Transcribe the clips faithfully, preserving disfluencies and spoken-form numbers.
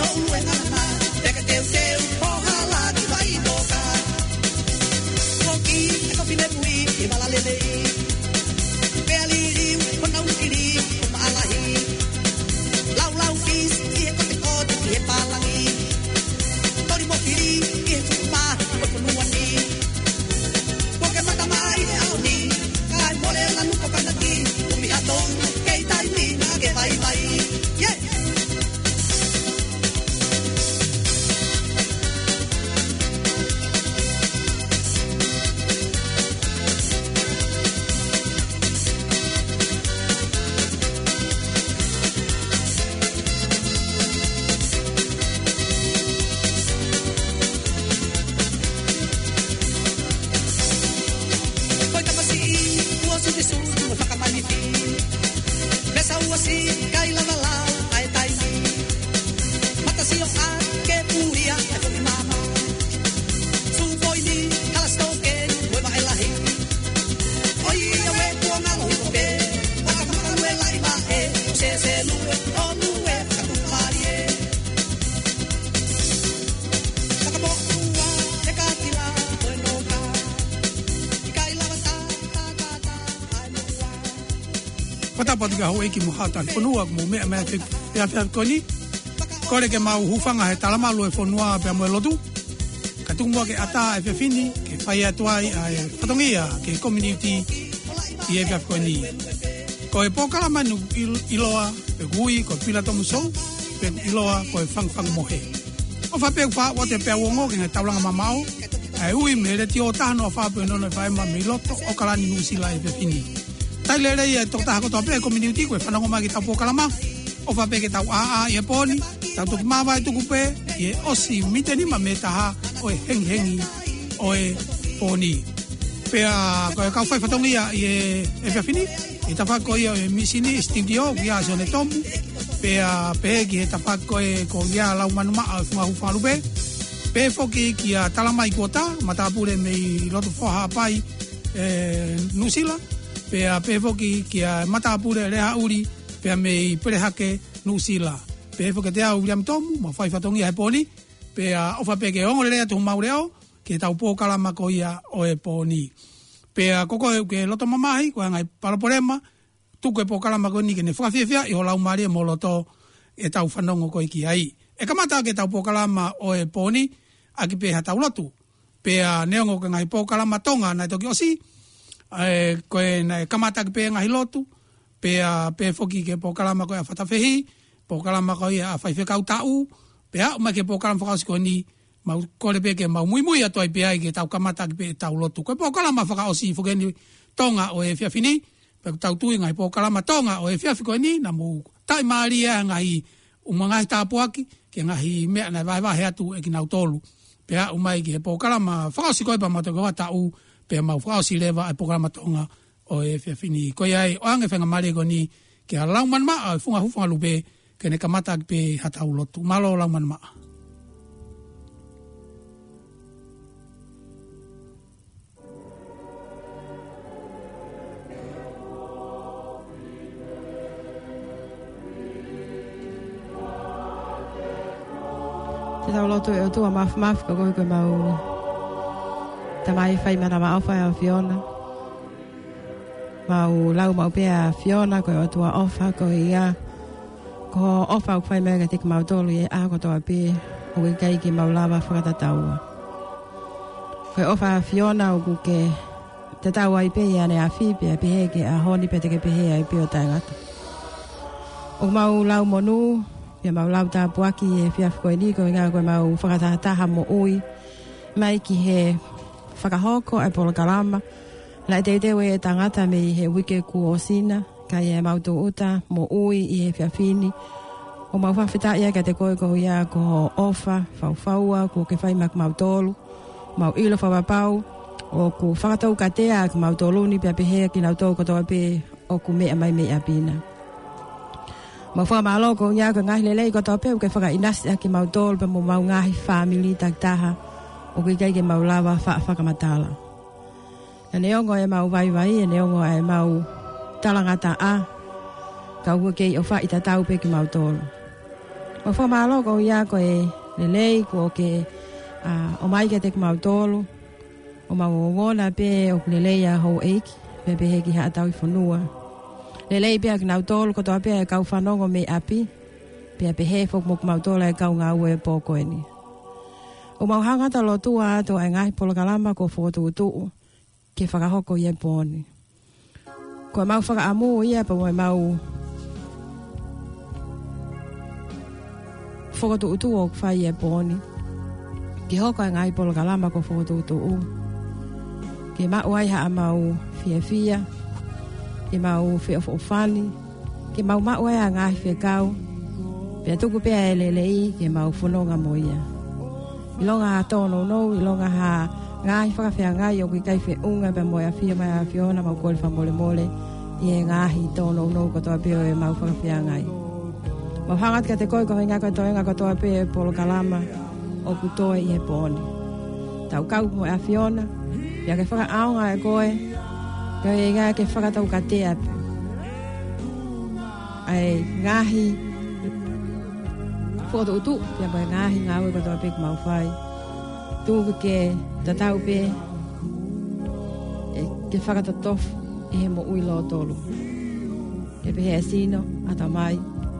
ʻOku ʻi ai e ngaahi meʻa, ʻe ka teuteu, ʻo hala ki vai noka. Koki, e kofi me pui, e vala lelei. Pea liliu, ʻo nau kili, ʻo maʻalahi. Laulau pisi, ʻi he kotekote, ʻi he pālangi. Toli mo kili, ʻi he tuku mā, ʻo e fonua ni. Kuo ke mata mai he ʻaho ni, kae mole lanu ko kanaki, ʻumi hatou, kei taimi, na ke vaivai. Yeah! Ko e tamasiʻi, ua suti sutu, ua fakamanifi. Mesa ua si, kai lava lau, ʻa e taimi. Mata sio a, ke pulia, ʻa e foki mama. Su poini, hala stoke, ue maʻe lahi. ʻOi, ʻa e ue kuo ngalo hiko pē. Waka maka lue lai maʻe, se se lue, o lue, katu malie. Waka mo ua, e ka tila, o e noka. Ika i lava ta, ta, ta, ta, ai mo ua. Fakatapu atu ki he houʻeiki mo e haʻa talifonua, ʻoku mou meʻa mai he efiafi ko eni. Kole ke mau hūfanga he talamalu ʻo e fonua pea mo e lotu. Ka tuku muʻa ke ʻatā e efiafi ni, ke fai atu ai ʻa e fatongia ki he community ʻi he efiafi ko eni. Ko e polokalama ni ʻoku ʻil-, ʻiloa, pe ʻoku ui, ko e Pila Tomu Show, pe ʻoku ʻiloa, ko e Fangufangu Mohe. ʻOfa pē ʻoku faʻa ʻoatu pē ʻa e ongo ki he ngaahi taulanga mamaʻo, ʻa e ui mei he letiō taha noa fā poini ono F M mei loto ʻAokalani Nuʻusila he efiafi ni. Talitali lelei e tokotaha kotoa pē ʻo e community kuo fanongo mai ki heʻetau polokalama. ʻOfa pē ke tau ʻāʻā ʻi he pō ni, tau toki māvae tuku pē ʻi he ʻosi miniti nima mei he taha ʻo e hengihengi ʻo e pō ni. Pea ko e kau fai fatongia ʻi he efiafi ni, ʻi he tafaʻaki ko ia ʻo e misini, studio, ko ia ʻa Sione Tomu. Pea pehē ki he tafaʻaki ko ē ko ia Laumanu Maʻa ʻo e Funga Hūfanga Lupe. Pehē foki kia Talamai Kuota, matāpule mei loto Foha Haʻapai, ē, Nuʻusila. Pea pehē foki kia matāpule Lehaʻuli, pea mei Pelehake, Nuʻusila. Pehē foki kiate au Viliami Tomu, mau fai fatongia he pō ni. Pea ʻofa pē ke ongo lelei atu homau leʻo, ki heʻetau polokalama ko ia ʻo e pō ni. Pea ko koe ʻoku ke loto mamahi, ko e ngaahi palopalema, tuku e polokalama ko eni ke ne fakafiefiaʻi ho laumālie mo ho loto ʻetau fanongo ko ē ki ai. ʻE kamata ʻaki ʻetau polokalama ʻo e pō ni, ʻaki pē haʻatau lotu. Pea neongo ko e ngaahi polokalama Tonga naʻe toki ʻosi, ē, ko ē naʻe kamata ʻaki pē ngaahi lotu, pea pehē foki ki he polokalama ko ia ʻa Fatafehi, polokalama ko ia ʻa Faifekau Taʻu, pea aʻu mai ki he polokalama fakaʻosi ko eni, mau kole pē ke mau muimui atu ai pē ai ke tau kamata ʻaki pē ʻetau lotu. Ko e polokalama fakaʻosi foki eni Tonga ʻo e efiafi ni, pea ʻoku tau tui ngaahi polokalama Tonga ʻo e efiafi ko eni, naʻa mou taʻimālie ʻa e ngaahi ʻū ngaahi tāpuaki, ki he ngaahi meʻa naʻe vahevahe atu ʻe kinautolu. Pea aʻu mai ki he polokalama fakaʻosi ko ē pea mau toki hoʻatā, pea mau fakaʻosi leva e polokalama Tonga ʻo e efiafi ni. Ko ia ai, ʻoange faingamālie ko eni kia Laumanu Maʻa ʻo e Funga Hūfanga Lupe, ke ne kamata ʻaki pē haʻatau lotu. Mālō Laumanu Maʻa. Te tau lotu. ʻE ʻOtua Māfimafi, ko koe ko ʻemau Tamai fai manavaʻofa ʻa e ʻAfiona. Mau lau maʻu pē ʻa e ʻAfiona ko e ʻOtua ʻofa, ko ia ko hoʻo ʻofa ʻoku fai mai kiate kimautolu ʻi he ʻaho kotoa pē, ʻoku ʻikai ke mau lava fakatataua. Ko e ʻofa ʻa e ʻAfiona ʻoku ke tatau ai pē ʻi ʻaneafi pea pehē ki he ʻaho ni pea te ke pehē ai pē ʻo taʻengata. ʻOku mau lau monū, pea mau lau tāpuaki ʻi he efiafi ko eni, ko e ʻuhinga ko ʻemau fakatahataha moʻui mai ki he fakahoko ʻa e polokalama. Naʻe teuteu ʻe he tangata mei he uike kuo ʻosi na, ka ʻi heʻemau tūʻuta moʻui ʻi he efiafi ni, ʻoku mau fakafetaʻi ai kiate koe koeʻuhi ko hoʻo ʻofa faufaua kuo ke fai maʻa kimautolu. Mau ʻilo fakapapau ʻoku fakatoukatea ʻa kimautolu ni pea pehē ʻa kinautolu kotoa pē ʻoku meʻa mai mei ʻapi na. Mau fakamālō koeʻuhi ko e ngaahi lelei kotoa pē ʻoku ke fakaʻinasi ʻaki kimautolu pea mo homau ngaahi fāmili takitaha ʻoku ʻikai ke mau lava fa-, fakamatala. Naʻa neongo ʻemau vaivai, ʻa neongo ʻemau talangataʻa, ka ʻoku ke ʻofaʻi tatau pē kimautolu. Mau fakamālō koeʻuhi ko e lelei kuo ke, ʻa, ʻomai kiate kimautolu. ʻO mau ongona pē ʻoku lelei ʻa houʻeiki, pea pehē ki haʻa tauhi fonua. Lelei pē ʻa kinautolu kotoa pē ʻa e kau fanongo mei ʻapi, pea pehē foki mo kimautolu ʻa e kau ngāue he pō ko eni. ʻOku mau hanga atu ʻo lotua atu ʻa e ngaahi polokalama kuo fokotuʻutuʻu ke fakahoko ʻi he pō ni. Ko ʻemau fakaʻamu ia pea mo ʻemau fokotuʻutuʻu ʻoku fai ʻi he pō ni, ke hoko ʻa e ngaahi polokalama kuo fokotuʻutuʻu, ke maʻu ai haʻamau fiefia, ke mau feʻofoʻofani, ke mau maʻu ai ʻa e ngaahi fekau, pea tuku pē ʻa e lelei ke mau fononga mo ia. ʻIlonga ha tōnounou, ʻilonga ha ngaahi fakafeangai ʻoku ʻikai feʻunga pea mo e ʻafio mai ʻa e ʻAfiona, mau kole fakamolemole ʻi he ngaahi tōnounou kotoa pē ʻo ʻemau fakafeangai. Mau hanga atu kiate koe koeʻuhi ko e toenga kotoa pē ʻo e polokalama ʻoku toe ʻi he pō ni. Tau kau mo e ʻAfiona, pea ke fakaʻaongaʻi koe, koeʻuhi ke fakataukatea pē ʻa e ngaahi fokotuʻutuʻu, pea mo e ngaahi ngāue kotoa pē ʻoku mau fai. Tuku ke tatau pē, ʻe, ke fakatotofu ʻi he moʻui lōtolu. Ke pehē ʻa e sino, ʻatamai,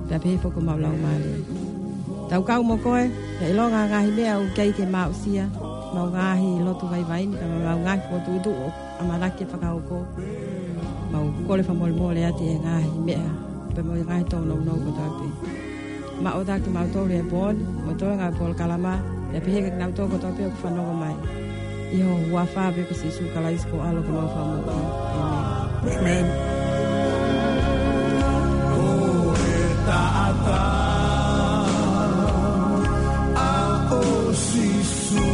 pea pehē foki homau laumālie. Tau kau mo koe, pea ʻilonga ngaahi meʻa ʻoku ʻikai ke mau aʻusia, mau ngaahi lotu vaivai ni, pea mo ʻemau ngaahi fokotuʻutuʻu ʻoku ʻamanaki ke fakahoko. Mau kole fakamolemole atu ʻi he ngaahi meʻa, pea mo e ngaahi tōnounou kotoa pē. Maʻu ʻaki kimautolu ʻi he pō ni, mo e toenga ʻo e polokalama, pea pehē kia kinautolu kotoa pē ʻoku fanongo mai. ʻI ho huafa pē ko Sīsū Kalaisi ko ho ʻAlo ko homau Fakamoʻui. ʻĒmeni. ʻĒmeni. Ko e taʻataʻa ʻo Sīsū,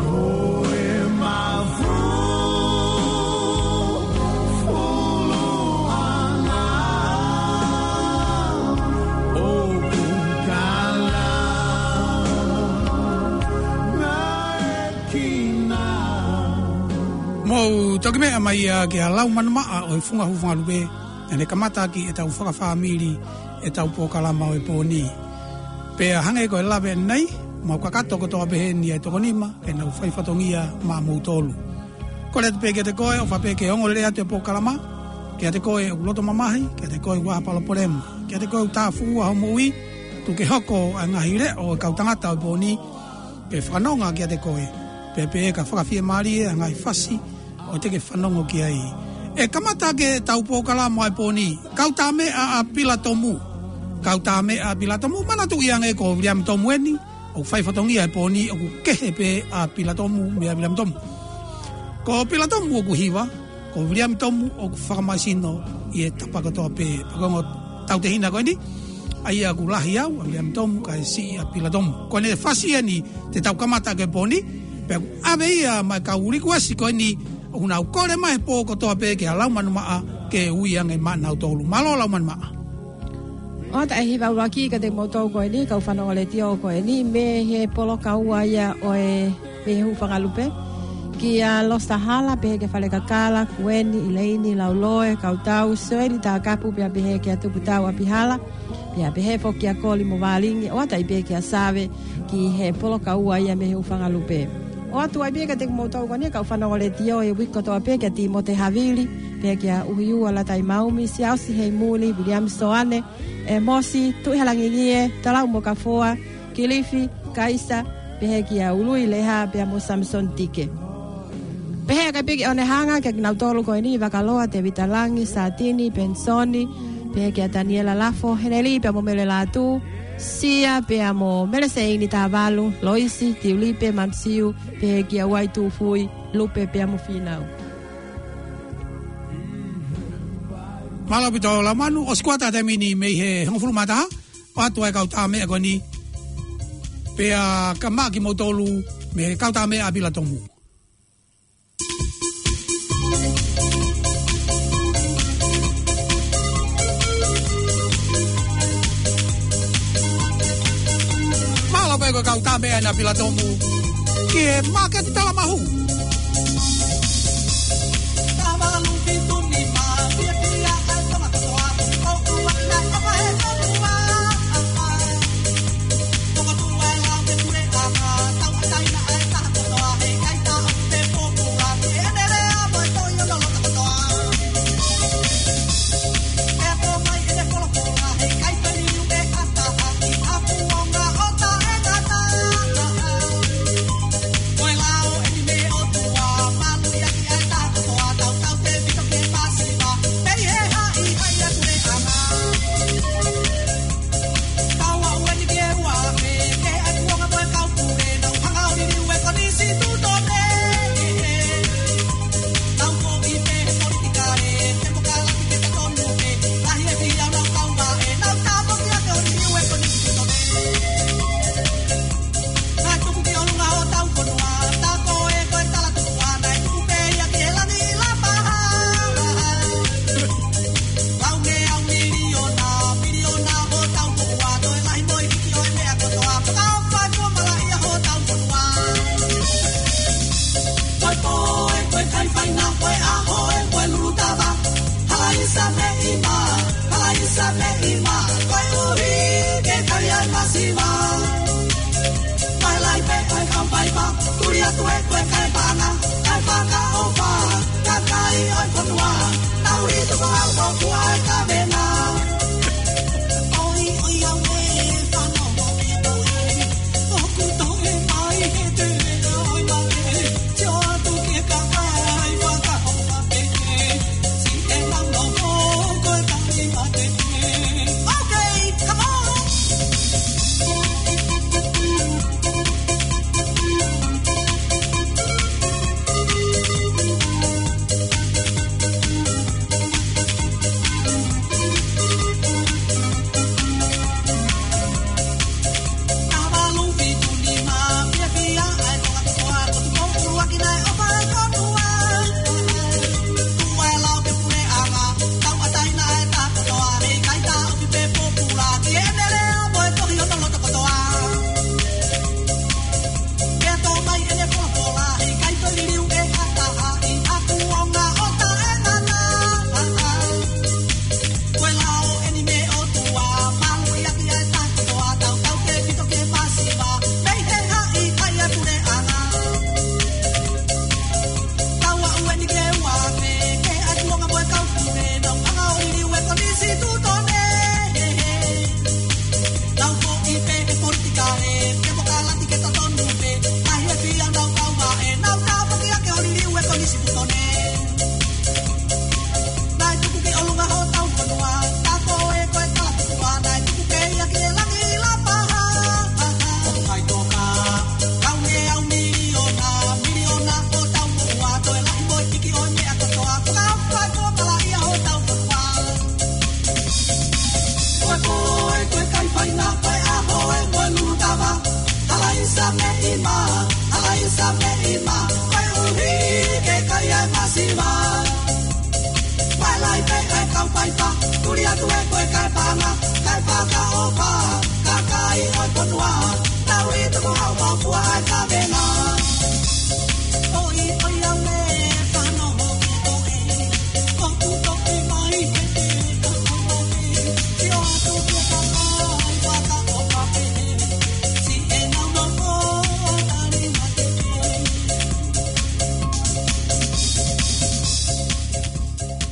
ko e mafuluʻanga ʻoku kala naʻe kina. Mou toki meʻa mai ia ki he Lau Manumaʻa ʻo e Funga Hūfangalupe, naʻa ne kamataʻaki ʻetau fakafāmili, ʻetau polokalama ʻo e pō ni. Pea hangē ko e lave ʻanenai, mau kakato kotoa pē heni ʻa e toko nima, ke nau fai fatongia maʻamoutolu. Kole atu pē kiate koe, ʻofa pē ke ongoongolelei atu e polokalama, kiate koe ʻoku loto mamahi, kiate koe ʻoku ʻi ai ha palopalema, kiate koe ʻoku tāfuʻua hoʻo moʻui, tuku ke hoko ʻa e ngaahi leʻo ʻo e kau tangata ʻo e pō ni, ke fanongo kiate koe, pea pehē ka fakafiemālie ʻa e ngaahi fasi ʻoku te ke fanongo ki ai. ʻE kamata ʻaki ʻetau polokalama ʻo e pō ni, Kau Tāmeʻa ʻa Pilatomu. Kau Tāmeʻa ʻa Pilatomu, manatuʻi ange ko Viliami Tomu eni, ʻoku fai fatongia he pō ni, ʻoku kehe pē ʻa Pilatomu meia Viliami Tomu. Ko Pilatomu ʻoku hiva, ko Viliami Tomu ʻoku fakamāsino ʻi he tapa kotoa pē. Pea ko e ongo tautehina ko eni, ʻa ia ʻoku lahi au, ʻa Viliami Tomu, kae siʻi ʻa Pilatomu. Ko ʻene fasi eni te tau kamata ʻaki e pō ni, pea ʻoku ʻave ia maʻa e kau likuesi ko eni, ʻoku nau kole mai he pō kotoa pē ki he Lau Manumaʻa ke ui ange maʻanautolu. Mālō Lau Manumaʻa. ʻOatu e hiva ʻuluaki kiate kimoutolu ko eni, kau fanongo letiō ko eni, mei he polokaua ia ʻo e mei he Hūfangalupe. Kia Losa Hala, pehē kia Falekakala, Kueni, ʻIleini, Lauloe, Kautau, Soeli Takapu, pea pehē kia Tuputau ʻApihala, pea pehē foki kia Koli mo Valingi, ʻoatu ai pē kia Save, ki he polokaua ia mei he Hūfangalupe. ʻOatu ai pē kiate kimoutolu ko eni, kau fanongo letiō he uike kotoa pē, kia Timote Havili, pehē kia ʻUhiua Latai Maumi, Siaosi Heimuli, Viliami Soane, ʻEmosi, Tuʻihalangingie, Talau mo Kafoa, Kilifi, Kaisa, pehē kia Ului Leha, pea mo Samson Tike. Pehē ʻaki pē ki ʻOnehanga, kia kinautolu ko eni, Vakaloa, Tevita Langi, Satini, Pensoni, pehē kia Taniela Lafo, Heneli, pea mo Mele Latu, Sia, pea mo Mele Seini Tavalu, Loisi, Tiulipe, Mansiu, pehē kia Uai Tufui, Lupe, pea mo Finau. Mālō ʻaupito Lau Manu, ʻosi kuata taimi ni mei he hongofulu mā taha, ʻoatu e kau tāmeʻa ko eni, pea kamata kimoutolu mei he Kau Tāmeʻa ʻa Pilatomu. Mālō pē ko e Kau Tāmeʻa ʻa Pilatomu ki he māketi Talamahu. Tapeʻi mā, koeʻuhi ke kai ai masiva. Vaelai pē ʻa e kau paipa, tuli atu e koe kae panga, kae fakaʻofa, kakai ʻo e fonua, tau i tuku hau mau fua ʻa e kavenga. ʻOi, ʻoi, ʻa me, fano hoki koe.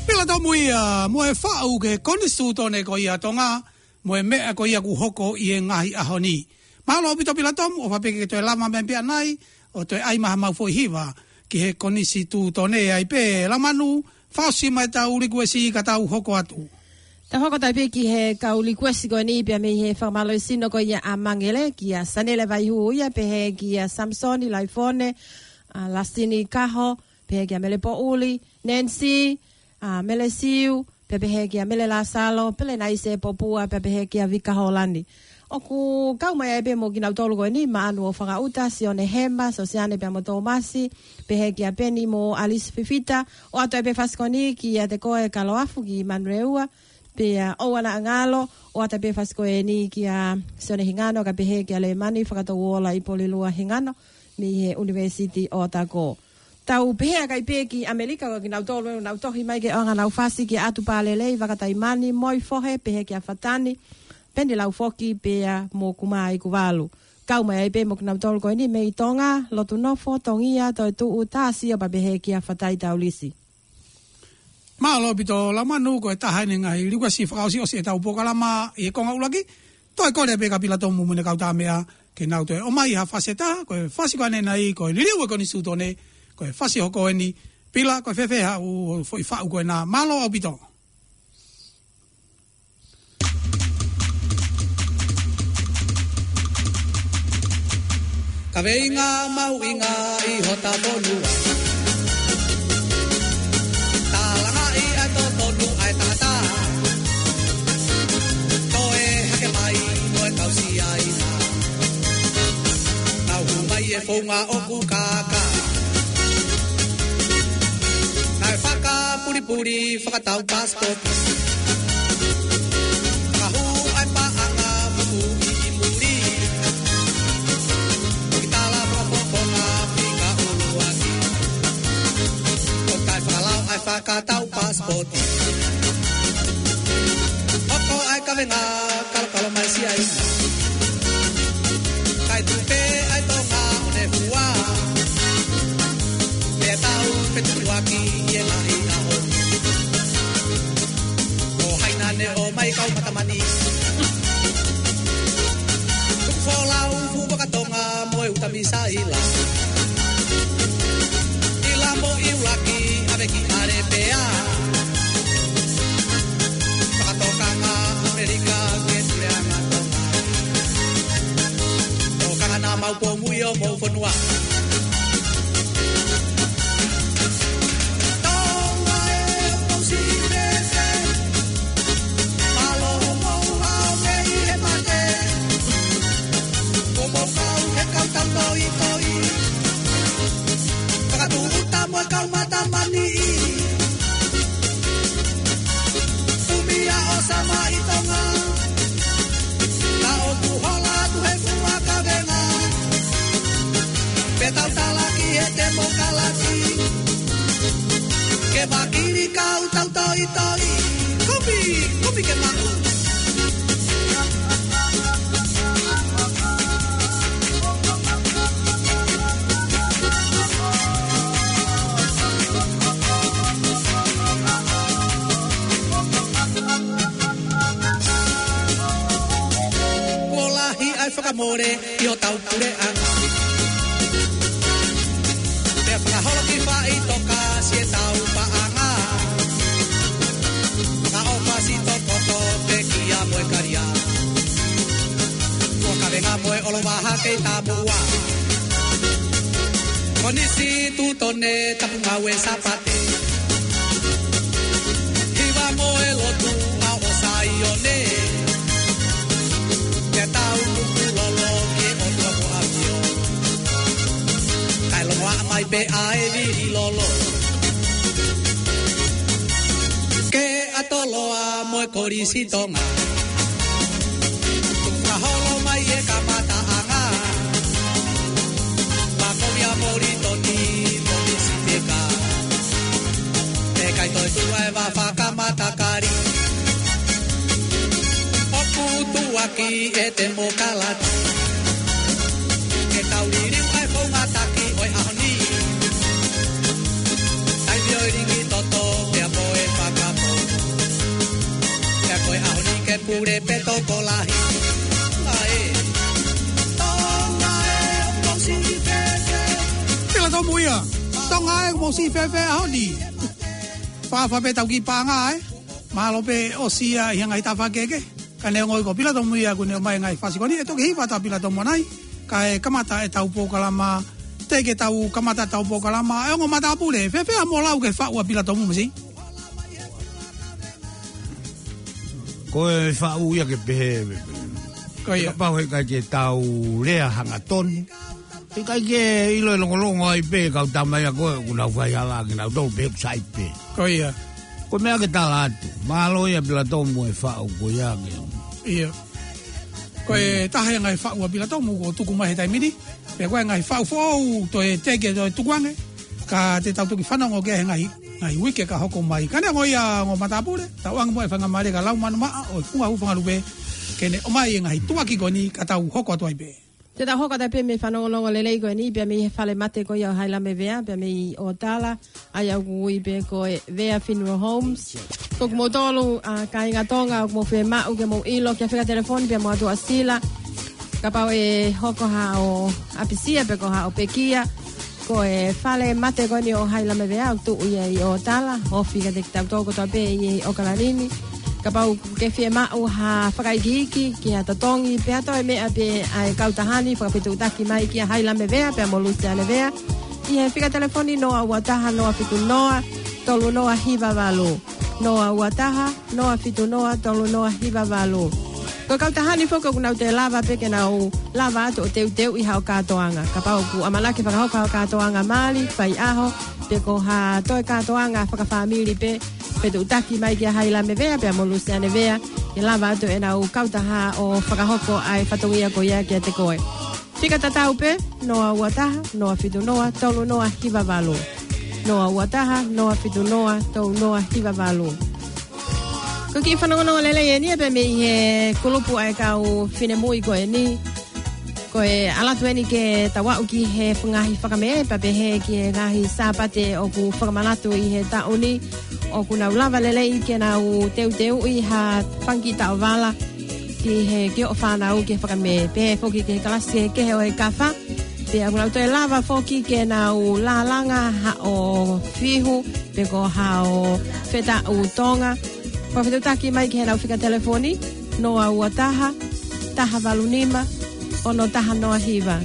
Pila Tomu ia, mo e faʻu ki he Konisitūtone ko ia ʻo Tonga, mo e meʻa ko ia kuo hoko ʻi he ngaahi ʻaho ni. Mālō ʻaupito Pila Tomu, ʻofa pē ke toe lava mai pē ʻanai, ʻo toe ʻai mai haʻamau foʻi hiva ki he Konisitūtone. ʻAi pē Lamanu, fakaʻosi mai ʻetau likuesi ka tau hoko atu. Tau hoko atu pē ki he kau likuesi ko eni pea mei he fakamālō sino ko ia ʻa Mangele, kia Sanele Vaihū ia, pehē kia Samisoni Laifone, ʻa Lasini Kaho, pehē kia Mele Poʻuli, Nancy, ʻa Mele Siu, pea pehē kia Mele Lasalo, Pelenaise Popua, pea pehē kia Vika Holani. ʻOku kau mai ai pē mo kinautolu ko eni, Maʻanu ʻo Fakaʻuta, Sione Hema, Sosiane pea mo Tōmasi, pehē kia Peni mo Alisi Fifita, ʻoatu ai pē fasi ko eni kia Te Koe Kaloafu ki Manurewa, pea ʻoua naʻa ngalo, ʻoatu ai pē fasi ko eni kia Sione Hingano, kae pehē kia Lemani Fakatouola ʻi Polilua Hingano, mei he ʻUnivēsiti ʻOtako. Tau pehē ʻa kai pē ki ʻAmelika, ko kinautolu ʻoku nau tohi mai ke ʻoange ʻenau fasi kia ʻAtu Pālelei, Vakataimani, Moi Fohe, pehē kia Fatani, Peni Laufoki, pea mo Kumai Kuvalu. Kau mai ai pē mo kinautolu ko eni mei Tonga, Lotu Nofo, Tongia, Toetuʻu, Tāsio, pea pehē kia Fatai Taulisi. Mālō ʻaupito Lamanu, ko e taha eni e ngaahi likuesi fakaʻosiʻosi ʻetau polokalama ʻi he konga ʻuluaki. Toe kole pē kia Pila Tomu mo ʻene kau tāmeʻa ke nau toe ʻomai ha fasi ʻe taha, ko e fasi ko eni ʻanenai, ko e liliu e Konisitūtone, ko e fasi hoko eni. Pila, ko e fēfē haʻo foʻi faʻu ko ena? Mālō ʻaupito. Kaveinga mahuʻinga ʻi hota fonua. Talangaʻi ʻa e totonu ʻa e tangata. Toe hake mai mo e kau Siaina. Nau hū mai e founga ʻoku kākā. Naʻe fakapulipuli fakatau passport. Ka hū ai paʻanga pupuʻi ʻi muli. Ki tala fakapoponga fika ʻuluaki. ʻO kai fakalau ai fakatau passport. Hoko ai kavenga kalokalo mai Siaina. Kai tupe ai Tonga ʻo ne fua. Pea tau petutuaki e lahi ʻaho. Ko hai naʻa ne ʻomai kau matamani. Tuku folau fuʻu vaka Tonga mo e uta misaila. ʻIla mo ʻIulaki ʻave ki ʻAlepea. Fakatokanga ʻAmelika ke tuleʻanga Tonga. Tokanga naʻa mau pōmui ʻo mou fonua. Tonga e, ʻoku siʻi pese. Mālō hoʻomou hao mei he mate. Kuo mou kau he kau tautoitoi. Fakatūʻuta mo e kau matamani. Kumi ʻa ʻosa mai Tonga. Ka ʻoku hola atu he fua kavenga. Pea tau talaki he temokalati. Ke vakili kau tautoitoi. Kumi, kumi ke maʻu. Kuo lahi ʻa e fakamole ʻi hotau puleʻanga. Pea fakaholo ki faʻitoka siʻetau paʻanga. Fakaʻofa siʻi tokoto pekia mo e kalia. Kuo kavenga mo e ʻolovaha kei tamuʻa. Konisitūtone tapu ngāue Sāpate. Hiva mo e lotu ʻa ʻo Saione. Ke tau tuku lolo ki he ʻOtua ko ʻAfio. Kae Pea ʻe vili lolo. Ke ʻatoloa mo e Kolisi Tonga. Tuku holo mai e kamataʻanga. Makoia Molitoni, Kolisi Teka. ʻE ʻikai toe tuʻu ʻa e vā fakamatakali. ʻOku tuʻuaki e temokalati. Ke tau liliu ʻa e founga taki ʻo e ʻaho ni. Taimi ʻo e liki toto, pea mo e fakapō. Pea ko e ʻaho ni ke pule pē tokolahi. Tonga ē, Tonga ē, ʻoku mou siʻi fēfē. Pila Tomu ia. Tonga ē, ʻoku mou siʻi fēfē ʻaho ni. Fakaʻapaʻapa pē tau kiʻi paʻanga, ē. Mālō pē ʻosi ia ʻi he ngaahi tafaʻaki kehekehe. Ka neongo ia ko Pila Tomu ia kuo ne ʻomai e ngaahi fasi ko eni, ʻe toki hiva atu ʻa Pila Tomu ʻanai. Kae kamata ʻetau polokalama, teʻeki ke tau kamata ʻetau polokalama, ʻe ongo matāpule, fēfē haʻamo lau ki he faʻu ʻa Pila Tomu masi? Ko e faʻu ia ke pehē. Ko ia. Kapau he ʻikai ke tau lea hangatonu. ʻIkai ke ʻilo e longolongo ai pē kau tama ia ko ē, ʻoku nau faihala kinautolu pē ʻoku sai pē. Ko ia. Ko e meʻa ke tala atu. Mālō ia Pila Tomu e faʻu ko ia ke. Ia. Ko e taha ia e ngaahi faʻu ʻa Pila Tomu kuo tuku mai he taimi ni. Pea ko e ngaahi faʻu foʻou, toe teʻeki toe tuku ange. Ka te tau toki fanongo ki ai he ngaahi, ngaahi uike ka hoko mai. Ka neongo ia ongo matāpule, tau ʻange muʻa e faingamālie kia Laumanu Maʻa ʻo e Funga Hūfangalupe, ke ne ʻomai e ngaahi tuʻuaki ko eni ka tau hoko atu ai pē. Te tau hoko atu ai pē mei he fanongonongo lelei ko eni, pea mei he fale mate ko ia ʻo Hailame Vea, pea mei ʻOtala, ʻa ia ʻoku ui pē ko e Vea Funeral Homes. Ko kimoutolu, ʻa, kāinga Tonga, ʻoku mou fiemaʻu ke mou ʻilo, ki he fika telefoni, pea mo ʻAtuʻasila. Kapau ʻe hoko haʻo ʻapisia, pe ko haʻo pekia. Ko e fale mate ko eni ʻo Hailame Vea, ʻoku tuʻu ia ʻi ʻOtala, ofi kiate kitautolu kotoa pē ʻi ʻOkalani ni. Kapau ʻoku ke fiemaʻu ha fakaikiiki, ki ha totongi, pe ha toe meʻa pē ʻa e kautaha ni, fakafetuʻutaki mai kia Hailame Vea, pea mo Lusiane Vea. ʻI he fika telefoni noa ua taha noa fitu noa tolu noa hiva valu. Noa ua taha noa fitu noa tolu noa hiva valu. Ko e kautaha ni foki ʻoku nau toe lava pē ke nau lava atu ʻo teuteuʻi haʻo kātoanga. Kapau ʻoku ʻamanaki fakahoko haʻo kātoanga mali, fai ʻaho, pe ko ha toe kātoanga fakafāmili pē, fetuʻutaki mai kia Hailame Vea, pea mo Lusiane Vea, ke lava atu ʻenau kautaha ʻo fakahoko ʻa e fatongia ko ia kiate koe. Fika tatau pē, noa ua taha noa fitu noa tolu noa hiva valu. Noa ua taha noa fitu noa tolu noa hiva valu. Ko e kiʻi fanongonongo lelei eni ia pea mei he kulupu ʻa e kau finemui ko eni. Ko e ʻalu atu eni ke tau aʻu ki he ngaahi fakamē, pea pehē ki he ngaahi Sāpate ʻoku fakamanatu ʻi he taʻu ni, ʻoku nau lava lelei ke nau teuteuʻi ha fanga kiʻi taʻovala ki he, ki hoʻo fānau ki he fakamē. Pehē foki ki he kalasi kehekehe ʻo e kafa. Pea ʻoku nau toe lava foki ke nau lālanga haʻo fihu, pe ko haʻo fetaʻu Tonga. Fakafetuʻutaki mai ki heʻenau fika telefoni, noa ua taha, taha valu nima, ono taha noa hiva.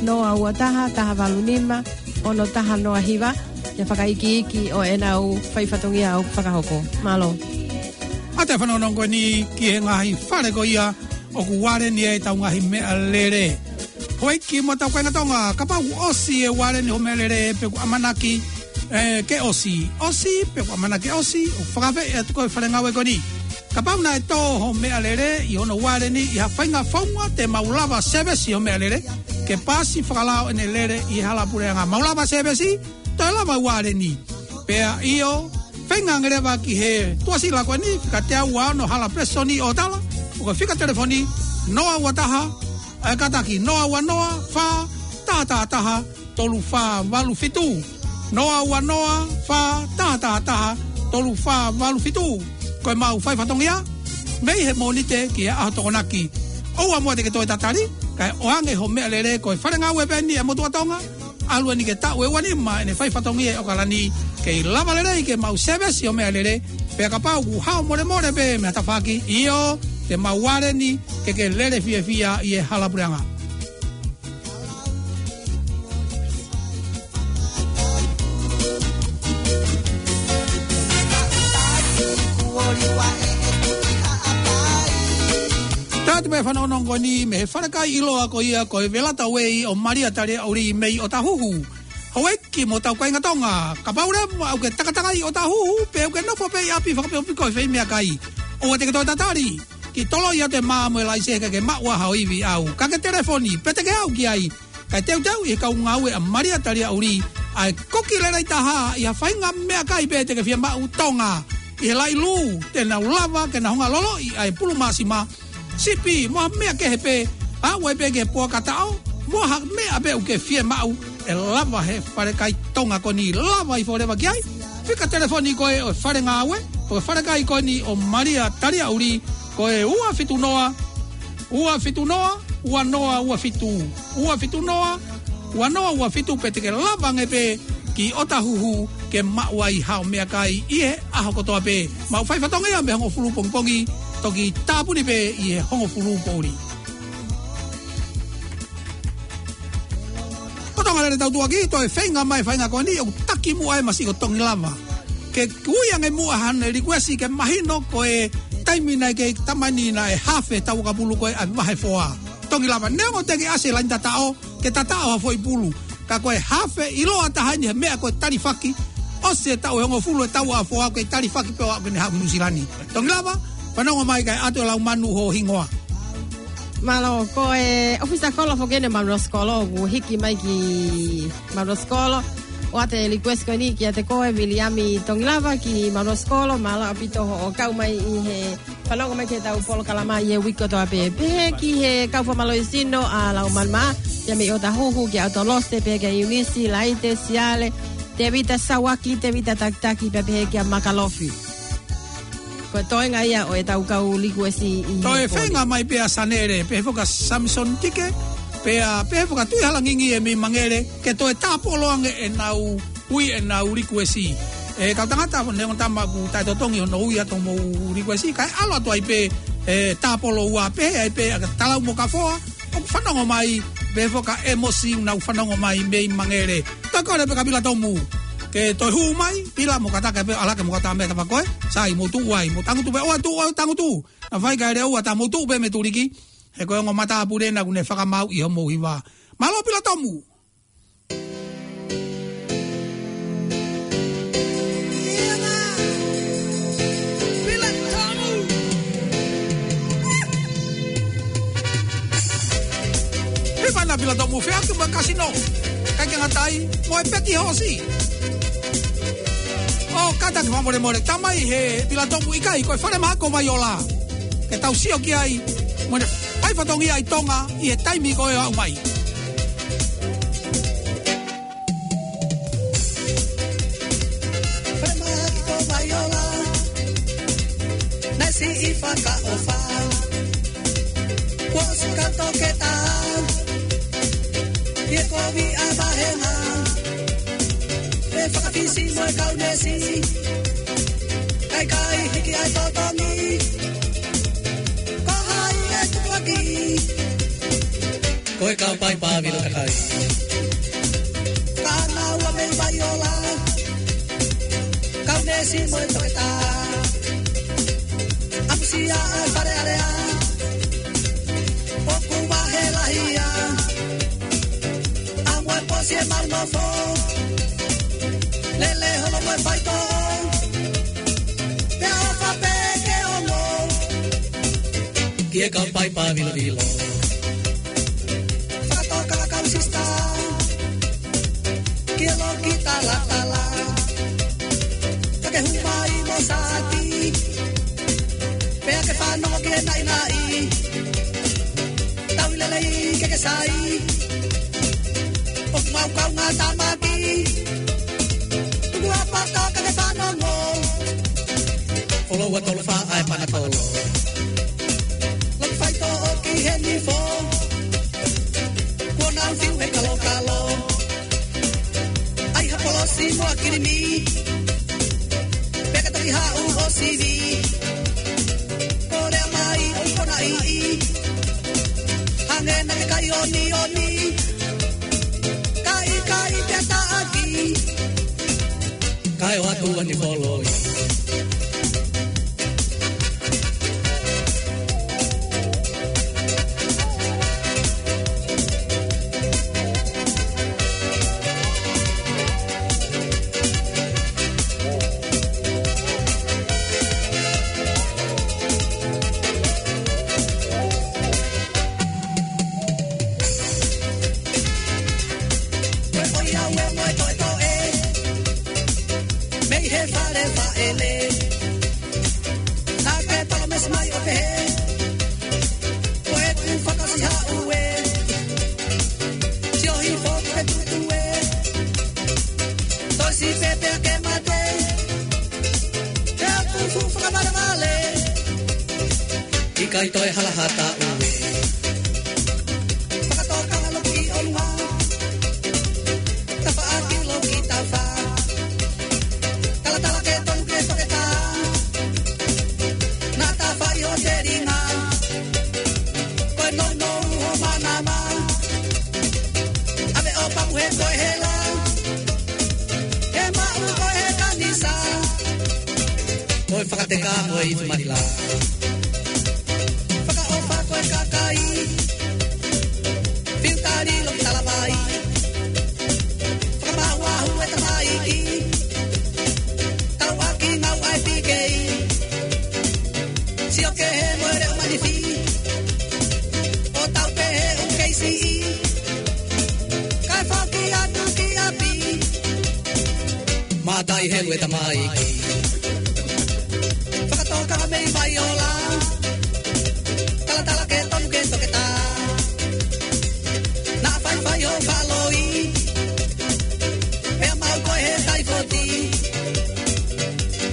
Noa ua taha, taha valu nima, ono taha noa hiva. Ki he fakaikiiki ʻo ʻenau fai fatongia ʻoku fakahoko. Mālō. ʻA e fanongonongo ko eni ki he ngaahi fale ko ia ʻoku ualeni ai ʻetau ngaahi meʻalele. Houʻeiki mo hotau kāinga Tonga, kapau ʻoku ʻosi e ualeni hoʻo meʻalele pe ʻoku ʻamanaki, ē, ke ʻosi. ʻOsi, pe ʻoku ʻamanaki ʻosi, ʻoku fakaafeʻi atu koe ʻe he fale ngāue ko eni. Kapau naʻe tō hoʻo meʻalele ʻi hono ualeni ʻi ha faʻahinga founga te mau lava sēvesi hoʻo meʻalele, ke paasi fakalao ʻene lele ʻi he hala puleʻanga. Mau lava sēvesi, toe lava ualeni. Pea ʻio, feinga ange leva ki he tuʻasila ko eni, fika teau ua ono Hala Presitoni ʻOtala, ʻo ka fika telefoni, noa ua taha, ē, kātaki, noa ua noa, fā, taha taha taha, tolu fā valu fitu. Noa ua noa, fā, taha taha taha, tolu fā valu fitu. Ko e mau fai fatongia, mei he Mōnite ki he ʻaho Tokonaki. ʻOua muʻa te ke toe tatali, kae ʻoange hoʻo meʻalele, ko e fale ngāue pē eni ʻa e motuʻa Tonga, ʻalu eni ki he taʻu ʻe ua nima ʻene fai fatongia ʻi ʻOkalani, kei lava lelei ke mau sēvesi hoʻo meʻalele, pea kapau ʻoku hao molemole pē mei ha tafaʻaki, ʻio, te mau ualeni ke ke lele fiefia ʻi he hala puleʻanga. Tatu pē fanongonongo ni mei he falekai ʻiloa ko ia ko e Velata Way ʻo Malia Taliaʻuli mei ʻOtahuhu. Houʻeiki mo hotau kāinga Tonga, kapau leva ʻoku ke takatakai ʻo tahuhu, pe ʻoku ke nofo pē ʻi ʻapi fakapeopiku ʻi he fai meʻakai, ʻoua te ke toe tatali ki toloi atu e mā mo e laise, ka ke maʻu ai haʻo ivi ʻau. Ka ke telefoni, pe te ke aʻu ki ai, kae teuteu ʻi he kau ngāue ʻa Malia Taliaʻuli ʻa e koki lelei taha ʻi ha faʻahinga meʻakai pē te ke fiemaʻu, Tonga, ʻi he laʻi lū, te nau lava ke nau hanga ʻo loloʻi ʻa e pulu māsima, sipi, mo ha meʻa kehe pē, ʻa ē pē ke puaka taʻo, mo ha meʻa pē ʻoku ke fiemaʻu, ʻe lava he falekai Tonga ko eni, lava ʻo foki leva ki ai. Fika telefoni ko ē ʻo e fale ngāue, ʻo e falekai ko eni ʻo Malia Taliaʻuli, ko e ua fitu noa, ua fitu noa, ua noa ua fitu, ua fitu noa, ua noa ua fitu, pe te ke lava ange pē ki ʻOtahuhu ke maʻu ai haʻo meʻakai ʻi he ʻaho kotoa pē. Maʻu fai fatongia mei he hongofulu pongipongi, toki tāpuni pē ʻi he hongofulu poʻuli. Ko Tonga lele tau tuʻaki, toe feinga mai faʻahinga ko eni, ʻoku taki muʻa e masi ko Tongilava ke ui ange muʻa haʻane likuesi ke mahino ko e taimi naʻe kei tamani naʻe hafe tau kapulu ko ē ʻa e vahe foa. Tongilava, neongo te ke ʻasi he laini tataʻo, ke tataʻo ha foʻi pulu. Ka ko e hafe ʻiloa taha eni he meʻa ko e talifaki. ʻOsi e taʻu ʻe hongofulu e tau ʻa foa, ko e talifaki pē ʻo aʻu ki he haʻu Nuʻusila ni. Tongilava, fanongo mai kae ʻoatu e lau manu ho hingoa. Mālō, ko e ʻofisa kolo foki eni Manuel Sikolo, ʻoku hiki mai ki Manuel Sikolo. ʻOatu e likuesi ko eni kiate koe Viliami Tongilava ki Manuel Sikolo, mālō ʻaupito hoʻo kau mai ʻi he fanongo mai ki heʻetau polokalama ʻi he uike kotoa pē. Pehē ki he kau fakamālohisino ʻa Laumanumā, pea mei ʻOtahuhu kia ʻAutalose, pehē kia Iunisi, Laite, Siale, Tevita Sauaki, Tevita Takitaki, pea pehē kia Makalofi. Ko e toenga ia ʻo ʻetau kau likuesi ʻi he pō ni. Toe feinga mai pē ʻa Sanele, pehē foki kia Samson Tike, pea pehē foki kia Tuʻihalangingi ʻe mei Mangele, ke toe tāpolo ange ʻenau ui ʻenau likuesi. ʻE kau tangata, neongo tama ʻoku taʻetotongi hono ui atu homou likuesi, kae ʻalu atu ai pē, ʻe tāpolo ua pē, ai pē ʻa Talau mo Kafoa, ʻoku fanongo mai, pehē foki kia ʻEmosi ʻoku nau fanongo mai mei Mangele. Toe kole pē kia Pila Tomu ke toe hū mai, Pila mo kātaki pē, ʻalake mo kātaki mei tafaʻaki ko ē, sai mou tuʻu ai, mou tangutu pē, ʻoua tuʻu, ʻoua tangutu. Naʻa faifai kae lea ua tā mou tuʻu pē mei tuliki, he ko e ongo matāpule ena ʻoku ne fakamaau ʻi homou hiva. Mālō Pila Tomu. Hifana Pila Tomu, feʻaki mo e kasino, kae ke ngata ai mo e peti hoosi. ʻO kātaki fakamolemole, tamai he Pila Tomu, ʻikai, ko e falemahaki ko Vaiola ke tau sio ki ai, mo ʻene fai fatongia ʻi Tonga ʻi he taimi ko ē ʻo aʻu mai. Falemahaki ko Vaiola, naʻe siʻi fakaʻofa, kuo ʻosi kau toketā ʻi he kovi ʻa e vāhenga, ʻe fakafisi mo e kau neesi, kae ʻikai hiki ai totongi. Ko hai ʻe tukuakiʻi? Ko e kau paipa vilo kakai. Ka naʻa ua mei Vaiola, kau neesi mo e toketā. ʻAmusia ʻa e Fale Alea, ʻoku vahe lahi ia. ʻAmu e posi e mau nofo, lele holo mo e faitoʻo, pea ʻofa pē ke ongo ki he kau paipa vilovilo. Fakatokanga kau sisitā ki he loki talatala, ka ke hū mai mo saati, pea ke fanongo ki he naʻinaʻi, tau ʻi lelei ke ke sai. ʻOku mau kaungā tāmaki, tuku ʻa pata ka ke fanongo. Foloua tolu fā ʻa e panakolo, loki faitoʻo ki he nifo, kuo nau fiu he kalokalo. ʻAi ha polosi mo ha kilimi, pea ke toki haʻu ʻo sivi. Ko e lea mai ʻo e ponaʻi, hangē naʻa ke kai onioni, ka ʻikai pea taʻaki. Kae ʻoatu ʻa e nifo loi. Naʻa ke palōmesi mai ʻo pehē, ko ʻeku fakaʻosi haʻu ē, sio hifo ki he tutu ē, tosi pē pea ke mate, he ʻoku fuʻu fakavalevale, ʻikai toe hala ha taʻu ē. Fakatokanga loki ʻolunga, tafaʻaki loki tafa. Talatala ke tonu ke toketā. Naʻa ta fai ho telinga. Ko e nounou ho manava. ʻAve ʻo paku he ko e hela. He maʻu ko e he kanisa. Ko e fakateka mo e ifi Manila. Fakaʻofa ko e kakai. Fiu tali loki talavai. Fakamahuahu e tamaiki. Tauʻaki ngau ai pikei. Sio kehe mo e leʻo manifi. ʻO tau pehē ʻoku kei siʻi. Kae foki atu ki ʻapi. Mātai helu e tamaiki. Fakatokanga mei Vaiola. Talatala ke tonu ke toketā. Naʻa faifai ho faloi. Pea maʻu ko e he taifoti.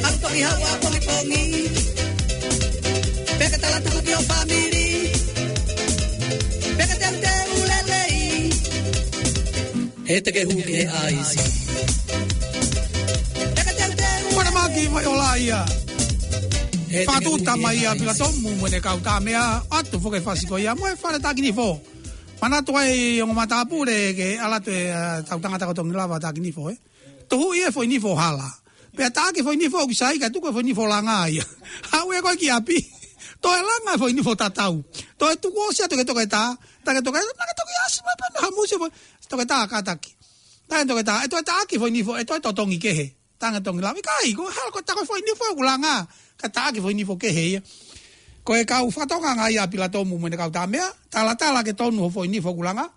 ʻAlu toki haʻu ʻapongipongi. Pea ke tala tuku ki ho fāmili. Pea ke teuteu lelei. He te ke hū ki he ʻaisi. Pea ke teuteu. Mana maki mai o la ia. He te ke hū ki he ʻaisi. Fatu tama ia Pilatomu mo ʻene kau tamea, ʻoatu foki e fasi ko ia mo e fale Takinifo. Manatu ai ongo matāpule ke ʻalu atu e, ʻa, tau tangata ko Tongilava Takinifo, ē. Tohu ia foʻi nifo hala. Pea taʻaki foʻi nifo ʻoku sai kae tuku e foʻi nifo langa ia. Haʻu ē ko ē ki ʻapi. Toe langa foʻi nifo tatau. Toe tuku ʻo sio atu ki he toketā. Taʻaki toketā, naʻa ke toki ʻasi mai pē naʻa hamusi foʻi toketā kātaki. Taʻaki toketā, ʻe toe taʻaki foʻi nifo, ʻe toe totongi kehe. Taʻaki Tongilava, ʻikai, ko e hala ko e taʻaki foʻi nifo ʻoku langa. Kae taʻaki foʻi nifo kehe ia. Ko e kau fakatokanga ia Pilatomu mo ʻene kau tamea. Talatala ke tonu ho foʻi nifo ʻoku langa.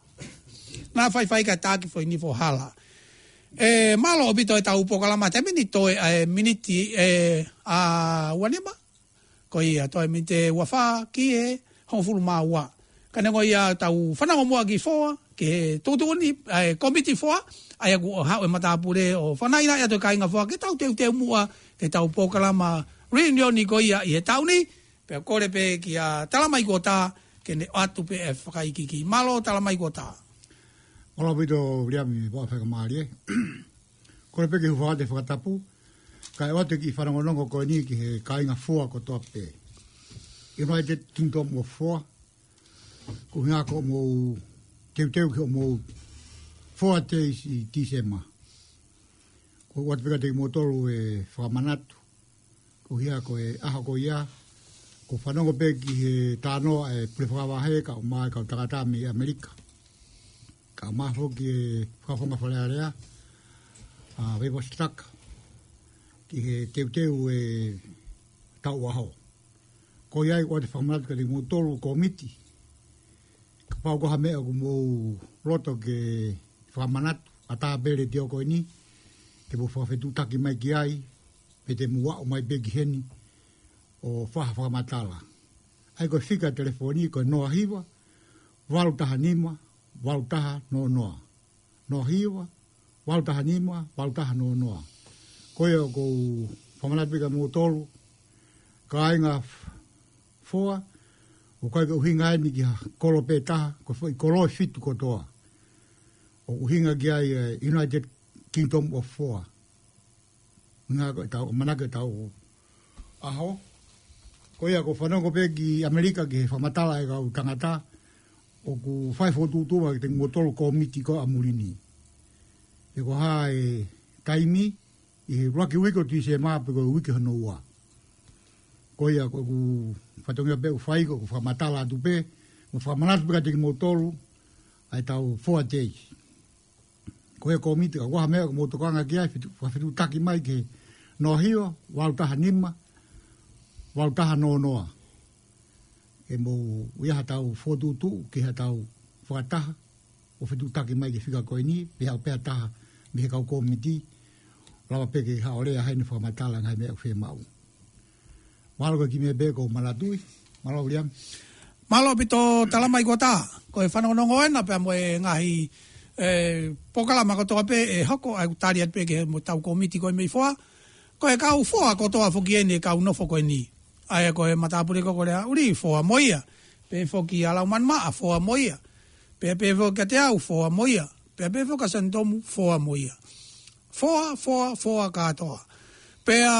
Naʻa faifai kae taʻaki foʻi nifo hala. ʻE, mālō ʻaupito e tau polokalama, te miniti toe, ʻe, miniti, ʻe, ʻa, ua nima. Ko ia, toe miniti ʻe ua fā ki he hongofulu mā ua. Ka neongo ia tau fanongo muʻa ki he foa, ki he tuʻutuʻuni, ʻe, komiti foa, ʻa ia ʻoku haʻu e matāpule ʻo fanaina ia ʻa e kāinga foa, ke tau teuteu muʻa, ke tau polokalama reunion ko ia ʻi he taʻu ni, pea kole pē kia Talamai Kuota, ke ne ʻoatu pē e fakaikiiki. Mālō Talamai Kuota. Mālō ʻaupito Viliami Vaʻa Faikamālie. Kole pē ke u hūfanga atu he fakatapu, kae ʻoatu e kiʻi fanongonongo ko eni ki he kāinga foa kotoa pē. United Kingdom of Foa, ko e ʻuhinga ko hoʻomou teuteu ki hoʻomou Foa Days ʻi Tīsema. Ko u ʻoatu pē kiate kimoutolu e fakamanatu, ko ia ko e ʻaho ko ia, ko u fanongo pē ki he talanoa ʻa e pule fakavahe kae ʻumaʻā e kau tangata mei ʻAmelika. Kae ʻumaʻā foki e fakafofonga Fale Alea, ʻa Veivasi Taka, ki he teuteu e tau ʻaho. Ko ia ai ʻoatu e fakamanatu kiate kimoutolu komiti. Kapau ko ha meʻa ʻoku mou loto ke fakamanatu, ʻatā pē e letiō ko eni, ke mou fakafetuʻutaki mai ki ai, pe te mou aʻu mai pē ki heni, ʻo fai ha fakamatala. ʻA ia ko e fika telefoni, ko e noa hiva, valu taha nima, valu taha noa noa. Noa hiva, valu taha nima, valu taha noa noa. Ko ia ʻoku ou fakamanatu pē kia moutolu, kāinga f-, foa, ʻoku ʻikai ke ʻuhinga eni ki ha kolo pē taha, ko e foʻi kolo ʻe fitu kotoa. ʻOku ʻuhinga ki ai e United Kingdom of Foa. ʻUhinga ko e tau, ʻamanaki e tau ʻaho. Ko ia ko u fanongo pē ki ʻAmelika ki he fakamatala e kau tangata, ʻoku fai fokotuʻutuʻu mai kiate kimoutolu komiti ko ē ʻa muli ni. Pe ko e hā e taimi, ʻi he ʻuluaki uike ʻo Tīsema pe ko e uike hono ua. Ko ia ko ʻeku fatongia pē ʻoku fai ko ʻeku fakamatala atu pē, mo fakamanatu pē kiate kimoutolu, ʻa e tau Foa Days. Ko e komiti, kapau ko ha meʻa ʻoku mou tokanga ki ai, fetu-, fakafetuʻutaki mai ki he noa hiva, valu taha nima, valu taha noa noa. Ke mou ʻai ha tau fokotuʻutuʻu, ki ha tau fakataha, ʻo fetuʻutaki mai ki he fika ko eni, pe haʻu pē ha taha, mei he kau komiti, lava pē ke haʻu ʻo lea heni fakamatala ngaahi meʻa ʻoku fiemaʻu. Mālō ko e kiʻi meʻa pē ʻoku ou manatuʻi. Mālō Viliami. Mālō ʻaupito Talamai Kuata. Ko e fanongonongo ena pea mo e ngaahi, e, polokalama kotoa pē ʻe hoko, ʻa ia ʻoku tali atu pē ki he mo tau kōmiti ko ē mei foa. Ko e kau foa kotoa foki eni e kau nofo ko eni. ʻA ia ko e matāpule ko ē ko Leaʻuli, foa mo ia. Pehē foki ʻa Laumanimaʻa, foa mo ia. Pea pehē foki kiate au, foa mo ia. Pea pehē foki ʻa Sanitomu, foa mo ia. Foa, foa, foa kātoa. Pea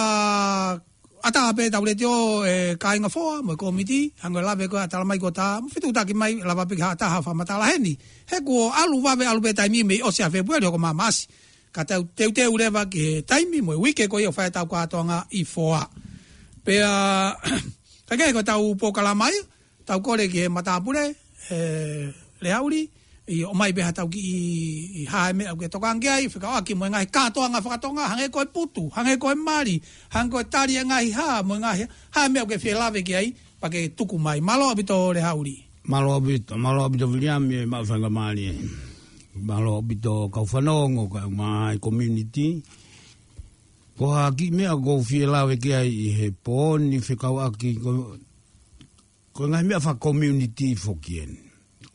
ʻatā pē ʻetau letiō, e kāinga foa mo e kōmiti, hangē ko e lave ko ē ʻa Talamai Kuata, mo fetuʻutaki mai, lava pē ke haʻu ʻo ʻatā ha fakamatala heni. He kuo ʻalu vave, ʻalu pē taimi mei ʻosi ʻa Fēpueli hoko mai Maʻasi. Ka tau teuteu leva ki he taimi mo e uike ko ia ʻoku fai ai ʻetau kātoanga ʻi foa. Pea, ka ke ko ʻetau polokalama ia, tau kole ki he matāpule, e, Leaʻuli, ʻi ʻomai pē ha tau kiʻi, ʻi ha meʻa ʻoku ke tokanga ki ai, fekauʻaki mo e ngaahi kātoanga fakatonga, hangē ko e putu, hangē ko e mali, hangē ko e tali e ngaahi hā, mo e ngaahi, ha meʻa ʻoku ke fie lave ki ai, pea ke tuku mai. Mālō ʻaupito Leaʻuli. Mālō ʻaupito, mālō ʻaupito Viliami e maʻu faingamālie. Mālō ʻaupito kau fanongo, kau mai community. Ko ha kiʻi meʻa ʻoku ou fie lave ki ai ʻi he pō ni fekauʻaki ko, ko e ngaahi meʻa faka-community foki eni.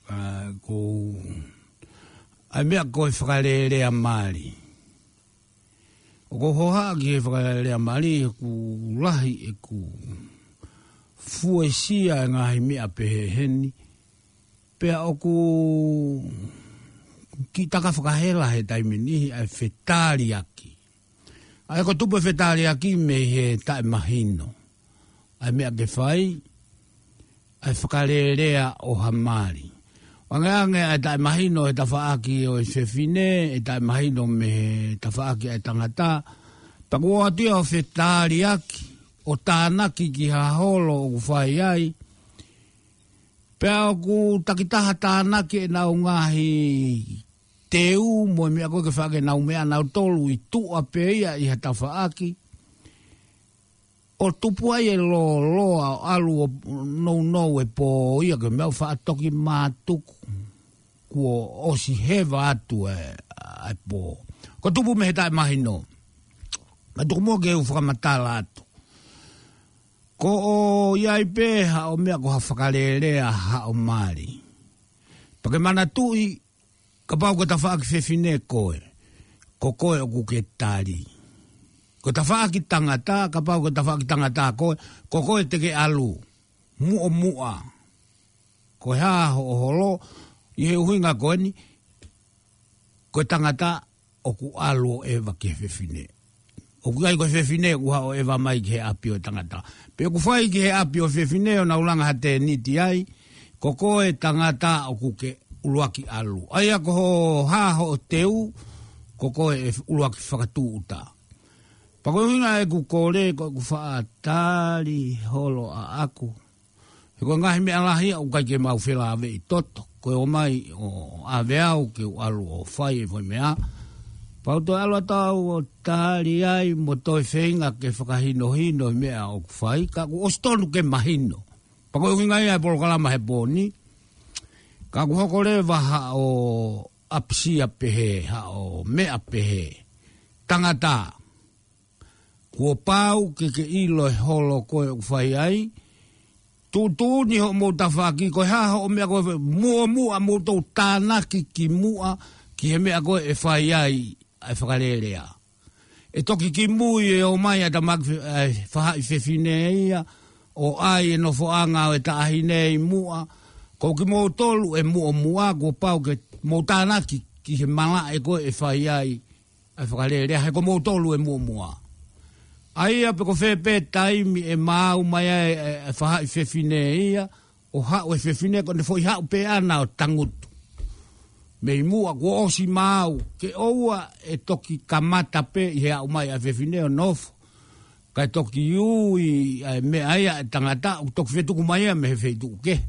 ʻA, ko, ʻa e meʻa ko e fakalelea mali. ʻOku ou hohaʻa ki he fakalelea mali, ʻoku lahi ʻeku fuesia e ngaahi meʻa pehē heni. Pea ʻoku kiʻi taka fakahela he taimi ni ʻa e fetaliaki. ʻA ia ko e tupu e fetaliaki mei he taʻemahino ʻa e meʻa ke fai, ʻa e fakalelea ʻo ha mali. ʻO angeange ʻa e taʻemahino he tafaʻaki ʻo e fefine, e taʻemahino mei he tafaʻaki ʻa e tangata. Pea kuo ʻoatu ia ʻo fetaliaki, ʻo tānaki ki ha holo ʻoku fai ai. Pea ʻoku takitaha tānaki ʻenau ngaahi teu mo e meʻa ko ē ke faʻa ke nau meʻa nautolu ʻi tuʻa pē ia ʻi ha tafaʻaki. ʻO tupu ai e lōloa ʻo ʻalu ʻo nounou e pō ia ke meʻa ʻo faʻa toki mātuku. Kuo ʻosi heva atu e, ʻa e pō. Ko e tupu mei he taʻemahino. Ka tuku muʻa ke u fakamatala atu. Ko ʻo ʻi ai pē haʻo meʻa ko ha fakalelea haʻo mali. Pea ke manatuʻi, kapau ko e tafaʻaki fefine koe, ko koe ʻoku ke tali. Ko e tafaʻaki tangata, kapau ko e tafaʻaki tangata koe, ko koe te ke ʻalu. Muʻomuʻa. Ko e hā hoʻo holo, ʻi he ʻuhinga ko eni, ko e tangata ʻoku ʻalu ʻo ʻeva ki he fefine. ʻOku ʻikai ko e fefine ʻoku haʻu ʻo ʻeva mai ki he ʻapi ʻo e tangata. Pe ʻoku fai ki he ʻapi ʻo e fefine ʻo nau langa ha tēniti ai, ko koe tangata ʻoku ke ʻuluaki ʻalu. ʻA ia ko hoʻo hā hoʻo teu, ko koe ʻe ʻuluaki fakatūʻuta. Pea ko e ʻuhinga ʻeku kole, ko ʻeku faʻa tali holo ʻaʻaku. He ko e ngaahi meʻa lahi ia ʻoku ʻikai ke mau felāveʻi toto. Ko e ō mai ʻo ʻave au ke u ʻalu ʻo fai e foʻi meʻa. Pea u toe ʻalu atu au ʻo tali ai mo toe feinga ke fakahinohino e meʻa ʻoku fai. Ka kuo ʻosi tonu ke mahino. Pea ko e ʻuhinga ia e polokalama he pō ni. Ka kuo hoko leva haʻo ʻapisia pehē, haʻo meʻa pehē. Tangata. Kuo pau ke ke ʻilo e holo ko ē ʻoku fai ai. Tuʻutuʻuni hoʻomou tafaʻaki, ko e hā hoʻo meʻa ko ē, muʻomuʻa mou tou tānaki ki muʻa, ki he meʻa ko ē ʻe fai ai, ʻa e fakalelea. ʻE toki kimui e ō mai ʻa e tamaiki fe-, ʻa e faʻahi fefine ia, ʻo ʻai e nofoʻanga ʻo e taʻahine ʻi muʻa, ko kimoutolu ʻe muʻomuʻa, kuo pau ke mou tānaki ki he malaʻe ko ē ʻe fai ai, ʻa e fakalelea, he ko moutolu ʻe muʻomuʻa. ʻA ia pe ko fē pē taimi ʻe maau mai ai e, e faʻahi fefine ia, ʻo haʻu e fefine ko ʻene foʻi haʻu pē ʻana ʻo tangutu. Mei muʻa kuo ʻosi maau, ke ʻoua ʻe toki kamata pē ʻi he aʻu mai ʻa e fefine ʻo nofo. Kae toki ui ʻa e meʻa ia ʻa e tangata, ʻoku toki fetuku mai ia mei he feituʻu kehe.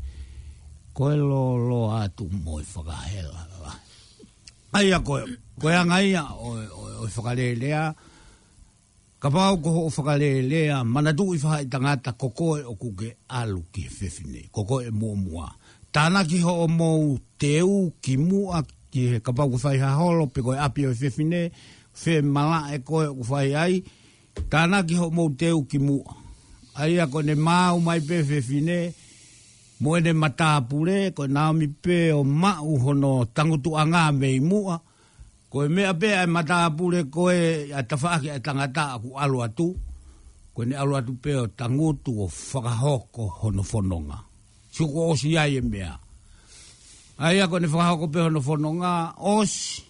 Ko e lōloa atu mo e fakahela lahi. ʻA ia ko e, ko e anga ia ʻo, ʻo, ʻo e fakalelea, kapau ko hoʻo fakalelea, manatuʻi faʻahi tangata ko koe ʻoku ke ʻalu ki he fefine, ko koe ʻe muʻomuʻa. Tānaki hoʻomou teu ki muʻa ki he kapau ko e fai ha holo pe ko e ʻapi ʻo e fefine, femalaʻe ko ē ʻoku fai ai, tānaki hoʻomou teu ki muʻa. ʻA ia ko ʻene maau mai pē fefine mo ʻene matāpule, ko e naomi pē ʻo maʻu hono tangutuʻanga mei muʻa. Ko e meʻa pē ʻa e matāpule ko ē ʻa e tafaʻaki ʻa e tangata ʻoku ʻalu atu, ko ʻene ʻalu atu pē ʻo tangutu ʻo fakahoko hono fononga. Sio kuo ʻosi ai e meʻa. ʻA ia ko ʻene fakahoko pē hono fononga, ʻosi.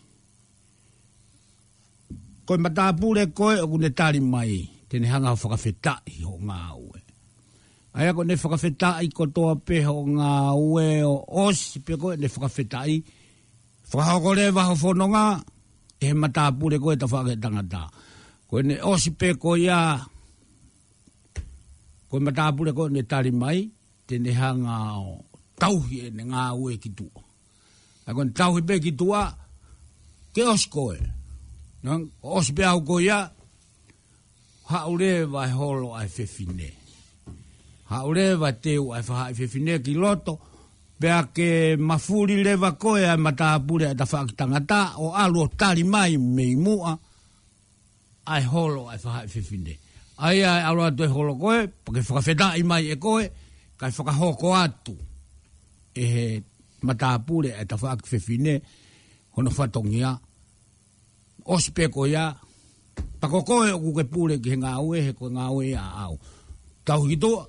Ko e matāpule ko ē ʻoku ne tali mai, te ne hanga ʻo fakafetaʻi hoʻo ngāue. ʻA ia ko ʻene fakafetaʻi kotoa pē hoʻo ngāue ʻo ʻosi pē ko ē ʻene fakafetaʻi, fakahoko leva hoʻo fononga ʻe he matāpule ko ē tafaʻaki ʻa e tangata. Ko ʻene ʻosi pē ko ia, ko e matāpule ko ē ʻoku ne tali mai, te ne hanga ʻo tauhi ʻene ngāue ki tuʻa. ʻA ia ko ʻene tauhi pē ki tuʻa, ke ʻosi ko ē. Nang, ʻosi pē au ko ia, haʻu leva e holo ʻa e fefine. Haʻu leva e teu ʻa e faʻahi fefine ki loto, pea ke mafuli leva ko ē ʻa e matāpule ʻa e tafaʻaki tangata, ʻo ʻalu ʻo tali mai mei muʻa, ʻa e holo ʻa e faʻahi fefine. ʻA ia ʻe ʻalu atu e holo ko ē, pea ke fakafetaʻi mai ʻe koe, kae fakahoko atu ʻe he matāpule ʻa e tafaʻaki fefine hono fatongia, ʻosi pē ko ia, pea ko koe ʻoku ke pule ki he ngāue, he ko e ngāue ia ʻaʻau. Tauhi ki tuʻa,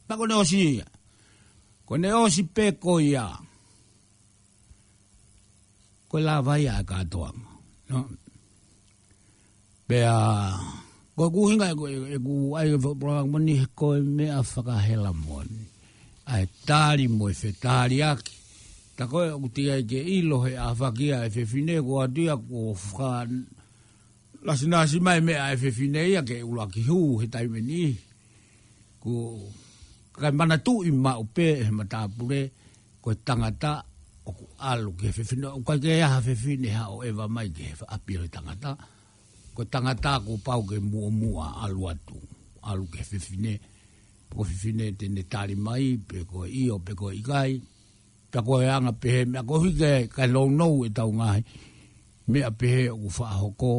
pea ko ʻene ʻosi ia. Ko ʻene ʻosi pē ko ia, ko e lava ia ʻa e kātoanga. No? Pea, ko e ʻuhinga ʻeku, ʻeku ʻai e fo-, polokalama ni he ko e meʻa fakahela moʻoni. ʻA e tali mo e fetaliaki. Tā ko ē ʻoku teʻeki ai ke ʻilo he ʻafaki ʻa e fefine ko atu ia ko fa-, nasinasi mai meʻa ʻa e fefine ia ke ʻuluaki hū he taimi ni. Ko e kakai manatuʻi maʻu pē ʻe he matāpule, ko e tangata ʻoku ʻalu ki he fefine, ʻoku ʻikai ke ʻi ai ha fefine haʻu ʻo ʻeva mai ki he ʻapi ʻo e tangata. Ko e tangata kuo pau ke muʻomuʻa ʻalu atu, ʻalu ki he fefine, pe ko e fefine te ne tali mai, pe ko e ʻio, pe ko e ʻikai. Pea ko e anga pehē, meʻa koeʻuhi ke, kae nounou ʻetau ngaahi meʻa pehē ʻoku faʻa hoko,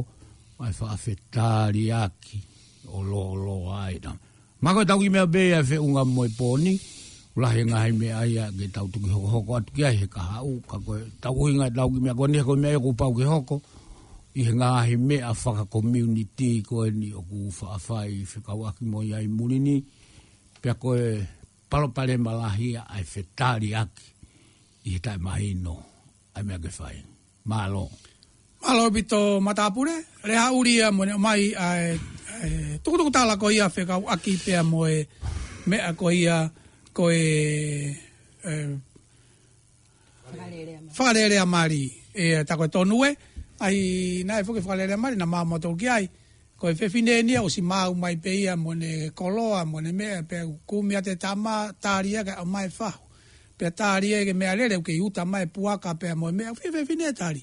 ʻa e faʻa fetaliaki ʻo lōloa ai na. Ma ko e tau kiʻi meʻa pē ia ʻe feʻunga mo e pō ni, ʻoku lahi e ngaahi meʻa ia ke tau toki hokohoko atu ki ai he kahaʻu, ka ko e tau ʻuhinga ʻetau kiʻi meʻa ko eni he ko e meʻa ia kuo pau ke hoko, ʻi he ngaahi meʻa fakakomiunitī ko eni ʻoku faʻa fai fekauʻaki mo ia ʻi muli ni, pea ko e palopalema lahi ia ʻa e fetaliaki ʻi he taʻemahino ʻa e meʻa ke fai. Mālō. Mālō ʻaupito matāpule, lea haʻu ia mo ʻene ʻomai ʻa e, ʻa e tukutukutala ko ia fekauʻaki pea mo e meʻa ko ia ko e, e, fakalelea mali. Fakalelea mali. ʻE, tā ko e tonu ē, ʻa ia naʻe foki fakalelea mali, naʻa mau mātau ki ai. Ko e fefine ni ia ʻosi maau mai pē ia mo ʻene koloa, mo ʻene meʻa, pea kumi atu e tama, tali ia ke ʻomai e fahu. Pea tali ia ki he meʻalele, ʻoku kei uta mai e puaka pea mo e meʻa, fe-, fefine tali.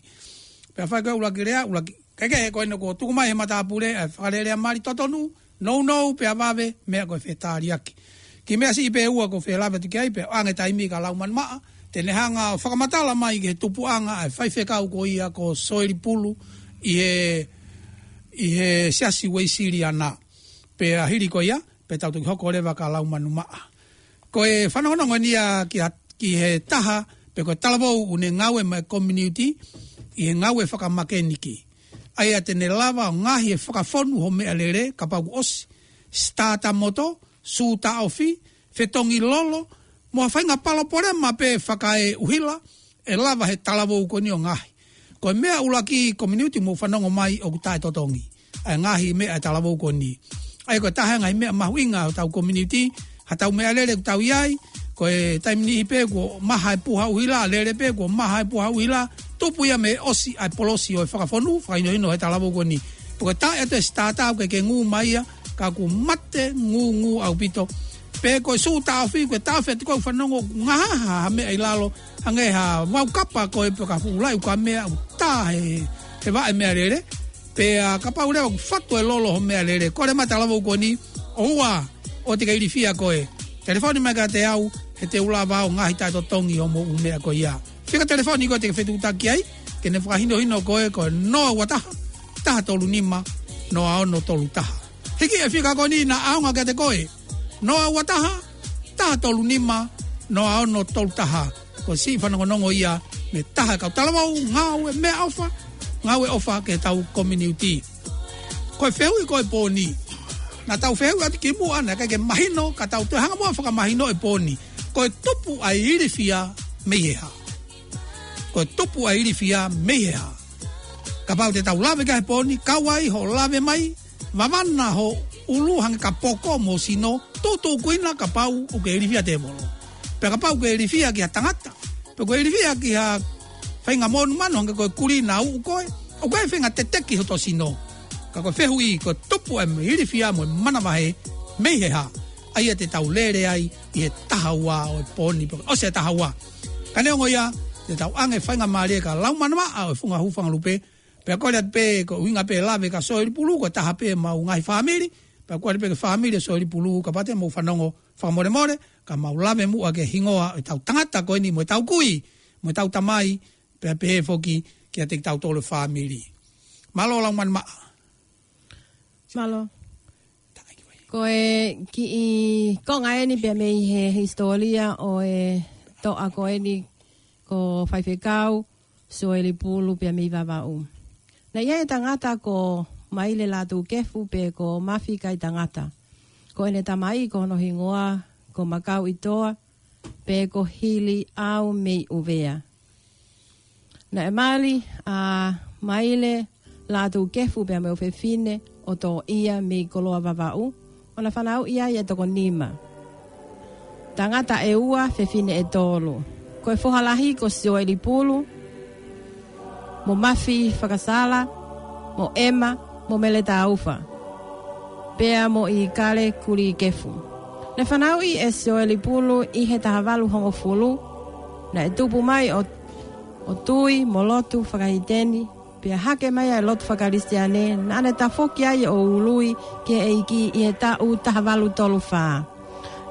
Pea fai ko e ʻuluaki lea, ʻuluaki, kae kehe ko eni kuo tuku mai he matāpule, ʻa e fakalelea mali totonu, nounou, pea vave, meʻa ko e fetaliaki. Kiʻi meʻa siʻi pē ʻe ua ʻoku ou fie lave atu ki ai, pea ʻoange taimi kia Laumanu Maʻa, te ne hanga ʻo fakamatala mai ki he tupuʻanga ʻa e faifekau ko ia ko Soeli Pulu ʻi he, ʻi he Siasi Uēsiliana. Pea hili ko ia, pea tau toki hoko leva kia Laumanu Maʻa. Ko e fanongonongo ni ia ki ha-, ki he taha, pe ko e talavou ʻoku ne ngāue maʻa e community, ʻi he ngāue fakamakeniki. ʻA ia te ne lava ʻo ngaohi e fakafonu hoʻo meʻalele, kapau kuo ʻosi, sitata moto, sū taʻofi, fetongi lolo, mo ha faʻahinga palopalema pē fakaʻuhila, ʻe lava he talavou ko eni ʻo ngaohi. Ko e meʻa ʻuluaki community mou fanongo mai ʻoku taʻetotongi. ʻA e ngaahi meʻa ʻa e talavou ko eni. ʻA ia ko e taha e ngaahi meʻa mahuʻinga ʻo hotau community, haʻatau meʻalele ʻoku tau ʻi ai, ko e taimi niʻihi pē kuo maha e puha ʻuhila, lele pē kuo maha e puha ʻuhila, tupu ia mei he ʻosi ʻa e polosi ʻo e fakafonu, fakahinohino he talavou ko eni. Pea ko e taʻe atu e sitata ʻoku ʻikai ke ngū mai ia, ka ʻoku mate ngūngū ʻaupito. Pe ko e sū taʻofi, ko e taʻofi atu ko e fanongo ngahaha ha meʻa ʻi lalo, hangē ha vaukapa ko ē pe ko ha fuʻu laʻi ukamea ʻoku tā he, he vaʻe meʻalele. Pea kapau leva ʻoku fatu e lolo hoʻo meʻalele, kole mai talavou ko eni, ʻoua ʻo te ke ilifia koe. Telefoni mai kiate au, he te u lava au ngaohi taʻetotongi hoʻomou meʻa ko ia. Fika telefoni ko ē te ke fetuʻutaki ai, ke ne fakahinohino koe ko e noa ua taha, taha tolu nima, noa ono tolu taha. Hiki e fika ko eni naʻa ʻaonga kiate koe, noa ua taha, taha tolu nima, noa ono tolu taha. Ko e siʻi fanongonongo ia mei he taha e kau talavou, ngāue meʻaʻofa, ngāue ʻofa ki heʻetau kominiuti. Ko e fehuʻi ko e pō ni, naʻa tau fehuʻi atu kimuʻa, naʻe ʻikai ke mahino, ka tau toe hanga muʻa ʻo fakamahino e pō ni. Ko e tupu ʻa e ilifia mei he hā? Ko e tupu ʻa e ilifia mei he hā? Kapau te tau lave ki ai he pō ni, kau ai hoʻo lave mai, vavana ho ʻulu hangē ka poko mo sino, tuʻutuʻukuina kapau ʻoku ke ilifia tēvolo. Pea kapau ʻoku ke ilifia ki ha tangata, pe ʻoku ke ilifia ki ha faʻahinga monumanu hangē ko e kulī naʻa uʻu koe, ʻoku ʻikai faʻahinga teteki hoto sino. Ka ko e fehuʻi, ko e tupu ʻa e ilifia mo e manavahē mei he hā? ʻA ia te tau lele ai ʻi he taha ua ʻo e pō ni, pe ʻosi e taha ua. Ka neongo ia, te tau ʻoange faingamālie ki he lau manavaʻa ʻo e funga hūfanga lupe, pea kole atu pē ko e ʻuhinga pē lave kia Soeli Pulu, ko e taha pē ʻemau ngaahi fāmili, pea kole pē ki he fāmili ʻo Soeli Pulu, kapau te mou fanongo, fakamolemole, ka mau lave muʻa ki he hingoa ʻo ʻetau tangata ko eni mo ʻetau kui, mo ʻetau tamai, pea pehē foki kiate kitautolu e fāmili. Mālō lau manavaʻa. Mālō. Ko e kiʻi konga eni pea mei he hisitōlia ʻo e toʻa ko eni ko Faifekau Soeli Pulu pea mei Vavaʻu. Naʻe ʻi ai e tangata ko Maile Lātūkefu pe ko Mafi Kaitangata. Ko ʻene tamai ko hono hingoa ko Makauʻitoa pe ko Hili ʻAu mei ʻUvea. Naʻe mali ʻa Maile Lātūkefu pea mo e ʻofefine ʻo Toʻia mei Koloa Vavaʻu, ʻo na fanauʻi ai e toko nima. Tangata ʻe ua, fefine ʻe tolu. Ko e foha lahi ko Soeli Pulu, mo Mafi Fakasala, mo ʻEma, mo Mele Taufa, pea mo ʻIkale Kulikefu. Naʻe fanauʻi ʻe Soeli Pulu ʻi he taha valu hongofulu, naʻe tupu mai ʻo, ʻo tui mo lotu faka-Hiteni, pea hake mai ʻa e lotu faka-Kalisitiane, naʻa ne tafoki ai ʻo ului ki he ʻEiki ʻi he taʻu taha valu tolu fā.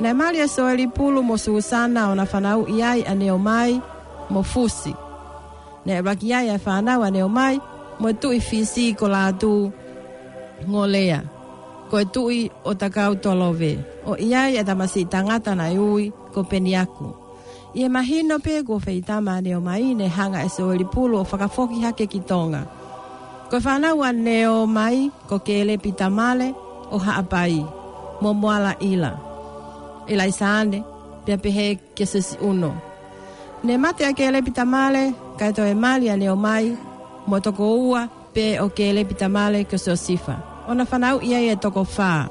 Naʻe mali ʻa Soeli Pulu mo Susana ʻo na fanauʻi ai ʻa Neomai mo Fusi. Naʻe ʻuluaki ʻi ai ʻa e fānau ʻa Neomai mo e Tuʻi Fisi ko Lātūngolea, ko e tuʻi ʻo Takautolove, ʻo ʻi ai ʻa e tamasiʻi tangata naʻe ui ko Peniaku. ʻI he mahino pē kuo feitama ʻa Neomai, naʻe hanga ʻe Soeli Pulu ʻo fakafoki hake ki Tonga. Ko e fānau ʻa Neomai ko Kelepi Tamale ʻo Haʻapai, mo Moala ʻIla, ʻIlaisaane, pea pehē kia Sesi ʻUno. Naʻe mate ʻa Kelepi Tamale, kae toe mali ʻa Neomai mo e toko ua pē ʻo Kelepi Tamale ko Siosifa, ʻo na fanauʻi ai e toko fā.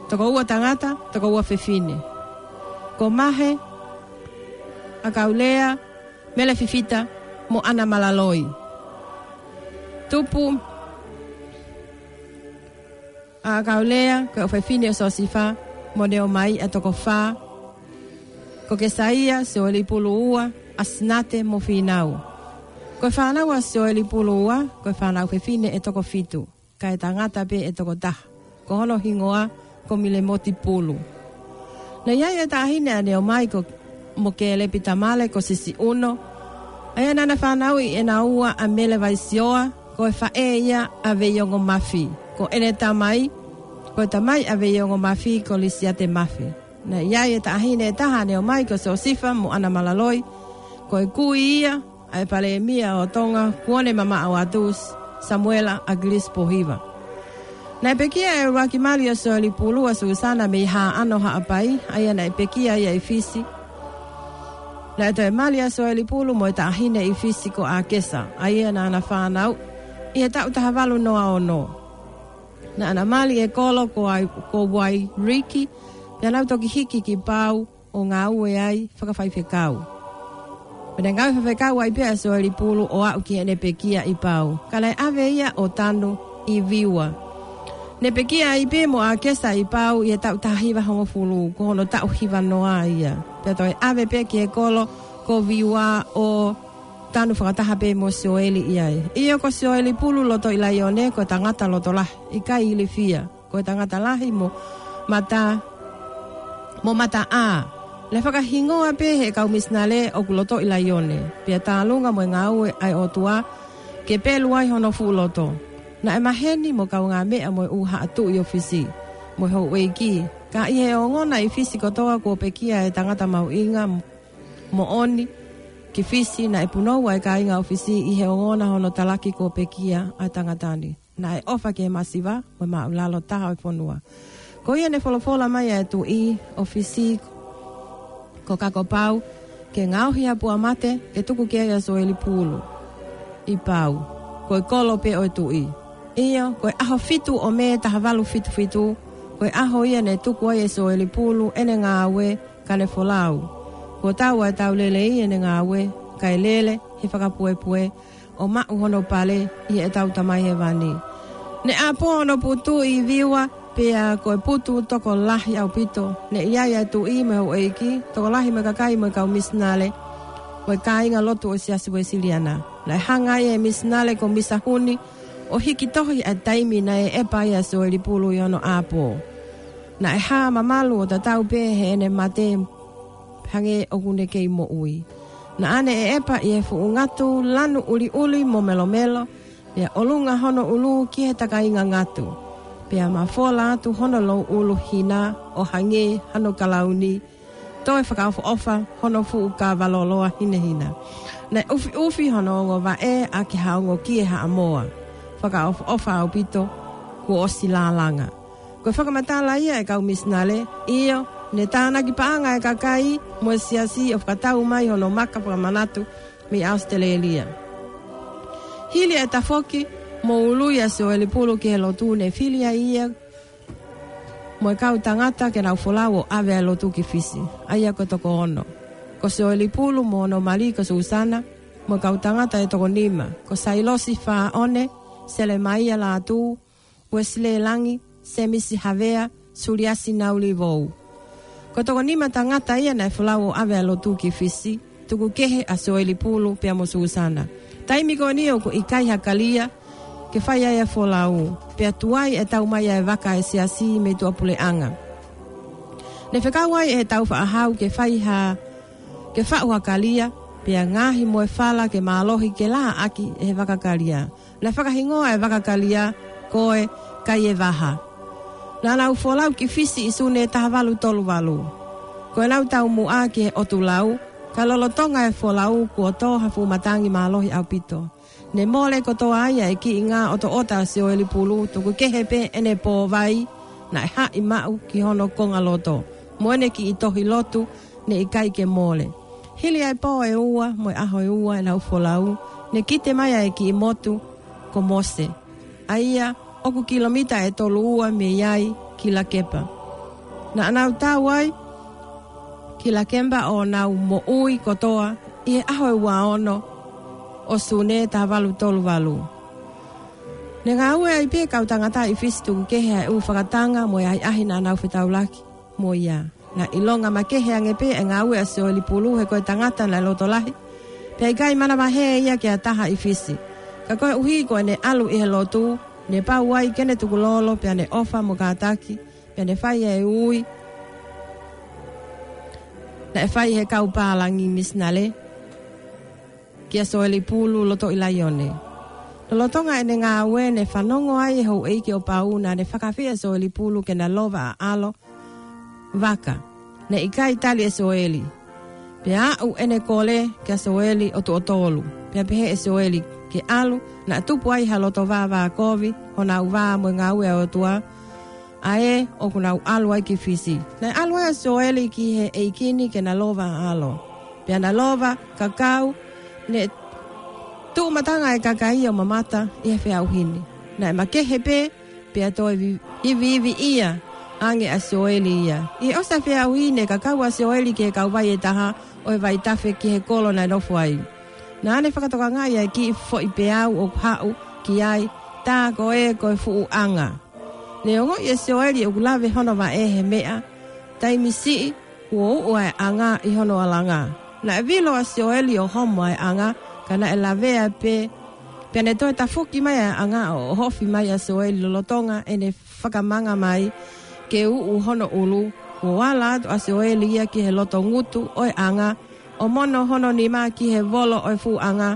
Toko ua tangata, toko ua fefine. Ko Mahe, ʻAkaulea, Mele Fifita, mo ʻAna Malaloi. Tupu ʻa ʻAkaulea, ko e ʻofefine ʻo Siosifa, mo Neomai, ʻa e toko fā. Ko Kesaia, Soeli Pulu ua, ʻAsinate mo Fīnau. Ko e fānau ʻa Soeli Pulu ua, ko e fānau fefine ʻe toko fitu, kae tangata pē ʻe toko taha, ko hono hingoa ko Milemoti Pulu. Naʻe ʻi ai e taʻahine ʻa Neomai ko, mo Kelepi Tamale ko Sisi ʻUno, ʻa ia naʻa na fanauʻi ʻe naua ʻa Mele Vaisioa, ko e faʻē ia ʻa Veiongo Mafi, ko ʻene tamai, ko e tamai ʻa Veiongo Mafi ko Lisiate Mafi. Naʻe ʻi ai e taʻahine ʻe taha ʻa Neomai ko Siosifa mo ʻAna Malaloi, ko e kui ia ʻa e palēmia ʻo Tonga kuo ne mamaʻo atu, Samuela ʻAkilisi Pōhiva. Naʻe pekia e ʻuluaki mali ʻo Soeli Pulu, ʻa Susana mei Haʻano Haʻapai, ʻa ia naʻe pekia ia ʻi Fisi. Naʻe toe mali ʻa Soeli Pulu mo e taʻahine ʻi Fisi ko ʻAkesa, ʻa ia naʻa na fanauʻi ʻi he taʻu taha valu noa ono. Naʻa na mali e kolo ko ai, ko Uairiki, pea nau toki hiki ki Pau ʻo ngāue ai fakafaifekau. Pea naʻe ngāue fakafaifekau ai pē ʻa Soeli Pulu ʻo aʻu ki heʻene pekia ʻi Pau. Ka naʻe ʻave ia ʻo tanu ʻi Viua. Naʻe pekia ai pē mo ʻAkesa ʻi Pau ʻi he taʻu taha hiva hongofulu, ko hono taʻu hiva noa ia. Pea toe ʻave pē ki he kolo ko Viua ʻo tanu fakataha pē mo Soeli ʻi ai. ʻIo, ko Soeli Pulu Lotoʻilaione, ko e tangata loto lahi, ʻikai ilifia. Ko e tangata lahi mo mata, mo mata ʻā. Naʻe fakahingoa pē ʻe he kau misinale ʻoku Lotoʻilaione. Pea tālunga mo e ngāue ʻa e ʻOtua, ke pelu ai hono fuʻu loto. Naʻe maheni mo kaungāmeʻa mo e ʻū haʻa tuʻi ʻo Fisi, mo e houʻeiki, ka ʻi he ongona ʻi Fisi kotoa kuo pekia e tangata mahuʻinga moʻoni ki Fisi, naʻe punou ʻa e kāinga ʻo Fisi ʻi he ongona hono talaki kuo pekia ʻa e tangata ni. Naʻe ʻofa ki he masiva mo e māʻulalo taha ʻo e fonua. Ko ia ne folofola mai ʻa e tuʻi ʻo Fisi ko Kakopau ke ngaohi ʻa Puamate ke tuku ki ai ʻa Soeli Pulu ʻi Pau, ko e kolo pē ʻo e tuʻi. ʻIo, ko e ʻaho fitu ʻo Mē taha valu fitu fitu, ko e ʻaho ia ne tuku ai ʻe Soeli Pulu ʻene ngāue, ka ne folau. Kuo tau ʻa e tau lelei ʻene ngāue, kae lele he fakapuepue ʻo maʻu hono pale ʻi heʻetau Tamai Hēvani. Ne ʻapō hono putu ʻi Viua, pea ko e putu tokolahi ʻaupito. Ne ʻi ai ʻa e tuʻi mo e houʻeiki, tokolahi mo e kakai mo e kau misinale mo e kāinga lotu ʻo e Siasi Uēsiliana. Naʻe hanga ai ʻe he misinale ko Misa Huni ʻo hiki tohi ʻa e taimi naʻe ʻepa ai ʻa Soeli Pulu ʻi hono ʻapō. Naʻe hā mamalu ʻo tatau pē heʻene mate hangē ʻoku ne kei moʻui. Naʻa ne ʻepa ʻi he fuʻu ngatu lanu ʻuliʻuli mo melomelo, pea ʻolunga hono ʻulu ki he takainga ngatu, pea mafola atu hono louʻulu hina ʻo hangē hano kalauni, toe fakaʻofoʻofa hono fuʻu kava loloa hinehina. Naʻe ʻufiʻufi hono ongo vaʻe ʻaki ha ongo kie haʻamoa, fakaʻofoʻofa ʻaupito, kuo ʻosi lālanga. Ko e fakamatala ia ʻa e kau misinale, ʻio, ne tānaki paʻanga ʻa e kakai mo e siasi ʻo fakatau mai hono maka fakamanatu mei ʻAositelēlia. Hili ʻa e tafoki mo ului ʻa Soeli Pulu ki he lotu, ne fili ai ia mo e kau tangata ke nau folau ʻo ʻave ʻa e lotu ki Fisi, ʻa ia ko e toko ono. Ko Soeli Pulu mo hono mali ko Susana, mo e kau tangata ʻe toko nima, ko Sailosi Faʻone, Selemaia Lātū, Uesilē Langi, Semisi Havea, Suliasi Naulivou. Ko e toko nima tangata ia naʻe folau ʻo ʻave ʻa e lotu ki Fisi, tuku kehe ʻa Soeli Pulu pea mo Susana. Taimi ko eni ʻoku ʻikai ha kalia ke fai ai ʻa e folau, pea tuai ʻe tau mai ʻa e vaka ʻa e siasi mei tuʻapuleʻanga. Ne fekau ai ʻe he tau faʻahau ke fai ha, ke faʻu ha kalia, pea ngaohi mo e fala ke mālohi ke lā ʻaki ʻe he vaka kalia. Naʻe fakahingoa ʻa e vaka kalia ko e Kaievaha. Naʻa nau folau ki Fisi ʻi Sune taha valu tolu valu. Ko ʻenau taumuʻa ki he ʻotu lau, ka lolotonga e folau kuo tō ha fuʻu matangi mālohi ʻaupito. Ne mole kotoa ai ʻa e kiʻi ngā ʻotoʻota ʻa Soeli Pulu, tuku kehe pē ʻene pōvai naʻe haʻi maʻu ki hono konga loto, mo ʻene kiʻi tohi lotu ne ʻikai ke mole. Hili ʻa e pō ʻe ua mo e ʻaho ʻe ua ʻenau folau, ne kite mai ʻa e kiʻi motu ko Mose, ʻa ia ʻoku kilomita ʻe tolu ua mei ai ki Lakepa. Naʻa nau tau ai ki Lakepa ʻo nau moʻui kotoa ʻi he ʻaho ʻe ua ono ʻo Sune taha valu tolu valu. Ne ngāue ai pē kau tangata ʻi Fisi tuku kehe ʻa e ʻū fakatanga mo e ʻahiʻahi naʻa nau fetaulaki mo ia. Naʻe ʻilonga makehe ange pē ʻa e ngāue ʻa Soeli Pulu he ko e tangata naʻe loto lahi, pea ʻikai manavahē ia ki ha taha ʻi Fisi. Ka koeʻuhi ko ʻene ʻalu ʻi he lotu, ne pau ai ke ne tukulolo pea ne ʻofa mo kātaki, pea ne fai ʻa e ui naʻe fai ʻe he kau pālangi misinale kia Soeli Pulu loto ʻi Laione. Lolotonga ʻene ngāue ne fanongo ai ʻe he houʻeiki ʻo Pau naʻa ne fakaafeʻi ʻa Soeli Pulu ke na lova ʻa ʻAlo vaka. Naʻe ʻikai tali ʻe Soeli. Pea aʻu ʻene kole kia Soeli ʻo tuʻo tolu. Pea pehē ʻe Soeli ke ʻalu, naʻe tupu ai ha loto vāvākovi honau vā mo e ngāue ʻa e ʻOtua, ʻa ē ʻoku nau ʻalu ai ki Fisi. Naʻe ʻalu ai ʻa Soeli ki he ʻeiki ni ke na lova ʻa ʻAlo. Pea na lova, kakau, ne tuʻu matanga ʻa e kakai ʻo mamata ʻi he feʻauhi ni. Naʻe makehe pē, pea toe vi-, iviiviʻia ange ʻa Soeli ia. ʻI he ʻosi ʻa e feʻauhi ne kakau ʻa Soeli ki he kauvai ʻe taha ʻo e vaitafe ki he kolo naʻe nofo ai. Naʻa ne fakatokangaʻi ʻa e kiʻi foʻi peau ʻoku haʻu ki ai, tā ko ē ko e fuʻu ʻanga. Ne ongoʻi ʻe Soeli ʻoku lave hono vaʻe he meʻa, taimi siʻi kuo uʻu ʻa e ʻanga ʻi hono ʻalanga. Naʻe vilo ʻa Soeli ʻo homo ʻa e ʻanga, ka naʻe lavea pē, pea ne toe tafoki mai ʻa e ʻanga ʻo ʻohofi mai ʻa Soeli lolotonga ʻene fakamanga mai ke uʻu hono ʻulu. Kuo ala atu ʻa Soeli ia ki he loto ngutu ʻo e ʻanga, ʻo mono hono nima ki he volo ʻo e fuʻu ʻanga,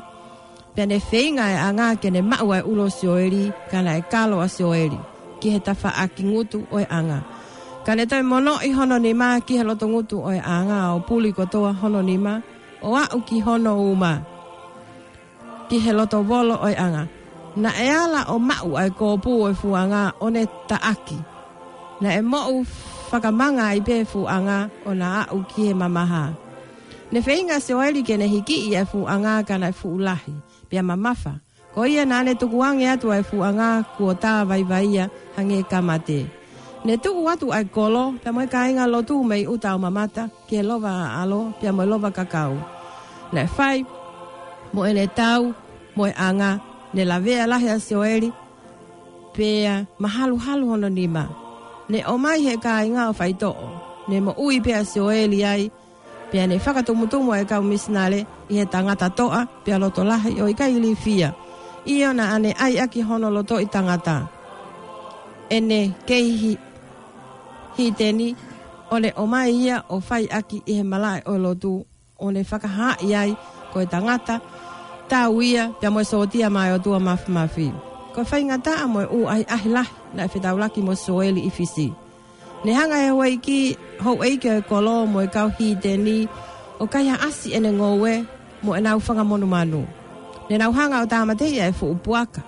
Pea ne feinga ʻa e ʻanga ke ne maʻu ʻa e ʻulu ʻo Sioeli, ka naʻe kalo ʻa Sioeli ki he tafaʻaki ngutu ʻo e ʻanga. Ka ne toe monoʻi hono nima ki he loto ngutu ʻo e ʻanga ʻo puli kotoa hono nima, ʻo aʻu ki hono uma, ki he loto volo ʻo e ʻanga. Naʻe ala ʻo maʻu ʻa e kōpū ʻo e fuʻu ʻanga ʻo ne taʻaki. Naʻe moʻu fakamanga ai pē fuʻu ʻanga ʻo na aʻu ki he mamaha. Ne feinga ʻa Sioeli ke ne hikiʻi ʻa e fuʻu ʻanga ka naʻe fuʻu lahi pea mamafa. Ko ia naʻa ne tukuange atu ʻa e fuʻu ʻanga kuo tā vaivaia hangē ka mate. Ne tuʻu atu ʻa e kolo pea mo e kāinga lotu mei ʻuta ʻo mamata ki he lova ʻaʻalo pea mo e lova kakau. Naʻe fai mo ʻene tau mo e ʻanga, ne lavea lahi ʻa Sioeli pea mahaluhalu hono nima. Ne ʻomai ʻe he kāinga ʻo faitoʻo. Ne moʻui pē ʻa Sioeli ai, pea ne fakatumutumu ʻa e kau misinale ʻi he tangata toʻa pea loto lahi ʻo ʻikai ilifia. ʻIo, naʻa ne ʻai ʻaki hono lotoʻi tangata ʻene kei hi-, hiteni, ʻo ne ʻomai ia ʻo fai ʻaki ʻi he malaʻe ʻo e lotu, ʻo ne fakahaaʻi ai ko e tangata tau ia pea mo e sōtia maʻa e ʻOtua Māfimafi. Ko e faingataʻa mo e ʻū ʻahiʻahi lahi naʻe fetaulaki mo Sioeli ʻi Fisi. Ne hanga ʻe he houʻeiki, houʻeiki ʻo e kolo mo e kau hiteni ʻo kaihaʻasi ʻene ngoue mo ʻenau fanga monumanu. Ne nau hanga ʻo tāmateʻi ʻa e fuʻu puaka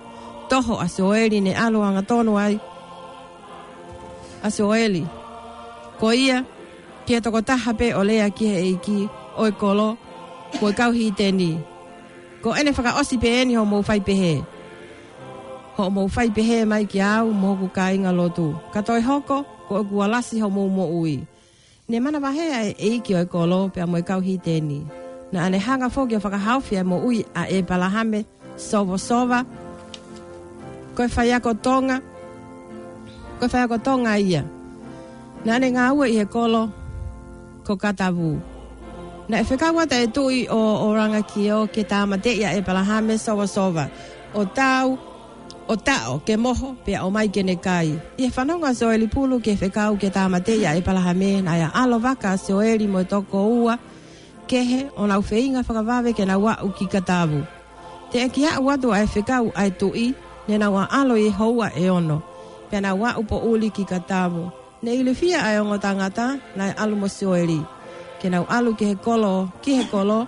toho ʻa Sioeli, ne ʻalu angatonu ai ʻa Sioeli ko ia ki he tokotaha pē ʻo lea ki he ʻeiki ʻo e kolo mo e kau hiteni: Ko ʻene fakaʻosi pē eni hoʻomou fai pehē. Hoʻomou fai pehē mai kiate au mo hoku kāinga lotu, ka toe hoko, ko ʻeku alasi hoʻomou moʻui. Ne manavahē ʻa e ʻeiki ʻo e kolo pea mo e kau hiteni. Naʻa ne hanga foki ʻo fakahaofi ʻa e moʻui ʻa ʻĒpalahame Sovasova, ko e faiako Tonga, ko e faiako Tonga ia. Naʻa ne ngāue ʻi he kolo ko Katavu. Naʻe fekau atu ʻa e tuʻi ʻo Orangakio ke tāmateʻi ʻa ʻĒpalahame Sovasova, ʻo tau, ʻo taʻo ke moho, pea ʻomai ke ne kai. ʻI he fanongo ʻa Sioeli Pulu ki he fekau ke tāmateʻi ʻa ʻĒpalahame, naʻe ʻaʻalo vaka ʻa Sioeli mo e tokoua kehe ʻo nau feinga fakavave ke nau aʻu ki Katavu. Teʻeki aʻu atu ʻa e fekau ʻa e tuʻi, ne nau ʻaʻalo ʻi he houa ʻe ono, pea nau aʻu poʻuli ki Katavu. Ne ilifia ʻa e ongo tangata naʻe ʻalu mo Sioeli ke nau ʻalu ki he kolo, ki he kolo,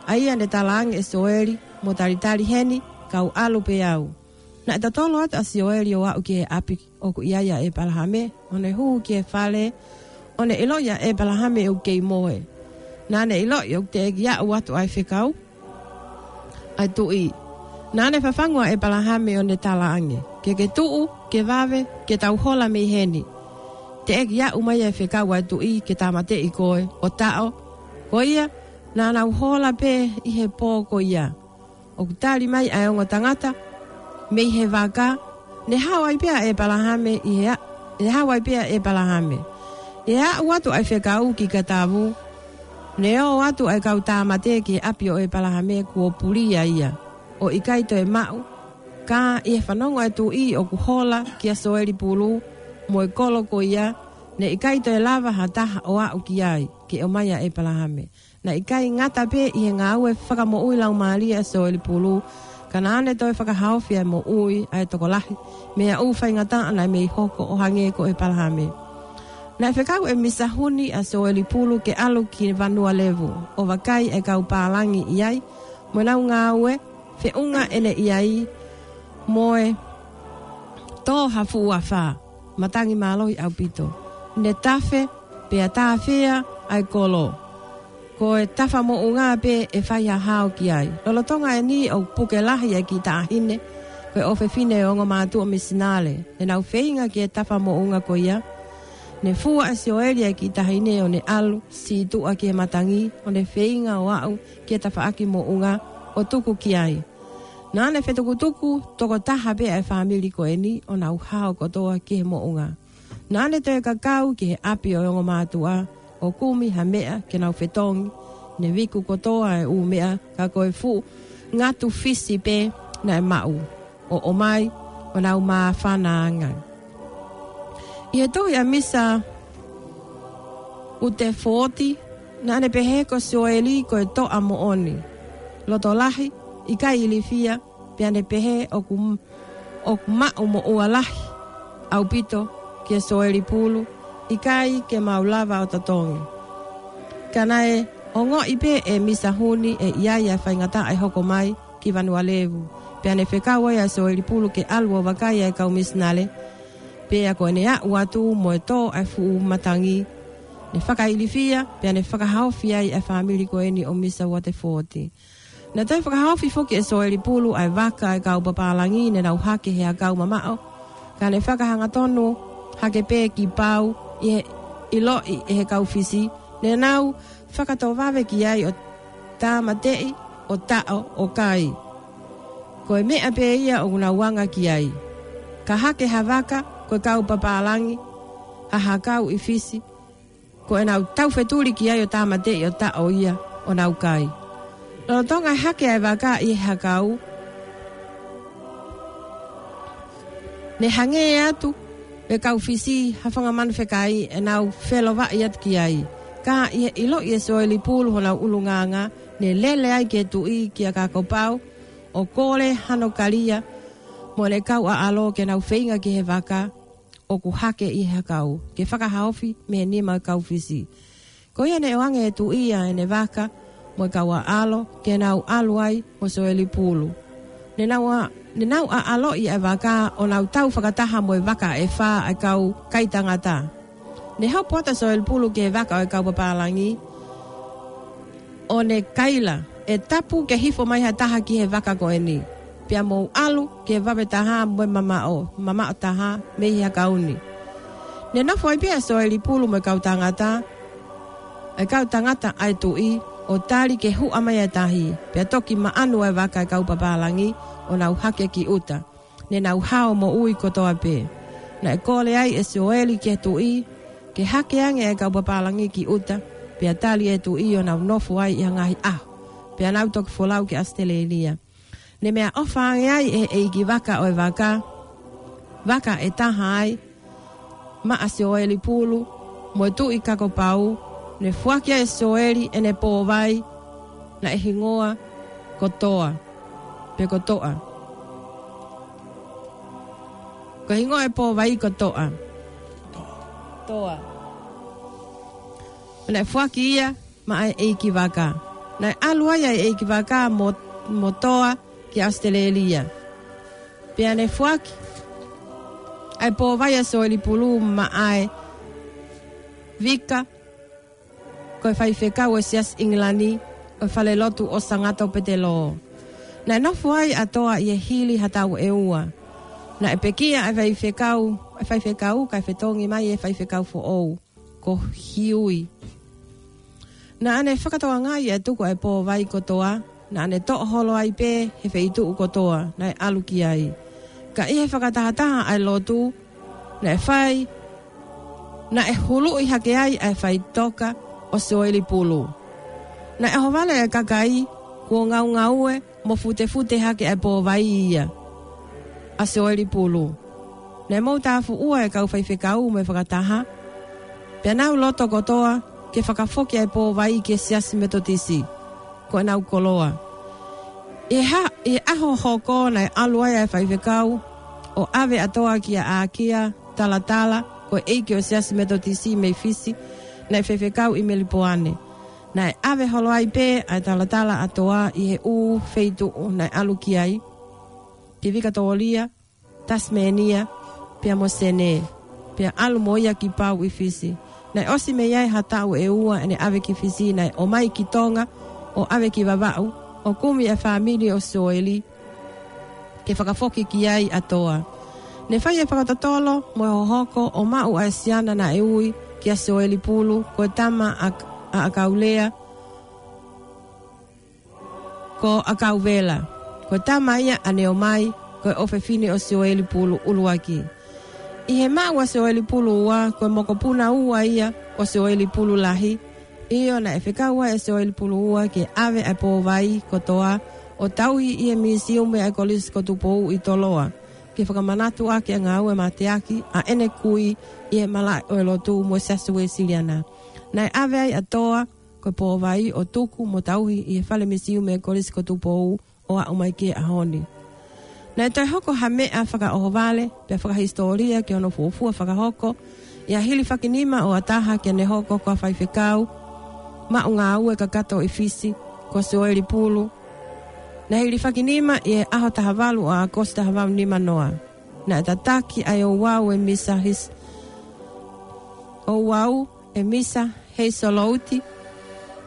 ʻa ia ne talaange ʻe Sioeli, mo talitali heni, kau ʻalu pē au. Naʻe totolo atu ʻa Sioeli ʻo aʻu ki he ʻapi ʻoku ʻi ai ʻa ʻĒpalahame, ʻo ne hū ki he fale, ʻo ne ʻiloʻi ʻa ʻĒpalahame ʻoku kei mohe. Naʻa ne ʻiloʻi ʻoku teʻeki aʻu atu ʻa e fekau ʻa e tuʻi. Naʻa ne fafangu ʻa ʻĒpalahame ʻo ne talaange: Ke ke tuʻu, ke vave, ke tau hola mei heni. Teʻeki aʻu mai ʻa e fekau ʻa e tuʻi ke tāmateʻi koe, ʻo taʻo. Ko ia, naʻa nau hola pē ʻi he pō ko ia. ʻOku tali mai ʻa e ongo tangata mei he vaka, ne hao ai pē ʻa ʻĒpalahame ʻi he a-, ne hao ai pē ʻa ʻĒpalahame. ʻI he aʻu atu ʻa e fekau ki Katavu, ne ō atu ʻa e kau tāmate ki he ʻapi ʻo ʻĒpalahame kuo pulia ia. ʻO ʻikai toe maʻu, ka ʻi he fanongo ʻa e tuʻi ʻoku hola kia Sioeli Pulu mo e kolo ko ia, ne ʻikai toe lava ha taha ʻo aʻu ki ai ke ʻomai ʻa ʻĒpalahame. Naʻe ʻikai ngata pē ʻi he ngāue fakamoʻui laumālie ʻa Sioeli Pulu, ka naʻa ne toe fakahaofi ʻa e moʻui ʻa e tokolahi mei he ʻū faingataʻa naʻe mei hoko ʻo hangē ko ʻĒpalahame. Naʻe fekau ʻe Misa Huni ʻa Sioeli Pulu ke ʻalu ki Vanua Levu ʻo vakai ʻa e kau pālangi ʻi ai, mo ʻenau ngāue feʻunga ʻene ʻi ai mo e tō ha fuʻu afā, matangi mālohi ʻaupito. Ne tafe, pea tāfea ʻa e kolo. Ko e tafa moʻunga pē ʻe fai ha hao ki ai. Lolotonga eni ʻoku puke lahi ʻa e kiʻi taʻahine, ko e ʻofefine ʻo e ongo mātuʻa misinale. Ne nau feinga ki he tafa moʻunga ko ia. Ne fua ʻe Sioeli ʻa e kiʻi taʻahine ʻo ne ʻalu sītuʻa ki he matangi, ʻo ne feinga ʻo aʻu ki he tafaʻaki moʻunga ʻo tuku ki ai. Naʻa ne fetukutuku toko taha pē ʻa e fāmili ko eni ʻo nau hao kotoa ki he moʻunga. Naʻa ne toe kakau ki he ʻapi ʻo e ongo mātuʻa ʻo kumi ha meʻa ke nau fetongi. Ne viku kotoa e ʻū meʻa, ka ko e fuʻu ngatu fisi pē naʻe maʻu ʻo ʻomai ʻo nau māfana ange. ʻI he tohi ʻa Misa Utefooti, naʻa ne pehē ko Sioeli ko e toʻa moʻoni, loto lahi, ʻikai ilifia, pea ne pehē ʻoku, ʻoku maʻu moʻua lahi ʻaupito kia Soeli Pulu, ʻikai ke mau lava ʻo totongi. Ka naʻe ongoʻi pē ʻe Misa Huni ʻe ʻi ai ʻa e faingataʻa ʻe hoko mai ki Vanualevu. Pea ne fekau ai ʻa Soeli Pulu ke ʻalu ʻo vakai ʻa e kau misinale, pea ko ʻene aʻu atu mo e tō ʻa e fuʻu matangi, ne fakailifia, pea ne fakahaofi ai ʻa e fāmili ko eni ʻo Misa Uatefōti. Naʻe toe fakahaofi foki ʻe Soeli Pulu ʻa e vaka ʻa e kau papālangi ne nau hake he hakau mamaʻo, ka ne fakahangatonu hake pē kipau ʻi he ʻiloʻi ʻe he kau Fisi, ne nau fakatovave ki ai ʻo tāmateʻi, ʻo taʻo, ʻo kai. Ko e meʻa pē ia ʻoku nau anga ki ai. Ka hake ha vaka, ko e kau papālangi, ha hakau ʻi Fisi, ko ʻenau taufetuli ki ai ʻo tāmateʻi ʻo taʻo ia ʻo nau kai. Lolotonga e hake ʻa e vaka ʻi he hakau, ne hangē atu ʻe he kau Fisi ha fanga manu fekai ʻenau felovaʻi atu ki ai. Ka ʻi he ʻiloʻi ʻe Soeli Pulu honau ʻulungaanga, ne lele ai ki he tuʻi kia Kakopau ʻo kole hano kalia mo ʻene kau ʻaʻalo ke nau feinga ki he vaka ʻoku hake ʻi he hakau, ke fakahaofi mei he nima ʻo e kau Fisi. Ko ia ne ʻoange ʻe he tuʻi ʻa ʻene vaka mo e kau ʻaʻalo ke nau ʻalu ai mo Soeli Pulu. Ne nau ʻa, ne nau ʻaʻaloʻi ʻa e vaka ʻo nau tau fakataha mo e vaka ʻe fā ʻa e kau kai tangata. Ne hopo atu ʻa Soeli Pulu ki he vaka ʻo e kau papālangi, ʻo ne kaila, ʻe tapu ke hifo mai ha taha ki he vaka ko eni, pea mou ʻalu ki he vave taha mo e mamaʻo, mamaʻo taha mei he hakau ni. Ne nofo ai pē ʻa Soeli Pulu mo e kau tangata, ʻa e kau tangata ʻa e tuʻi, ʻo tali ke huʻa mai ʻa e tahi, pea toki maʻanu ʻa e vaka ʻa e kau papālangi ʻo nau hake ki ʻuta. Ne nau hao moʻui kotoa pē. Naʻe kole ai ʻe Soeli ki he tuʻi ke hake ange ʻa e kau papālangi ki ʻuta, pea tali ʻe he tuʻi ʻo nau nofo ai ʻi ha ngaahi ʻaho, pea nau toki folau ki ʻAositelēlia. Ne meʻaʻofa ange ai ʻe he ʻeiki vaka ʻo e vaka, vaka ʻe taha ai, maʻa Soeli Pulu mo e tuʻi Kakopau, ne foaki ai ʻe Soeli ʻene pōvai, naʻe hingoa ko Toa, pe ko Toʻa. Ko e hingoa ʻo e pōvai ko Toʻa. Toa. Naʻe foaki ia maʻa e ʻeiki vaka. Naʻe ʻalu ai ʻa e ʻeiki vaka mo, mo Toa ki ʻAositelēlia. Pea ne foaki ʻa e pōvai ʻa Soeli Pulu maʻa e vika ko e faifekau ʻo e Siasi ʻIngilani ʻo e falelotu ʻo Sangato Petelō. Naʻe nofo ai ʻa Toa ʻi he hili ha taʻu ʻe ua. Naʻe pekia ʻa e faifekau, ʻa e faifekau kae fetongi mai ʻe he faifekau foʻou ko Hiui. Naʻa ne fakatokangaʻi ʻa e tuku ʻa e pōvai ko Toa, naʻa ne toʻo holo ai pē he feituʻu kotoa naʻe ʻalu ki ai. Ka ʻi he fakatahataha ʻa e lotu, naʻe fai, naʻe huluʻi hake ai ʻa e faʻitoka ʻo Soeli Pulu. Naʻe ʻohovale ʻa e kakai kuo ngaungaue mo futefute hake ʻa e pōvai ia ʻa Soeli Pulu. Naʻe mou tāfuʻua ʻa e kau faifekau mo e fakataha, pea nau loto kotoa ke fakafoki ʻa e pōvai ki he Siasi Metotisi ko ʻenau koloa. ʻI he ha-, ʻi he ʻaho hoko naʻe ʻalu ai ʻa e faifekau ʻo ʻave ʻa Toa kia ʻAkia Talatala, ko e ʻeiki ʻo e Siasi Metotisi mei Fisi, naʻe faifekau ʻi Melipoane. Naʻe ʻave holo ai pē ʻa e talatala ʻa Toa ʻi he ʻū feituʻu naʻe ʻalu ki ai, ki Vikatōlia, Tasimēnia, pea mo Senē, pea ʻalu mo ia ki Pau ʻi Fisi. Naʻe ʻosi mei ai ha taʻu ʻe ua ʻene ʻave ki Fisi, naʻe ō mai ki Tonga ʻo ʻave ki Vavaʻu, ʻo kumi ʻa e fāmili ʻo Soeli ke fakafoki ki ai ʻa Toa. Ne fai e fakatotolo mo e hohoko ʻo maʻu ʻa e siana naʻe ui kia Soeli Pulu, ko e tama ʻa, ʻa ʻAkaulea, ko ʻAkauvela. Ko e tama ia ʻa Neomai, ko e ʻofefine ʻo Soeli Pulu ʻuluaki. ʻI he maʻu ʻa Soeli Pulu ua, ko e mokopuna ua ia ʻo Soeli Pulu lahi. ʻIo, naʻe fekau ai ʻe Soeli Pulu ua ke ʻave ʻa e pōvai ko Toa ʻo tauhi ʻi he misiume ʻa e Kolisi ko Tupou ʻi Toloa, ke fakamanatu ʻaki ʻa e ngāue mateaki ʻa ʻene kui ʻi he malaʻe ʻo e lotu mo e Siasi Uēsiliana. Naʻe ʻave ai ʻa Toa ko e pōvai ʻo tuku mo tauhi ʻi he fale misiume ʻa e Kolisi ko Tupou ʻo aʻu mai ki he ʻaho ni. Naʻe toe hoko ha meʻa fakaʻohovale pea fakahisitōlia ki hono fuofua fakahoko ʻi ha hilifakinima ʻo ha taha ke ne hoko ko ha faifekau maʻu ngāue kakato ʻi Fisi, ko Sioeli Pulu. Naʻe hilifakinima ʻi he ʻaho taha valu ʻo ʻAokosi taha valu nima noa. Naʻe tataki ʻa e ouau ʻe Misa His-, ouau ʻe Misa Heisolouti,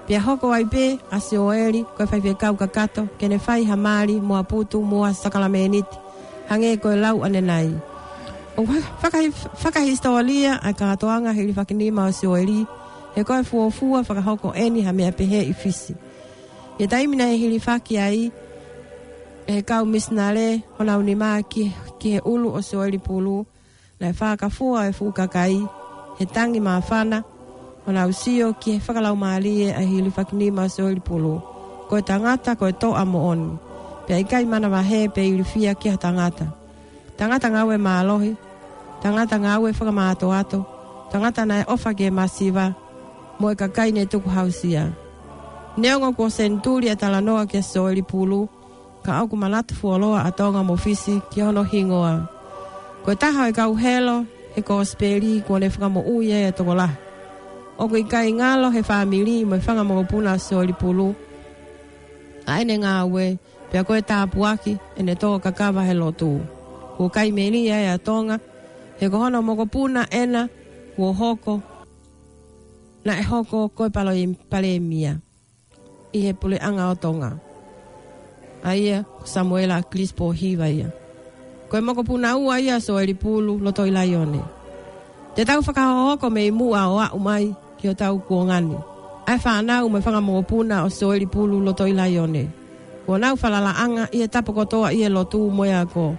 pea hoko ai pē ʻa Sioeli ko e faifekau kakato ke ne fai ha mali mo ha putu mo ha sākalamēniti, hangē ko e lau ʻanenai. ʻOku fakahi-, fakahisitōlia ʻa e kātoanga hilifakinima ʻo Sioeli, he ko e fuofua fakahoko ʻeni ha meʻa pehē ʻi Fisi. ʻI he taimi naʻe hilifaki ai ʻe he kau misinale honau nima ki, ki he ʻulu ʻo Sioeli Pulu, naʻe fakafua e fuʻu kakai he tangi māfana, ʻo nau sio ki he fakalaumālie ʻa e hilifakinima ʻo Sioeli Pulu. Ko e tangata, ko e toʻa moʻoni. Pea ʻikai manavahē pe ilifia ki ha tangata. Tangata ngāue mālohi, tangata ngāue fakamātoato, tangata naʻe ʻofa ki he masiva, mo e kakai ne tukuhāusia. Neongo kuo senituli ʻa e talanoa kia Sioeli Pulu, ka ʻoku manatu fuoloa ʻa Tonga mo Fisi ki hono hingoa. Ko e taha ʻo e kau helo he kosipeli kuo ne fakamoʻui ai ʻa e tokolahi. ʻOku ʻikai ngalo he fāmili mo e fanga mokopuna ʻo Sioeli Pulu ʻa ʻene ngāue, pea ko e tāpuaki ʻene tō kakava he lotu. Kuo kai melie ai ʻa Tonga, he ko hono mokopuna ʻena kuo hoko, naʻe hoko ko e palo-, palēmia ʻi he puleʻanga ʻo Tonga. ʻA ia, ko Samuela ʻAkilisi Pōhiva ia. Ko e mokopuna ua ia ʻo Sioeli Pulu, loto ʻi Laione. Te tau fakahohoko mei muʻa ʻo aʻu mai ki hotau kuonga ni ʻa e fānau mo e fanga mokopuna ʻo Sioeli Pulu, loto ʻi Laione. Kuo nau falalaʻanga ʻi he tapa kotoa ʻi he lotu mo e ako,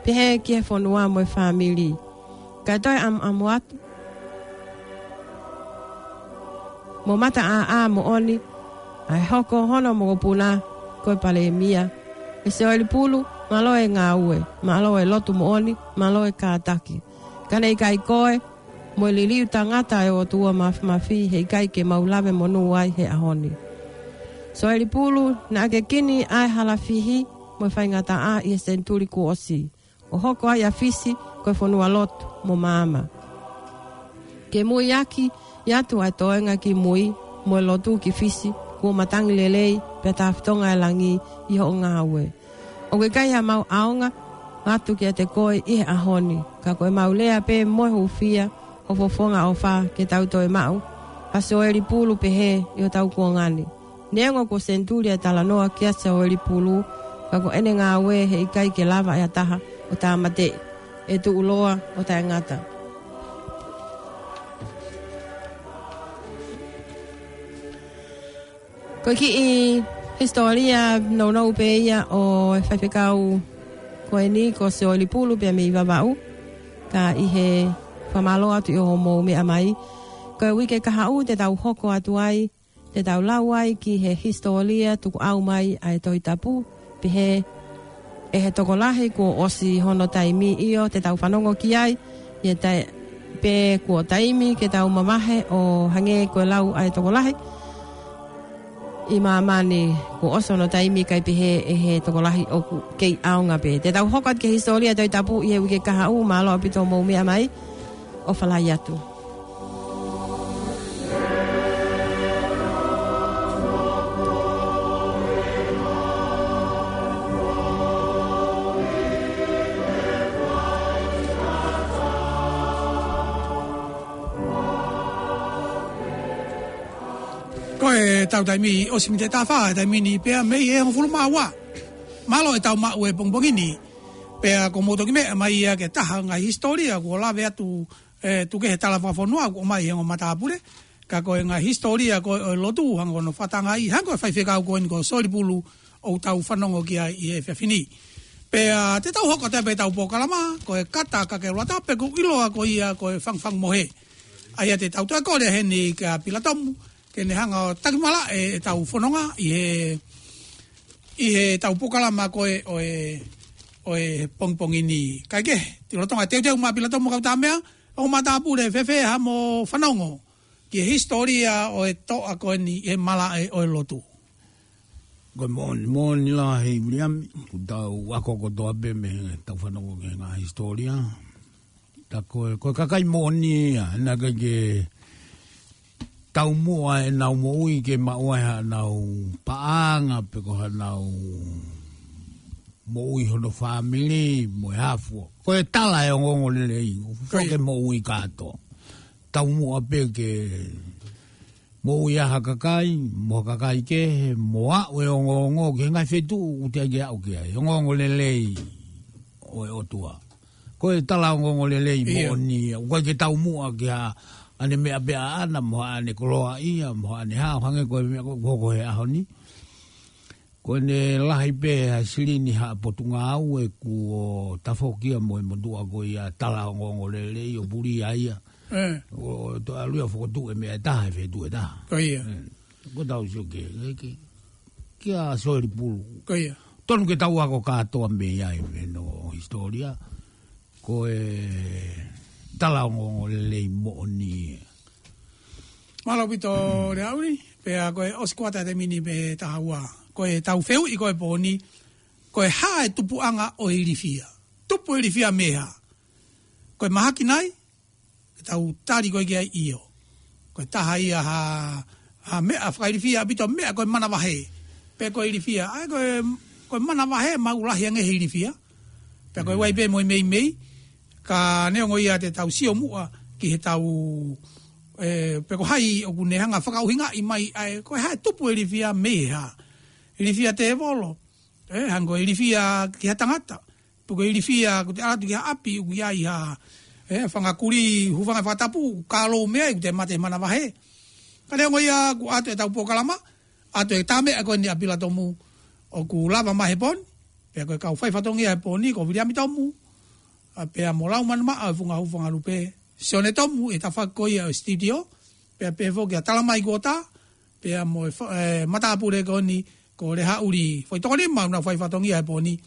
pehē ki he fonua mo e fāmili. Kae toe ʻamuʻamu atu mo mataʻāʻā moʻoni ʻa e hoko hono mokopuna ko e palēmia ʻe Sioeli Pulu, mālō e ngāue, mālō e lotu moʻoni, mālō e kātaki. Ka ne ʻikai ko e mo e liliu tangata ʻa e ʻOtua Māfimafi, heʻikai ke mau lave monū ai he ʻaho ni. Sioeli Pulu, naʻa ke kini ʻa e halafihi mo e faingataʻa ʻi he senituli kuo ʻosi, ʻo hoko ai ʻa Fisi ko e fonua lotu mo maama. Ke muiaki atu ʻa e toenga ki mui mo e lotu ki Fisi, kuo matangi lelei pea tāfitonga e langi ʻi hoʻo ngāue. ʻOku ʻikai haʻamau ʻaonga atu kiate koe ʻi he ʻaho ni, ka ko ʻemau lea pē mo e hūfia ho fofonga ʻofa ke tau toe maʻu ha Sioeli Pulu pehē ʻi hotau kuonga ni. Neongo kuo senituli ʻa e talanoa kia Sioeli Pulu, ka ko ʻene ngāue heʻikai ke lava ʻe ha taha ʻo tāmateʻi, ʻe tuʻuloa ʻo taʻengata. Ko e kiʻi hisitōlia nounou pē ia ʻo e faifekau ko eni ko Sioeli Pulu pea mei Vavaʻu, ka ʻi he fakamālō atu ʻi hoʻomou meʻa mai. Ko e uike kahaʻu te tau hoko atu ai, te tau lau ai ki he hisitōlia tukuʻau mai ʻa e Tohi Tapu, pehē ʻe he tokolahi kuo ʻosi hono taimi. ʻIo, te tau fanongo ki ai, ʻi he tae-, pē kuo taimi ke tau mavahe ʻo hangē ko e lau ʻa e tokolahi ʻi māmani, kuo ʻosi hono taimi, kae pehē ʻe he tokolahi ʻoku kei ʻaonga pē. Te tau hoko atu ki he hisitōlia Tohi Tapu ʻi he uike kahaʻu. Mālō ʻaupito hoʻomou meʻa mai. ʻOfa lahi atu. Ko ʻetau taimi ʻosi mei he taha fā, taimi ni pea mei he hongofulu mā ua. Mālō ʻetau maʻu e pongipongi ni. Pea ko mou toki meʻa mai ia ki he taha ngaahi hisitōlia kuo lave atu, ē, tuku kehe he tala fakafonua kuo ʻomai he ongo matāpule. Ka ko e ngaahi hisitōlia ko ē ʻo e lotu, hangē ko hono fakatangaʻi, hangē ko e faifekau ko eni ko Sioeli Pulu ʻoku tau fanongo ki ai ʻi he efiafi ni. Pea te tau hoko atu pē ʻetau polokalama, ko e Kata Kakeulata, pe ʻoku ʻiloa ko ia ko e Fangafanga Mohe. ʻA ia te tau toe kole heni kia Pilatomu, ke ne hanga ʻo takimalaʻe ʻetau fononga ʻi he, ʻi heʻetau polokalama ko ē ʻo e, ʻo e pongipongi ni. Kae kehe, te u lolotonga teuteu mai Pilatomu Kautamea, ongo matāpule, fēfē haʻamo fanongo ki he hisitōlia ʻo e toʻa ko eni ʻi he malaʻe ʻo e lotu? Ko e moʻoni, moʻoni lahi, Viliami, kuo tau ako kotoa pē mei heʻetau fanongo ki he ngaahi hisitōlia. Tā ko e, ko e kakai moʻoni ia, naʻe ʻikai ke taumuʻa ʻenau moʻui ke maʻu ai haʻanau paʻanga pe ko haʻanau moʻui hono fāmili mo e hā fua. Ko e tala e ongoongolelei, ʻoku Ko ia. foke moʻui kātoa. Taumuʻa pē ke moʻui ʻa ha kakai, mo ha kakai kehe, mo aʻu e ongoongo ki he ngaahi feituʻu ʻoku teʻeki aʻu ki ai. Ongoongolelei ʻo e ʻOtua. Ko e tala ongoongolelei Ia. moʻoni, ʻoku ʻikai ke taumuʻa ki haʻane meʻa pē ʻaʻana, mo haʻane koloaʻia, mo haʻane hao, hangē ko e meʻa ko, ko, ko e ʻaho ni. Ko ʻene lahi pē ha silini ha potungāue kuo tafoki ia mo e motuʻa ko ia tala ongoongolelei ʻo puli ai ia. ʻE. ʻO, ʻo toe ʻalu ia ʻo fokotuʻu e meʻa ʻe taha he feituʻu ʻe taha. Ko ia. ʻE. Ko ʻetau sio ki he, ki he, kia Soeli Pulu. Ko ia. Tonu ke tau ako kātoa mei ai mei hono hisitōlia. Ko e tala ongoongolelei moʻoni. Mālō ʻaupito Leauli, pea ko e ʻosi kuata e taimi ni pē taha ua. Ko ʻetau fehuʻi ko e pō ni, ko e hā e tupuʻanga ʻo e ilifia. Tupu e ilifia mei he hā. Ko e mahaki nai, ke tau tali ko ē ki ai ʻio. Ko e taha ia ha, ha meʻa fakailifia ʻaupito meʻa ko e manavahē. Pe ko e ilifia. ʻA ia ko e, ko e manavahē maʻu lahi ange he ilifia. Pea ko e Mm. ʻai pē mo e meimei. Ka neongo ia te tau sio muʻa ki heʻetau, ʻe, pe ko hai ʻoku ne hanga fakaʻuhingaʻi mai ʻa e, ko e hā e tupu e ilifia mei he hā. Ilifia tēvolo. ʻE, hangē ko e ilifia ki ha tangata. Pe ko e ilifia, ʻoku te ʻalu atu ki ha ʻapi, ʻoku ʻi ai ha, ʻe, fanga kulī, hūfanga he fakatapu, ka lou meʻa, ʻoku te mate manavahē. Ka neongo ia, kuo ʻoatu ʻetau polokalama, ʻoatu e tā meʻa ko eni ʻa Pila Tomu, ʻoku lava mai he pō ni, pea ko e kau faifatongia he pō ni, ko Viliami Tomu, ʻa pea mo Laumanu Maʻa, ʻo e Funga Hū Funga Lupe, Sione Tomu, ʻi he tafaʻaki ko ia ʻo e sititio, pea pehē foki ʻa Talamai Kuota, pea mo e fa-, ʻe, matāpule ko eni, ko Lehaʻuli Foʻi Tokonima, ʻoku nau faifatongia he pō ni.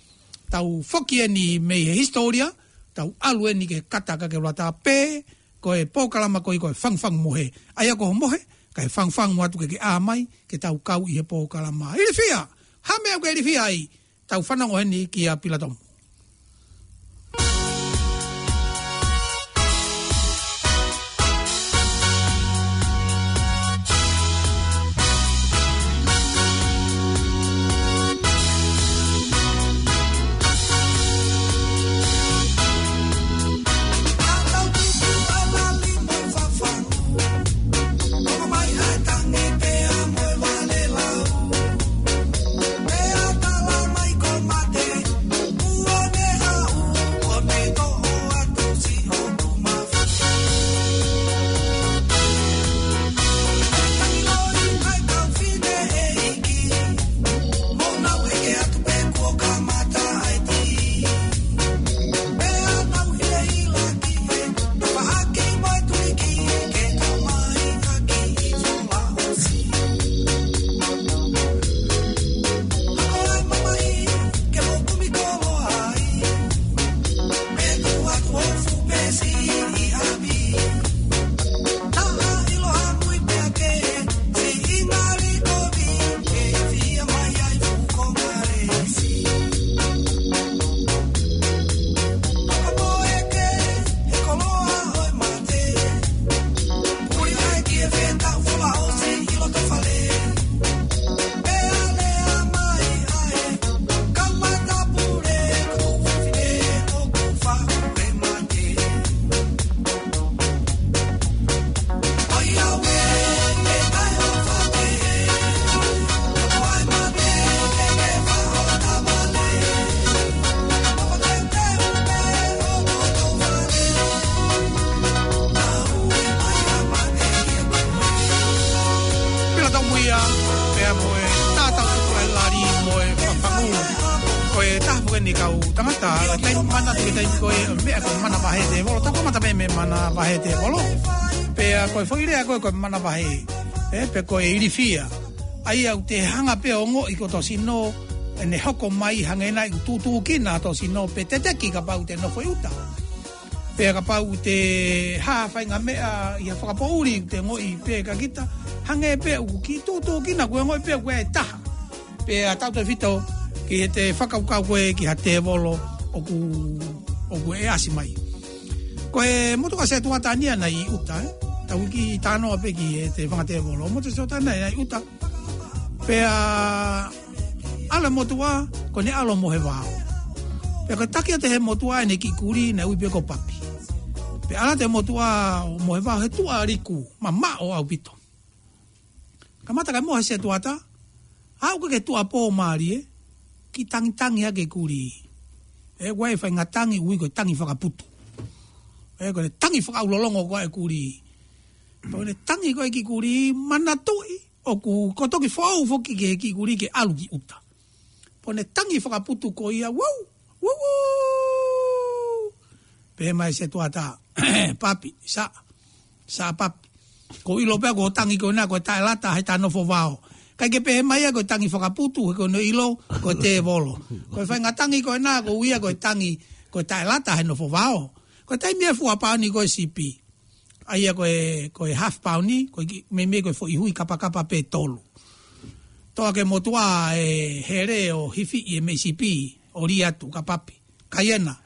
Tau foki eni mei he hisitōlia, tau ʻalu eni ki he kata ka ke lata pē, ko e polokalama ko ē ko e Fangufangu Mohe. ʻA ia ko ho mohe, kae fangufangu atu ke ke ʻā mai, ke tau kau ʻi he polokalama. Ilifia, hā e meʻa ʻoku ke ilifia ai, tau fanongo heni kia Pila Tomu. Pila Tomu ia, pea mo e tātau tuku ʻa e lali mo e fafangu. Ko e taha foki eni kau tangata, ʻa e taimi manatu ki he taimi ko ē, meʻa ko e manavahē tēvolo, tau kamata mei he manavahē tēvolo. Pea ko e foʻi lea ko ē ko e manavahē, ʻe, pe ko e ilifia. ʻA ia ʻoku te hanga pē ʻo ongoʻi ko hoto sino, ʻene hoko mai hangē nai ʻoku tūtūkina hoto sino pe teteki kapau te nofo ʻi ʻuta. Pea kapau te hā ha faʻahinga meʻa ʻi ha fakapoʻuli ʻoku te ongoʻi pē ka kita, hangē pē ʻoku kiʻi tūtūkina, ʻoku ongoʻi pē ʻoku ʻi ai e taha. Pea tautautefito ki heʻete fakakaukau ko ē ki ha tēvolo ʻoku, ʻoku ʻasi mai. Ko e motuʻa Setuata ni ia naʻe ʻi ʻuta, ē? Tau kiʻi talanoa pē ki heʻete fanga tēvolo. Motuʻa Setuata ni ia naʻe ʻi ʻuta. Pea ʻalu e motuʻa, ko ʻene ʻalu ʻo mohe vao. Pea ko e taki atu ʻe he motuʻa ʻene kiʻi kulī naʻe ui pē ko Papi. Pea ʻalu atu e motuʻa ʻo mohe vao he tuʻa liku, mamaʻo ʻaupito. Kamata kae mohe Setuata, aʻu ki he tuʻuapō mālie, kiʻi tangitangi hake e kulī. Ē, ʻoku ʻi ai e faʻahinga tangi ʻoku ui ko e tangi fakaputu. Ē, ko ʻene tangi fakaʻaulolongo ko ē e kulī. Pea ko ʻene tangi ko ē e kiʻi kulī, manatuʻi ʻoku, ko e toki foʻou foki ki he kiʻi kulī ke ʻalu ki ʻuta. Pea ko ʻene tangi fakaputu ko ia, wau, wau, wau. Pehē mai Setuata, Papi, Saʻa, Saʻa Papi. ʻOku ou ʻilo pē ʻoku ou tangi ko ena ko e taʻelata he ta nofo vao. ʻIkai ke pehē mai ia ko e tangi fakaputu, he ʻoku ou ʻilo ko e tēvolo. Ko e faʻahinga tangi ko ena ʻoku ui ia ko e tangi, ko e taʻelata he nofo vao. Ko e taimi ʻe fua paoni ko e sipi. ʻA ia ko e, ko e half paoni, ko e kiʻi, meimei ko e foʻi hui kapakapa pē ʻe tolu. Toʻo hake e motuʻa e hele ʻo hifiʻi e meʻi sipi, ʻo lī atu kia Papi. Kai ena.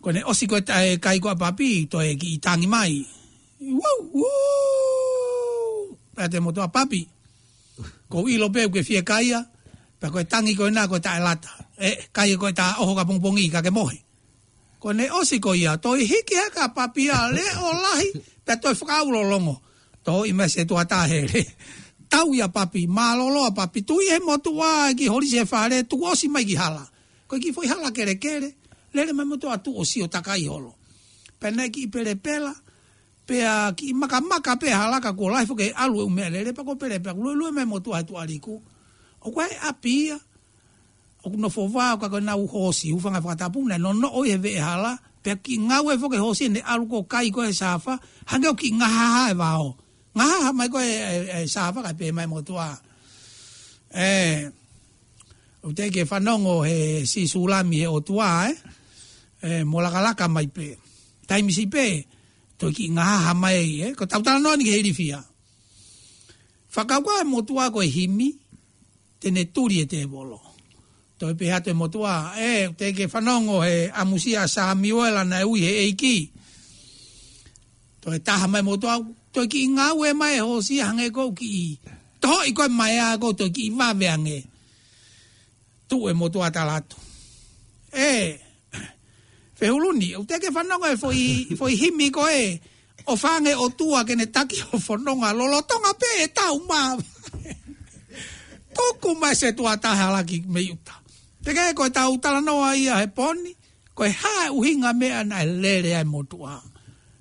Ko ʻene ʻosi ko ē e kai ko ē ʻa Papi, toe kiʻi tangi mai. Wau, wau. Pehē atu e motuʻa, Papi, ʻoku ou ʻilo pē ʻoku ke fiekaia, pea ko e tangi ko ena ko e taʻelata. Ē, kai ko ē ʻeta ʻoho ki ʻapongipongi ka ke mohe. Ko ʻene ʻosi ko ia, toe hiki hake ʻa Papi ʻa e leʻo lahi, pea toe fakaʻaulolongo. Toe ʻomai Setuata e hele. Tau ia Papi, mālōlō ʻa Papi, tuʻu ʻi he motuʻa ki he holisi e fale, tuku ʻosi mai ki hala. Ko e kiʻi foʻi hala kelekele, lele mai e motuʻa tuʻu ʻo sio takai holo. Pea naʻe kiʻi pelepela, pea kiʻi makamaka pē hala ka kuo lahi foki e ʻalu e ʻū meʻalele, pea kuo pelepela, kuo luelue mai e motuʻa he tuʻa liku. ʻOku ʻi ai e ʻapi ia, ʻoku nofo vao ka ko ʻenau hoosi, hūfanga he fakatapu, naʻe nonoʻo ʻi he veʻehala, pea kiʻi ngaue foki e hoosi ʻene ʻalu ʻo kai ko ē he sāfa, hangē ʻoku kiʻi ngahaha e vao. Ngahaha mai ko ē e, e, e sāfa kae pehē mai e motuʻa. Ē, ʻoku teʻeki ke fanongo he Sīsū Lami he ʻOtua, ē? Ē, mou lakalaka mai pē. Taimi siʻi pē, toe kiʻi ngahaha mai, ē? Ko ʻetau talanoa ni ki he ilifia. Fakakaukau e motuʻa ko e himi, te ne tuli e tēvolo. Toe pehē atu e motuʻa, ē, teʻeki ke fanongo he ʻamusia ʻa Samiuela naʻe ui he ʻEiki. Toe taha mai e motuʻa, toe kiʻi ngaue mai e hoosi hangē ʻoku kiʻi tohoʻi ko ē mai ā ʻoku toe kiʻi vave ange. Tuʻu e motuʻa tala atu. Ē, Fehuluni, ʻoku teʻeki ke fanongo e foʻi, foʻi himi ko ē, ʻOfa ange ʻOtua ke ne taki hoʻo fononga lolotonga pē e tau mā. Tuku mai Setuata he hala ki mei ʻuta. Teʻeki ko ʻetau talanoa ia he pō ni, ko e hā e ʻuhinga meʻa naʻe lele ai e motuʻa.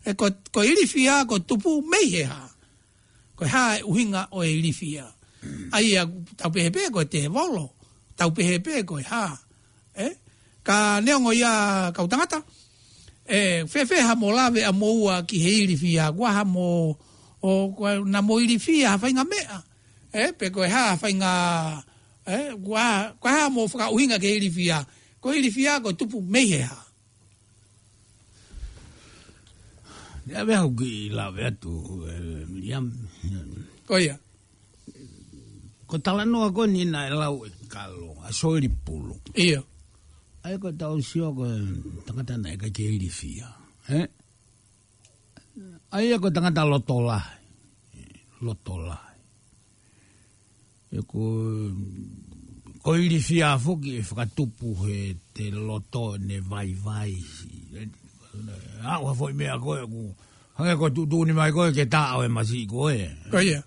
Ē ko, ko e ilifia, ko e tupu mei he hā. Ko e hā e ʻuhinga ʻo e ilifia. ʻA ia, tau pehē pē ko e tēvolo. Tau pehē pē ko e hā. Ē? Ka neongo ia kau tangata. Ē, fēfē haʻamo lave ʻamoua ki he ilifia. Ko e hā haʻamo, ʻo, ko e hā haʻamo ilifia ha faʻahinga meʻa. Ē, pe ko e hā ha faʻahinga, ē, ko e hā, ko e hā haʻamo fakaʻuhinga ki he ilifia. Ko e ilifia, ko e tupu mei he hā. Ia, meʻa ʻoku ou kiʻi lave atu, ē, Miriam. Ko ia. Ko e talanoa ko eni naʻe lau ʻe Kalo, ʻa Soeli Pulu. ʻIo. ʻA ia ko ʻetau sio ko e tangata naʻe ʻikai ke ilifia. Ē? ʻA ia ko e tangata loto lahi. Loto lahi. Ē ko, ko e ilifia foki ʻe fakatupu heʻete loto ʻene vaivai. Aʻu ha foʻi meʻa ko ē ʻoku, hangē ko e tuʻutuʻuni mai ko ē ke taʻo e masiʻi ko ē. Ko ia.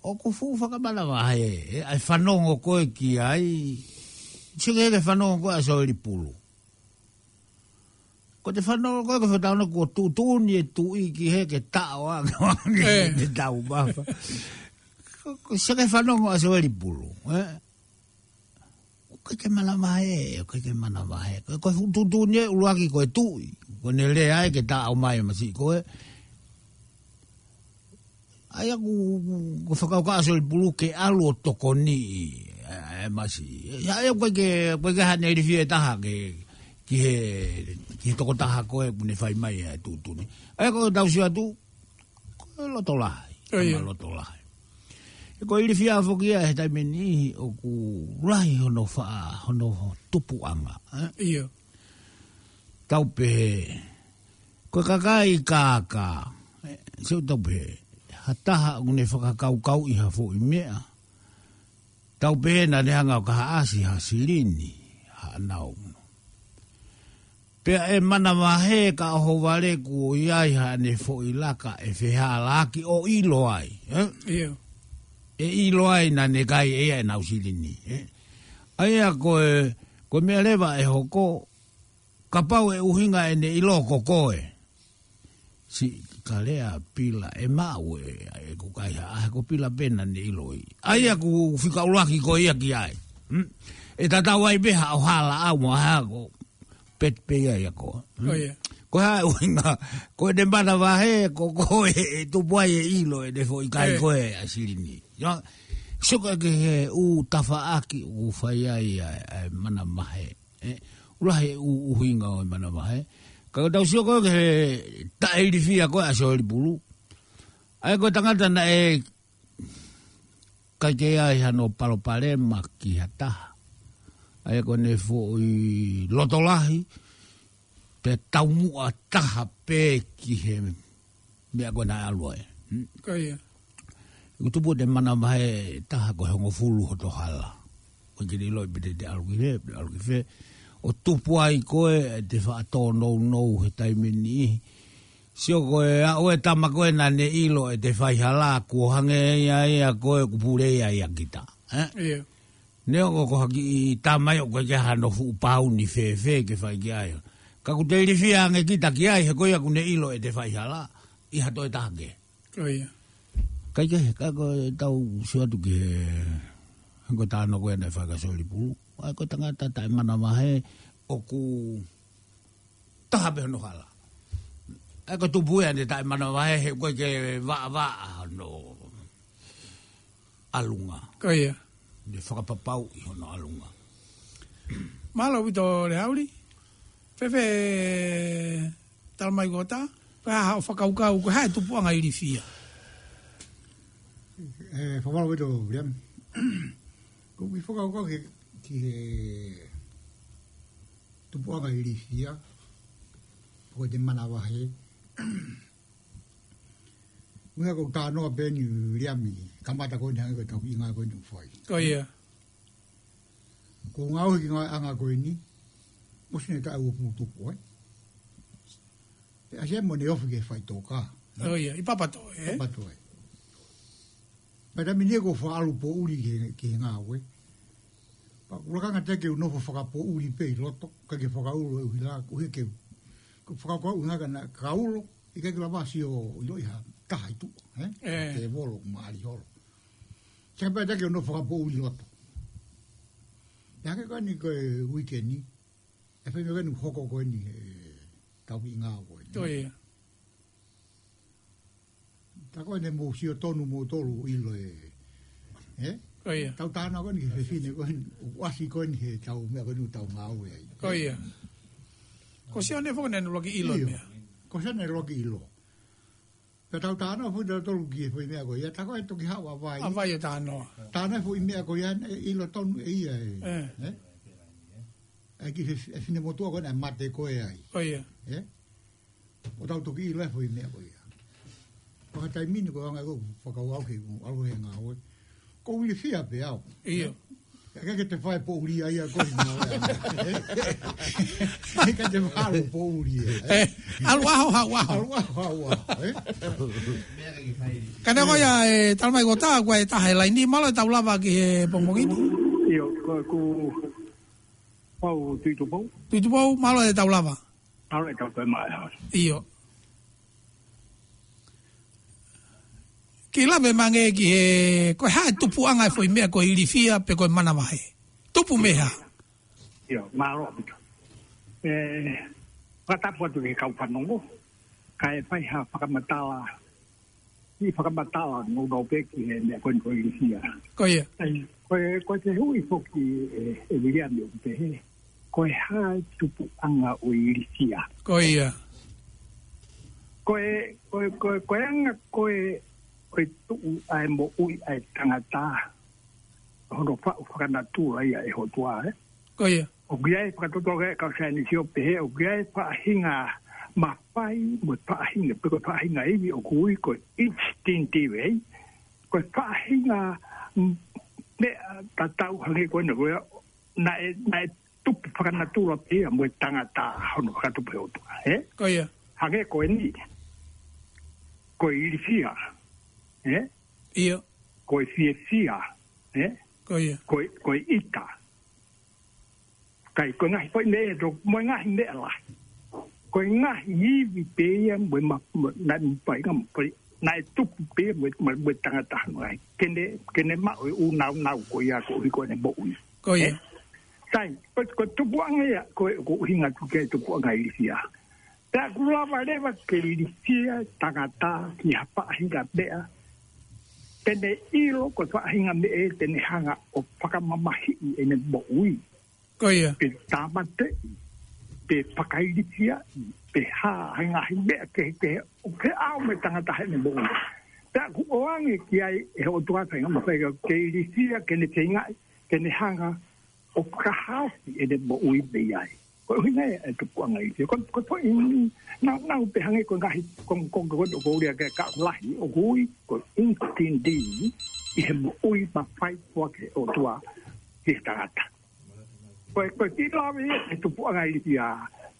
ʻOku fuʻu fakamanavahē, ē, ʻa e fanongo ko ē ki ai. Sio ki he fanongo ko ē ʻa Soeli Pulu. Ko ʻete fanongo ko ē, ko e fakatātā kuo tuʻutuʻuni e tuʻi ki hē ke taʻo ange, ange, ē, ke tau mafa. Ko, ko sio ki he fanongo ʻa Soeli Pulu, ē? ʻOku ʻikai ke manavahē, ʻoku ʻikai ke manavahē. Ko, ko e fuʻu tuʻutuʻuni ē ʻuluaki ko e tuʻi. Ko ʻene lea ē ke taʻo mai e masiʻi ko ē. ʻA ia ʻoku, ʻoku, ʻoku fakakaukau ʻa Soeli Pulu ke ʻalu ʻo tokoniʻi e, e masiʻi. ʻA ia ʻoku ʻikai ke, ʻoku ʻikai ke ʻi ai haʻane ilifia ʻe taha ke, ki he, ki he tokotaha ko ē ʻoku ne fai mai e tuʻutuʻuni. ʻA ia ko ʻetau sio atu, ko e loto lahi. ʻIo, ʻio. Tama loto lahi. He ko e ilifia foki ia he taimi ni ʻoku lahi hono faʻa, hono tupuʻanga, ē? ʻIo. Tau pehē, ko e kakai kākā, ē, sio tau pehē, ha taha ʻoku ne fakakaukauʻi ha foʻi meʻa. Tau pehē naʻa ne hanga ʻo kahaʻasi ha silini, haʻanau. Pea ʻe manavahē ka ʻohovale kuo ʻi ai haʻane foʻi laka ʻe fehālaaki ʻo ʻilo ai, ē? ʻIo. ʻE ʻilo ai naʻa ne kai ʻe ia ʻenau silini, ē? ʻA ia ko e, ko e meʻa leva ʻe hoko, kapau ʻe ʻuhinga ʻene ʻilo ko koe. Siʻi kalea pila ʻe maʻu ē, ʻe ko kai ha, ʻa ko pila pē naʻa ne ʻiloʻi. ʻA ia ʻoku fika ʻuluaki ko ia ki ai. Hmm? ʻE tatau ai pē haʻo hala ʻau mo ha ko pet pē ia ia ko. Hmm? ʻIo. Ko e hā e ʻuhinga, ko ʻene manavahē, ko koe ʻe tupu ai e ʻilo ʻene foʻi kai ʻIo. koe ʻa silini. Ia, sio ki he ʻū tafaʻaki ʻoku fai ai ʻa, ʻa e manavahē. Ē, ʻoku lahi e ʻū ʻuhinga ʻo e manavahē. Ka ko e tau sio ko ē ki he taʻeilifia ko ē ʻa Soeli Pulu. ʻA ia ko e tangata naʻe ʻikai ke ʻi ai hano palopalema ki ha taha. ʻA ia ko ʻene foʻi loto lahi, pea taumuʻa taha pē ki he meʻa ko ē naʻe ʻalu ai. Hmm? Ko ia. ʻOku tupu ʻene manavahē taha ko e hongofulu hoto hala. ʻOku ʻikai ke ʻiloʻi pe te te ʻalu ki fē, pe ʻalu ki fē. ʻO tupu ai ko ē ʻete faʻa tōnounou he taimi ni. Sio ko e aʻu e tama ko ē naʻa ne ʻilo ʻete faihala, kuo hangē ia ia ko ē ʻoku pule ia ia kita. Ē? ʻIo. Neongo ko ha kiʻi tama ia ʻoku ʻikai ke hano fuʻu pauni fēfē ke fai ki ai. Ka ʻoku te ilifia ange kita ki ai, he ko ia ʻoku ne ʻilo ʻete faihala, ʻi ha toe taha kehe. Ko ia. ʻIkai ke, ka ko e tau sio atu ki he, ko e talanoa ko ē naʻe fai kia Soeli Pulu. ʻA ia ko e tangata taʻemanavahē ʻoku taha pē hono hala. ʻA ia ko e tupu ia ʻene taʻemanavahē he ʻoku ʻikai ke vaʻavaʻa hono ʻalunga. Ko ia. Ne fakapapauʻi hono ʻalunga. Mālō ʻaupito Leauli. Fēfē Talamai Kota, ko e hā haʻo fakakaukau, ko e hā e tupuʻanga ilifia? Ē, fakamālō ʻaupito, Viliami. Ko e kiʻi fakakaukau ki he, ki he tupuʻanga ilifia, ko ʻete manavahē. Meʻa ko e talanoa pē eni Viliami, kamata ko eni hangē ko e tau kiʻi ngāue ko eni ʻoku fai. Ko ia. Ko e ngāue ki he ngāueʻanga ko eni, ʻosi ʻene taʻu ʻe uofulu tupu, ē? Pea ʻasi ai mo ʻene ofi ki he faʻitoka. Ko ia, ʻi Papatoe, ē? Papatoe. Pea taimi ni ko e faʻa ʻalu poʻuli ki he, ki he ngāue. Pea ʻoku ou lakanga ʻiate au ke u nofo fakapoʻuli pē ʻi loto, ʻikai ke fakaulo e ʻuhila, ko e hā ke u. Ko e fakakaukau ʻuhinga ka naʻa kaulo, ʻikai ke lava sio ʻiloʻi ha taha ʻi tuʻa, ē? Ē. Tēvolo, maʻali holo. Sai pē ʻiate au ke u nofo fakapoʻuli ʻi loto. Pea hangē ko eni ko e uike ni, ʻe fai meʻa ko eni hoko ko eni he tau kiʻi ngāue ko eni. Ko ia. Tā ko eni mou sio tonu moutolu ʻilo e, ē? Ko ia. Tau talanoa ko eni ki he fefine ko eni, ʻoku ʻasi ko eni he tau meʻa ko eni ʻoku tau ngāue ai. Ko ia. Ko Sione foki naʻa ne ʻuluaki ʻilo e ʻIo. meʻa. Ko Sione naʻe ʻuluaki ʻilo. Pea tau talanoa foki tautolu ki he foʻi meʻa ko ia, tā ko e toki haʻu ʻa Vai. ʻA Vai ʻo talanoa. Talanoa foʻi meʻa ko ia, ʻe ʻilo tonu ʻe ia e. Ē. Ē? ʻE ki he, e finemotuʻa ko ē naʻe mate ko ē ai. Ko ia. Ē? ʻO tau toki ʻilo e foʻi meʻa ko ia. Ko ha taimi ni ko e anga ko e fakakaukau ke u ʻalu he ngāue. Ko e ilifia pē au. ʻIo. ʻIkai ke te fai poʻuli ai ia ko e ngāue. ʻIkai ke te fai poʻuli ai. Ē, ʻalu ʻaho, haʻu ʻaho. ʻAlu ʻaho, haʻu ʻaho, ē? Ka naʻe ko ia e Talamai Kota, ko e taha e laini, mālō e tau lava ki he pongipongi ni. ʻIo, ko, ko, Pau Tuʻitupou. Tuʻitupou, mālō e tau lava. Mālō e tau toe mai ha. ʻIo. Kiʻi lave mai ange ki he, ko e hā e tupuʻanga e foʻi meʻa ko e ilifia pe ko e manavahē. Tupu mei he hā? ʻIo, mālō ʻaupito. Ē, fakatapu atu ki he kau fanongo. Kae fai ha fakamatala, ʻi fakamatala nounou pē ki he meʻa ko eni ko e ilifia. Ko ia. ʻAi, ko e, ko e fehuʻi foki ē, ʻe Viliami ʻoku pehē. Ko e hā e tupuʻanga ʻo e ilifia? Ko ia. Ko e, ko e, ko e, ko e anga ko e ʻo e tuʻu ʻa e moʻui ʻa e tangata, hono faʻu fakanatula ia ʻe he ʻOtua, ē? Ko ia. ʻOku ʻi ai e fakatotolo ʻa e kau saienisi ʻo pehē, ʻoku ʻi ai e faʻahinga mafai, mo e faʻahinga, pe ko e faʻahinga ivi ʻoku ui ko e instinctive, ē? Ko e faʻahinga, mm, meʻa tatau hangē ko ena ko ia, naʻe, naʻe tupu fakanatula pē ia mo e tangata hono fakatupu ʻe he ʻOtua, ē? Ko ia. Hangē ko eni. Ko e ilifia, ē? ʻIo. Ko e fiefia, ē? Ko ia. Ko e, ko e ʻita. Kae ko e ngaahi foʻi meʻa ʻe toko, mo e ngaahi meʻa lahi. Ko e ngaahi ivi pē ia mo e ma-, mo, naʻe mafai ngā mafai. Naʻe tupu pē ia mo e, mo e, mo e tangata hono ngaahi. Ke ne, ke ne maʻu e ʻū naunau ko ia koeʻuhi ko ʻene moʻui. Ko ia. Ē? Sai, ko, ko e tupuʻanga ia, ko e, ko e ʻuhinga atu ki he tupuʻanga ilifia. Pea ʻoku lava leva ke ilifia tangata ki ha faʻahinga meʻa. Te ne ʻilo ko e faʻahinga meʻa ē te ne hanga ʻo fakamamahiʻi ʻene moʻui. Ko ia. Pe tāmateʻi, pe fakailifiaʻi, pe hā, ha ngaahi meʻa kehekehe, ʻoku ʻi ai mo e tangata heʻene moʻui. Pea ʻoku ʻoange ki ai ʻe he ʻOtua e faʻahinga mafai ke ilifia, ke ne feingaʻi, ke ne hanga ʻo fakahaofi ʻene moʻui mei ai. Ko e ʻuhinga ia e tupuʻanga ilifia. Ko, ko e foʻi naunau pē hangē ko e ngaahi kongokonga ko ē ʻoku ou lea ki ai, ka ʻoku lahi, ʻoku ui ko e instinctive ʻi he moʻui mafai foaki ʻe he ʻOtua ki he tangata. Ko e, ko e kiʻi lave ia e tupuʻanga ilifia.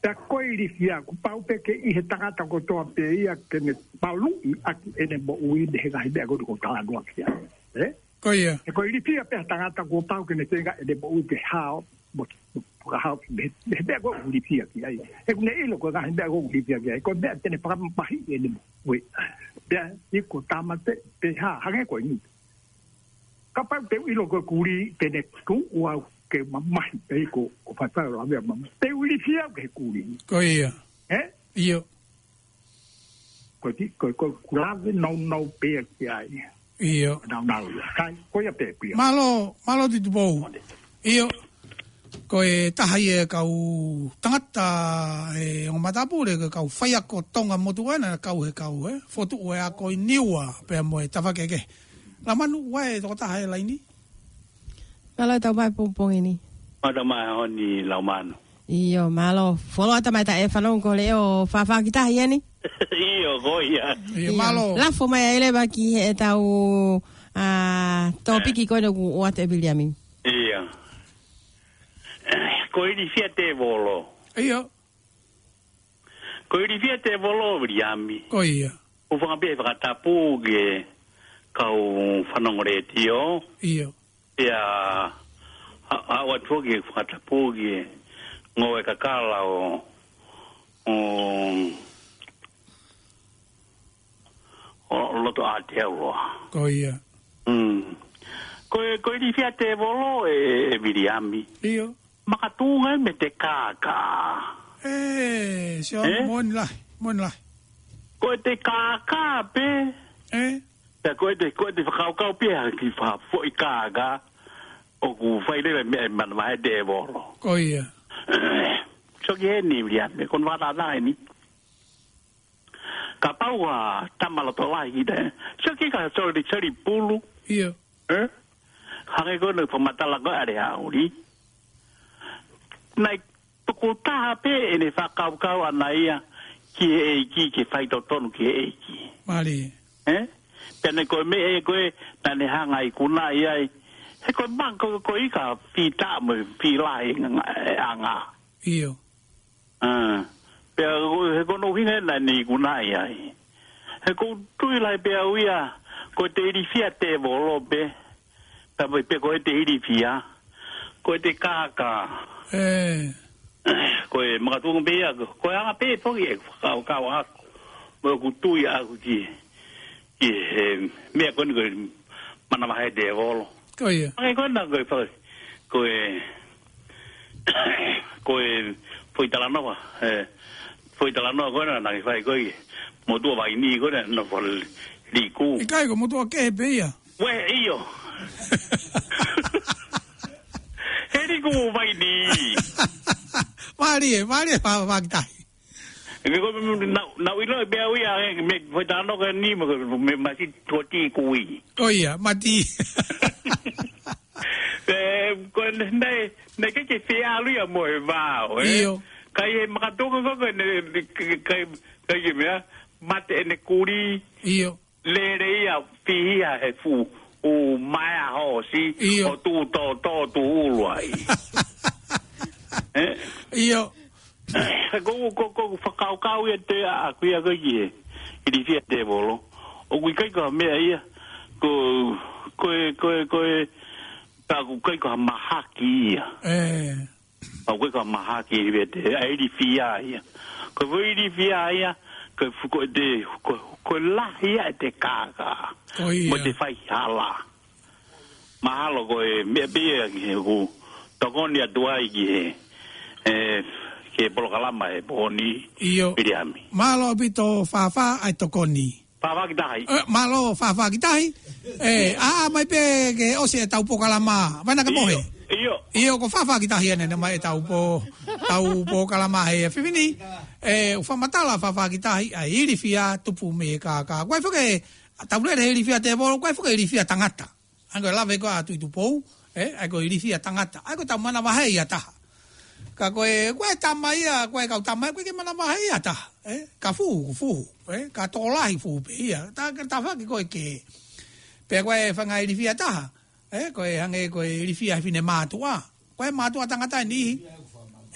Pea ko e ilifia, kuo pau pē ke ʻi he tangata kotoa pē ia ke ne maluʻi ʻaki ʻene moʻui mei he ngaahi meʻa ko ē ʻoku ou talanoa ki ai. Ē? Ko ia. He ko e ilifia pē ʻa e tangata kuo pau ke ne feinga ʻene moʻui ke hao, mo, mo, mo hao, mei, mei he meʻa ko ē ʻoku ilifia ki ai. He ʻoku ne ʻilo ko e ngaahi meʻa ko ē ʻoku ilifia ki ai. Ko e meʻa te ne fakamamahiʻi ʻene moʻui. Pea, ʻi ko tāmate, pe hā, hangē ko eni. Kapau te u ʻilo ko e kulī, te ne tuʻu au ke mamahi pē ko, ko faifai o lavea mama. Te u ilifia au ki he kulī. Ko ia. Ē? ʻIo. Ko ti, ko, ko, ʻoku lave naunau pē ia ki ai. ʻIo. Naunau ia. Kai, ko ia pē pē ia. Mālō, mālō Tupou. ʻIo. Ko e taha ia e kau tangata, e ongo matapule, ko e kau faiako Tonga motuʻa naʻe kau he kau, ē? Fokotuʻu e ako ʻi Niua, pea mo e tafaʻaki kehekehe. Laumanu, ʻoku ʻi ai e tokotaha he laini? Mālō e tau mai pongipongi ni. Mālō mai honi Laumanu. ʻIo, mālō. Fuoloa tamai taʻe fanongo ko e leʻo fafaki tahi eni. ʻIo, ko ia. ʻIo, ʻIo. Mālō. Lafo mai ai leva ki he tau, ā, tōpiki ko eni ʻoku ʻoatu ʻe Viliami. ʻIo. Ko e ilifia tēvolo. ʻIo. Ko e ilifia tēvolo Viliami. Ko ia. ʻOku ou fakaʻamu pē he fakatapu ki he kau fanongo letiō. ʻIo. Pea, a, a, ʻoatu foki e fakatapu ki he ngoue kakala ʻo, ʻo, ʻo Lotoʻā Aotearoa. Ko ia. Mm. Ko e, ko e ilifia tēvolo ē, ē Viliami. ʻIo. Makatuʻunga ia mei he kākā. Ē, sio, Ē? moʻoni lahi, moʻoni lahi. Ko e kākā pē. Ē? Pea ko e, ko e fakakaukau pē ia ki he foʻi kākā ʻoku fai leva e meʻa ʻi he manavahē ʻo e tēvolo. Ko ia. Sio ki heni Viliami, ko hono fakatātā eni. Kapau ʻoku tama loto lahi kita, ē? Sio ki he kau soli, soli pulu. ʻIo. Ē? Hangē ko ʻene fakamatala ko ē ʻa Leauli. Naʻe tukutaha pē ʻene fakakaukau ʻana ia ki he ʻEiki, ke faitotonu ki he ʻEiki. Mālie. Ē? Pea naʻe ko e meʻa ē ko ē naʻa ne hanga ʻo ikunaʻi ai. He ko e maka ko, ko e ika fita mo e filahi nga, e anga. ʻIo. ʻA, pea ko, he ko hono ʻuhinga ia naʻa ne ikunaʻi ai. He ʻoku ou tui lahi pē au ia, ko e ilifia tēvolo pē, tā pē, pē ko e ilifia, ko e kākā. Ē. Ko e makatuʻunga pē ia, ko e anga pē foki e fakakaukau ʻaʻaku, mo ʻeku tui ʻaʻaku ki, ki he meʻa ko eni ko e manavahē ʻo e tēvolo. Ko ia. Hangē ko ena ko e faka-, ko e, ko e foʻi talanoa, ē, foʻi talanoa ko ena naʻe fai ko ē, motuʻa vaini ko ena, naʻe fai liku. ʻIkai ko e motuʻa kehe pē ia. Uē, ʻio. He liku vaini. Mālie, mālie, fa-, fakatahi. Ke ko, na, na ilo e pea ui a, e, me, foʻi tano ka ni, mo, me, masi toti kui. ʻO ia, mati. E, ko, ne, ne, ne ke ke fea alu ia mo e vao, e? ʻIo. Kai e makatonga ko, ko, ne, ne, kai, kai ke mea, mate ʻene kuli. ʻIo. Lele ia, fihi ia he fuʻu, ʻū maea hoosi, ʻIo. ʻo tuʻu tōtō tuʻu ʻulu ai. E? ʻIo. Ko, ko, ko, fakakaukau ia te a, a kuia ko ki he ilifia tēvolo. ʻOku ʻikai ko ha meʻa ia, ko, ko e, ko e, ko e, ka ʻoku ʻikai ko ha mahaki ia. E. ʻOku ʻikai ko ha mahaki ia te, ʻa e ilifia ia. Ko e foʻi ilifia ia, ko e fu-, ko e te, ko, ko e lahi ia e te kākā. Ko ia. Mo te faihala. Mahalo ko e meʻa pē ia ki he ʻoku tokoni atu ai ki he, e, ki he polokalama he pō ni, ʻIo. Viliami. Mālō ʻaupito Fafā ʻa e tokoni. Fafā ki tahi. E, mālō Fafā ki tahi. E, ʻa, ʻa mai pē ke ʻosi e tau polokalama. Vai na ka mohe. ʻIo, ʻio. ʻIo, ko Fafā ki tahi ʻanenai mai e tau pō, tau polokalama he efiafi ni. E, ʻoku fakamatala Fafā ki tahi, ʻa e ilifia tupu mei he kākā. Ko e foʻi ke, tau lele he ilifia tēvolo, ko e foʻi ke ilifia tangata. ʻA ia ko e lave ko ē ʻa Tuʻitupou, e, ʻa ia ko e ilifia tangata, ʻa ia ko e tau manavahē ia taha. Ka ko e, ko e tama ia, ko e kau tama ia, ʻoku ʻikai ke manavahē ia taha, e, ka fuhu, fuhu, e, ka tokolahi fuhu pē ia, ta, ka tafaʻaki ko e ke. Pea ko e fanga ilifia taha, e, ko e hangē ko e ilifia he fine mātuʻa, ko e mātuʻa tangata ʻe niʻihi.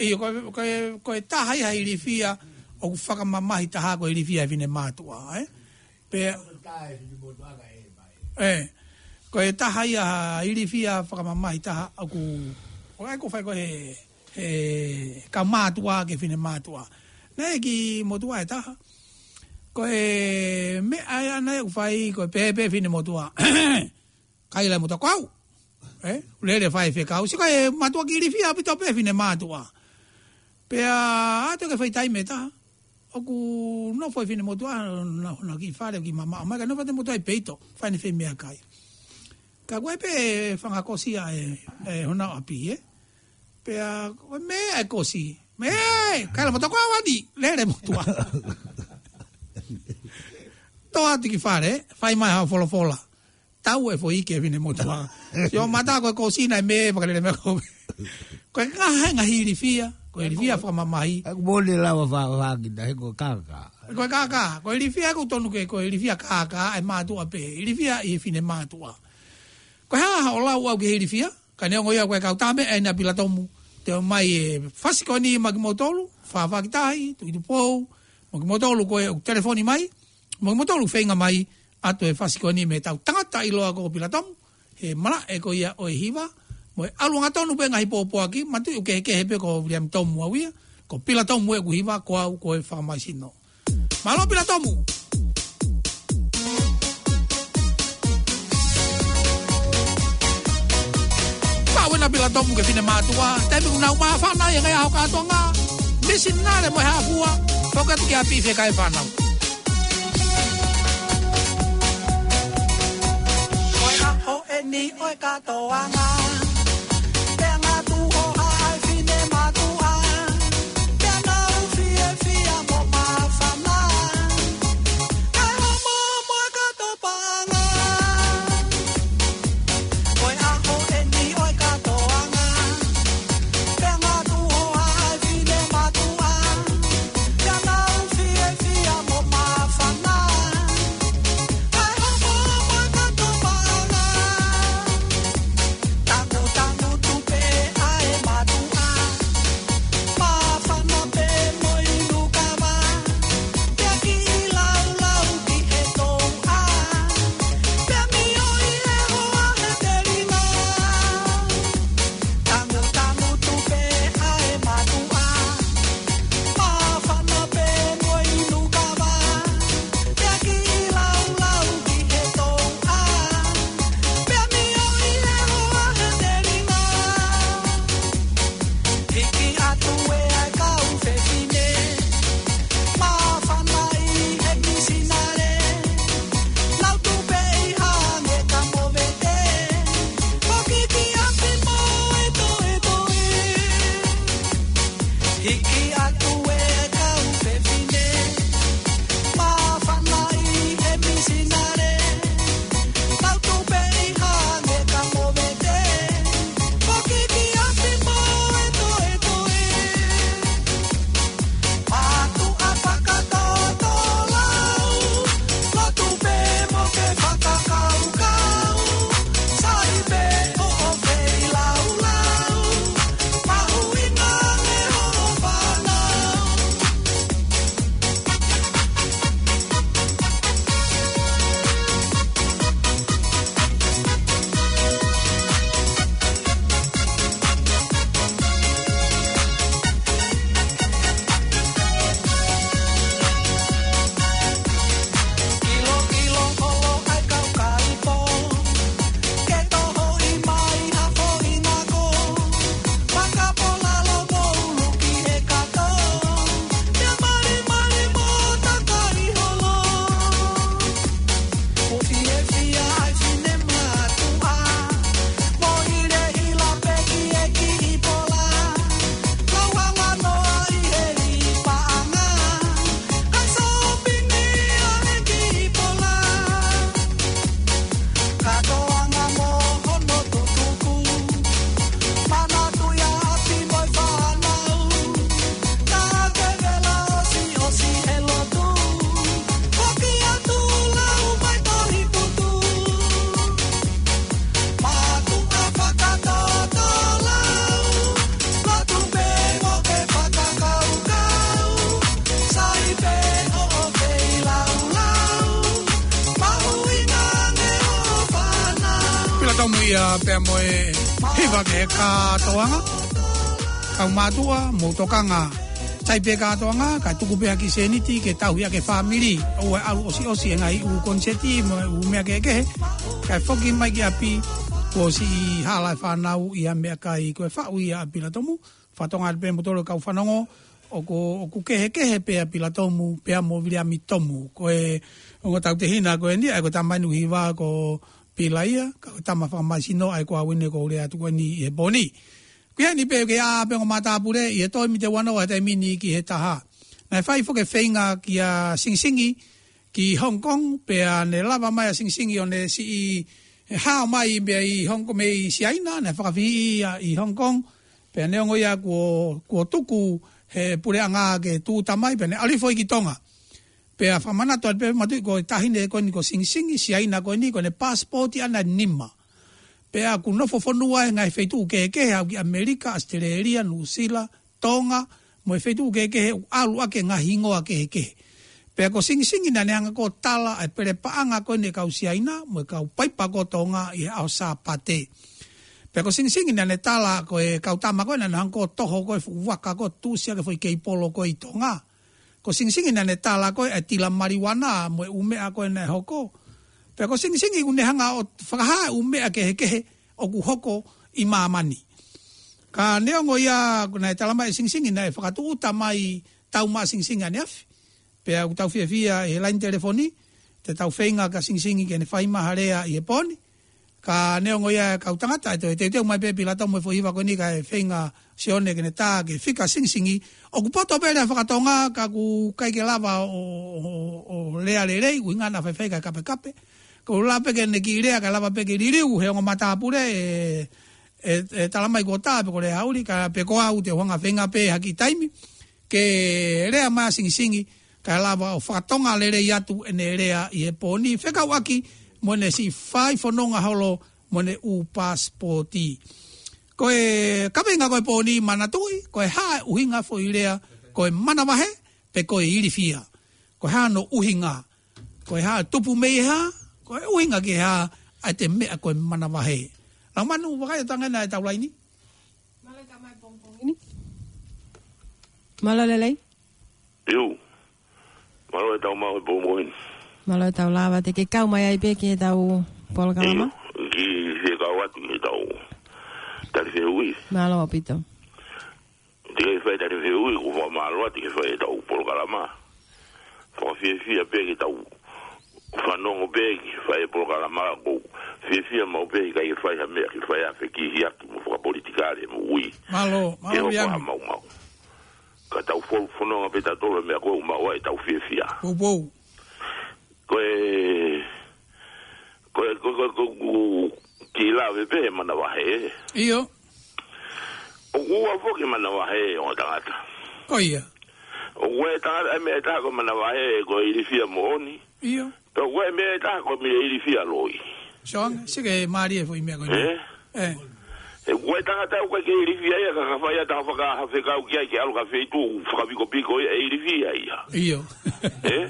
ʻIo, ko e, ko e, ko e taha ia he ilifia, ʻoku fakamamahi taha ko e ilifia he fine mātuʻa, e. Pea, e, ko e taha ia ha ilifia fakamamahi taha ʻoku, ʻoku ʻai ko fai ko e, e, kau mātuʻa ki he fine mātuʻa. Naʻe ʻi ai e kiʻi motuʻa ʻe taha. Ko e meʻa ia naʻe ʻoku fai ko e pehē pē fine motuʻa. Kai la motuʻa ko au. E, lele fai fekau. Sio ko e mātuʻa kiʻi ilifia ʻaupito pē fine mātuʻa. Pea ʻalu atu ki he foʻi taimi ʻe taha. ʻOku nofo e fine motuʻa, na, na ki fale ki mama, mai ka nofo e motuʻa ʻi peito, fai ʻene foʻi meʻakai. Ka ko e pē fanga kosi ʻa e, e hona ʻapi, e. Pea, ko e meʻa e kosi. Meʻa, kai la motuʻa ko au eni, lele motuʻa. Toʻo atu ki fale, fai mai ha folofola. Tau e foʻi ke fine motuʻa. Sio mata ko e kosi naʻe meʻa, fakalele meʻa ko. Ko e ngaahi, ngaahi ilifia, ko e ilifia fakamamahi. ʻOku mole lava fa-, fa kita, he ko e kākā. Ko e kākā, ko e ilifia ʻoku tonu ke, ko e ilifia kākā, e mātuʻa pē, ilifia ʻi he fine mātuʻa. Ko e hā haʻo lau au ki he ilifia, ka neongo ia ko e kau tame, ʻe na Pilatomu, te ʻomai e fasi ko eni maʻa kimoutolu, Fafā ki tahi, Tuʻitupou, maʻa kimoutolu ko ē ʻoku telefoni mai, maʻa kimoutolu feinga mai, ʻoatu e fasi ko eni mei he tau tangata ʻiloa ko Pilatomu, he malaʻe ko ia ʻo e hiva, mo e ʻalu angatonu pē ngaahi pōpoaki, mātuʻaki ʻoku kehekehe pē ko Viliami Tomu au ia, ko Pilatomu ʻeku hiva, ko au ko e fakamaisino. Mālō Pilatomu. Pau ena Pilatomu ki he fine mātuʻa, taimi ʻoku nau māfana ai e ngaahi ʻaho kātoanga, misinale mo e hā fua, foki atu ki ʻapi fekau e fānau. Ko e ʻaho eni ʻo e kātoanga, pea ngatu ʻo haʻa e fine mātuʻa, pea nau fiefia mo māfana, kae homo mo e kato paʻanga. Ko e ʻaho eni ʻo e kātoanga, pea ngatu ʻo haʻa e fine mātuʻa, pea nau fiefia mo māfana, kae homo mo e kato paʻanga. Ta Ia pea mo e hiva ke kātoanga. Kau mātuʻa, mou tokanga. Tai pē kātoanga, ka tuku pē ha kiʻi sēniti ke tauhi ʻaki e fāmili. ʻOua ʻe ʻalu ʻosiʻosi e ngaahi ʻū koniseti mo e ʻū meʻa kehekehe. Kae foki mai ki ʻapi, kuo ʻosi hala e fānau ʻi ha meʻakai. Ko e faʻu ia ʻa Pilatomu. Fakatokangaʻi pē mo tolo kau fanongo, ʻoku, ʻoku kehekehe pē ʻa Pilatomu, pea mo Viliami Tomu. Ko e ongo tautehina ko eni, ʻa ia ko e tama eni ʻoku hiva ko Pilaia, ka ko e tama fakamaisino, ʻa ia ko au eni ʻoku ou lea atu ko eni ʻi he pō ni. Ko ia ni pē ke ʻā pē ongo matāpule, ʻi he toe mite wano ʻa e taimi ni ki he taha. Naʻe fai foki e feinga kia Singisingi, ki Hong Kong, pea ne lava mai ʻa Singisingi ʻo ne siʻi hao mai pea ʻi Hong Kong mei Siaina, ne fakafihi ia ʻi Hong Kong, pea neongo ia kuo, kuo tuku he puleʻanga ke tūʻuta mai, pea ne ʻalu hifo ia ki Tonga. Pea fakamanatu atu pē matuʻi ko e taʻahine ko eni ko Singisingi, Siaina ko eni, ko ʻene passport ʻana ʻe nima. Pea ʻoku nofo fonua he ngaahi feituʻu kehekehe, ʻalu ki ʻAmelika, ʻAositelēlia, Nuʻusila, Tonga, mo e feituʻu kehekehe ʻoku ʻalu ʻaki e ngaahi hingoa kehekehe. Pea ko Singisingi naʻa ne hanga ʻo tala ʻa e pele paʻanga ko eni ʻa e kau Siaina, mo e kau paipa ko Tonga ʻi he ʻaho Sāpate. Pea ko Singisingi naʻa ne tala ko e kau tama ko ē naʻa nau hanga ʻo toho ko e fuʻu vaka ko ē tuʻusi ʻaki e foʻi keipolo ko ē ʻi Tonga. Ko Singisingi naʻa ne tala ko ē ʻa e tila maliuana mo e ʻū meʻa ko ē naʻe hoko. Pea ko Singisingi ʻoku ne hanga ʻo fakahā e ʻū meʻa kehekehe ʻoku hoko ʻi māmani. Ka neongo ia, ko ʻene tala mai ʻe Singisingi naʻe fakatūʻuta mai tau maʻa Singisingi ʻaneafi. Pea ʻoku tau fiefia ʻi he laine telefoni, te tau feinga kia Singisingi ke ne fai mai ha lea ʻi he pō ni. Ka neongo ia e kau tangata, ʻe toe teuteu mai pē Pilatomu e foʻi hiva ko eni kae feinga Sione ke ne tā ke fika Singisingi. ʻOku poto pē lea faka-Tonga ka ʻoku ʻikai ke lava ʻo, ʻo, ʻo, ʻo lea lelei, ʻuhinga naʻa faifai kae kapekape. Ko e ʻuhinga pē ke ne kiʻi lea kae lava pē ke liliu he ongo matāpule ʻe, ʻe, ʻe tala mai ko tā pe ko e lea haʻuli, ka pe ko au te u hanga ʻo feinga pē ha kiʻi taimi ke lea mai ʻa Singisingi, kae lava ʻo faka-Tonga lelei atu ʻene lea ʻi he pō ni fekauʻaki mo ʻene siʻi fai fononga holo mo ʻene ʻū pasipoti. Ko e kaveinga ko e pō ni manatuʻi, ko e hā e ʻuhinga foʻi lea, ko e manavahē, pe ko e ilifia. Ko e hā hono ʻuhinga, ko e hā e tupu mei he hā, ko e ʻuhinga ki he hā, ʻa e meʻa ko e manavahē. Lau manu, vakai atu ange ʻetau laini. Mālō e tau maʻu e pongipongi ni. Mālō lelei. Iu. Mālō e tau maʻu e pongipongi ni. Mālō e tau lava te ke kau mai ai pē ki heʻetau polokalama. Iu. Ki he kau atu ki heʻetau tali fehuʻi. Mālō ʻaupito. Te ke fai tali fehuʻi, ʻoku fakamālō atu ke fai ʻetau polokalama. Fakafiefia pē ke tau fanongo pē ke fai e polokalama ko. Fiefia maʻu pē ʻikai ke fai ha meʻa ke fai ʻa e fekihiaki mo fakapolitikale mo ui. Mālō, mālō Ke hoko Viliami. Ha maumau. Ka tau fo-, fononga pē tautolu he meʻa ko ē ʻoku maʻu ai ʻetau fiefia. Pou, pou. Ko e, ko e, ko e, ko e, ko e, ko e, kiʻi lave pē he manavahē. ʻIo. ʻOku ua foki e manavahē ʻo e tangata. Ko ia. ʻOku ua e tangata, e meʻa ʻe taha ko e manavahē ko e ilifia moʻoni. ʻIo. Pea ʻoku ua e meʻa ʻe taha ko e meʻa ilifia loi. Song, sike mālie foʻi meʻa ko eni. Eh? Eh. He ʻoku ua e tangata ʻoku ʻikai ke ilifia ia, ka ka fai ʻa e taha faka-, ha fekau ki ai ke ʻalu ki ha feituʻu fakapikopiko ia ʻe ilifia ia. ʻIo. Eh?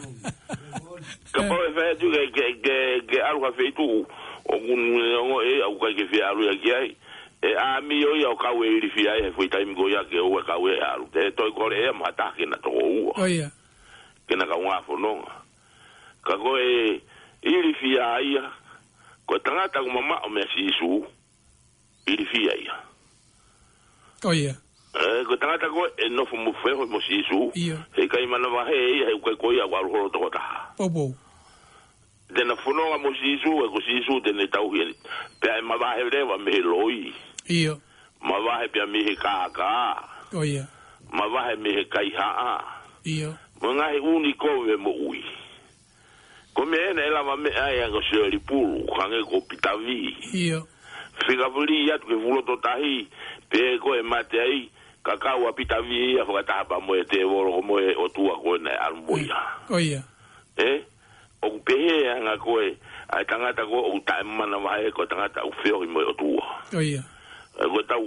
Kapau ʻe fai atu ke, ke, ke, ke ʻalu ki ha feituʻu ʻoku ne ongo ʻe, ʻoku ʻikai ke fie ʻalu ia ki ai. ʻE ʻāmio ia ʻo kau e ilifia ia he foʻi taimi ko ia ke ʻoua ʻe kau ʻe ʻalu. Te toe kole ʻe ia mo ha taha ke na toko ua. Ko ia. Ke na kaungā fononga. Ka ko e ilifia ia, ko e tangata ʻoku mamaʻo meia Sīsū, ilifia ia. Ko ia. Eh, ko e tangata ko ē ʻe nofo mo feohi mo Sīsū, ʻIo. he ʻikai manavahē ia, he ʻoku ʻikai ko ia ʻoku ʻalu holo toko taha. Pou, pou. Te na fononga mo Sīsū, he ko Sīsū te ne tauhi eni. Pea ʻe mavahe leva mei he loi. ʻIo. Mavahe pea mei he kākā. Ko ia. Mavahe mei he kaihaʻa. ʻIo. Mo e ngaahi ʻū ni kovi e moʻui. Ko e meʻa ena ʻe lava meʻa ai ʻa e ngaahi sio ʻi pulu, hangē ko Pita Vī. ʻIo. Fika fuli atu ki he fuʻu loto tahi, pea ko e mate ai, ka kau ʻa Pita Vī ia fakataha pē mo e tēvolo ko mo e ʻotua ko ē naʻe ʻalu mo ia. Ko ia. Eh? ʻOku pehē ʻa e anga ko ē, ʻa e tangata ko ē ʻoku taʻemanavahē ko e tangata ʻoku feohi mo e ʻotua. Ko ia. Eh, ko e tau,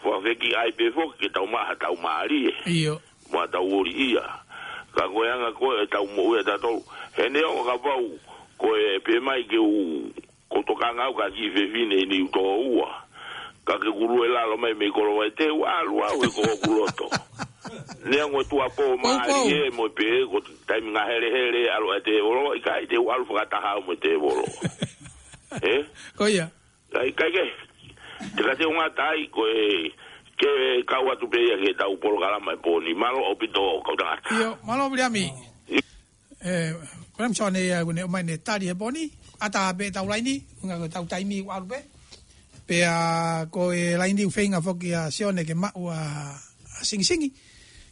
fakafekiʻi ai pē foki ke tau maʻu ha tau mālie. ʻIo. Mo ha tau ʻoli ia. Ka ko e anga ko ē ʻetau moʻui ʻa tautolu. He neongo kapau, ko e pē mai ke u Ko e tokanga au ki he kiʻi fefine ʻi Niutōua. Ka ke kulue lalo mai mei Kolowaitē, ʻalu au he ko hoku loto. Neongo e tuʻuapō mālie mo e pē ko e taimi ngaahi helehele ʻalu ʻa e tēvolo, ʻikai te u ʻalu fakataha au mo e tēvolo. Ē? Ko ia. ʻIkai, ʻikai ke. Te ka te u ngata ai ko e ke kau atu pē ia ki heʻetau polokalama he pō ni. Mālō ʻaupito kau tangata. ʻIo, mālō Viliami. ʻIo. Ē, ko e lami sone ia, ʻoku ne ʻomai ʻene tali he pō ni, ʻatā pē ʻetau laini, ʻuhinga ko ʻetau taimi ʻoku ʻalu pē. Pea ko e laini ʻoku feinga foki ʻa Sione ke maʻu ʻa, ʻa Singisingi,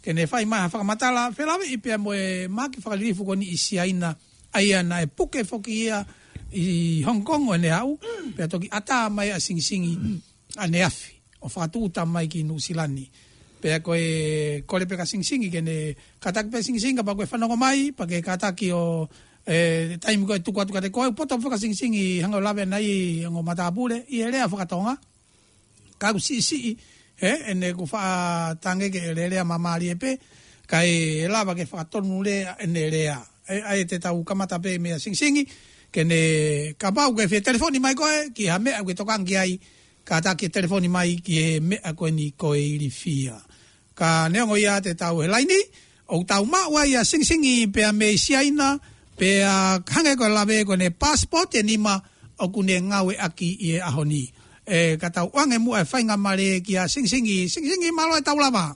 ke ne fai mai ha fakamatala, felāveʻi pea mo e mahaki fakalilifu ko eni ʻi Siaina, ʻa ia naʻe puke foki ia ʻi Hong Kong ʻo ne aʻu, pea toki ʻatā mai ʻa Singisingi ʻaneafi ʻo fakatūʻuta mai ki Nuʻusila ni. Pea ko e kole pē kia Singisingi ke ne kātaki pē Singisingi kapau ʻoku ke fanongo mai, pea ke kātaki ʻo, ē, taimi ko ē tuku atu kiate koe, poto pē kia Singisingi hanga ʻo lave ʻanai ʻi he ongo matāpule, ʻi he lea fakatonga. Ka ʻoku siʻisiʻi, ē, ʻene ʻoku faʻa tange ke lelea māmālie pē, kae lava ke fakatonulea ʻene lea. Ē, ʻa ia te tau kamata pē meia Singisingi, ke ne kapau ʻoku ke fie telefoni mai koe, ki ha meʻa ʻoku ke tokanga ki ai, kātaki telefoni mai ki he meʻa ko eni ko e ilifia. Ka neongo ia te tau he laini, ʻoku tau maʻu ai ʻa Singisingi pea mei Siaina, pea hangē ko e lave ko ʻene passport ʻe nima ʻoku ne ngāueʻaki ʻi he ʻaho ni. Ē, ka tau ʻoange muʻa e faingamālie kia Singisingi, Singisingi mālō e tau lava.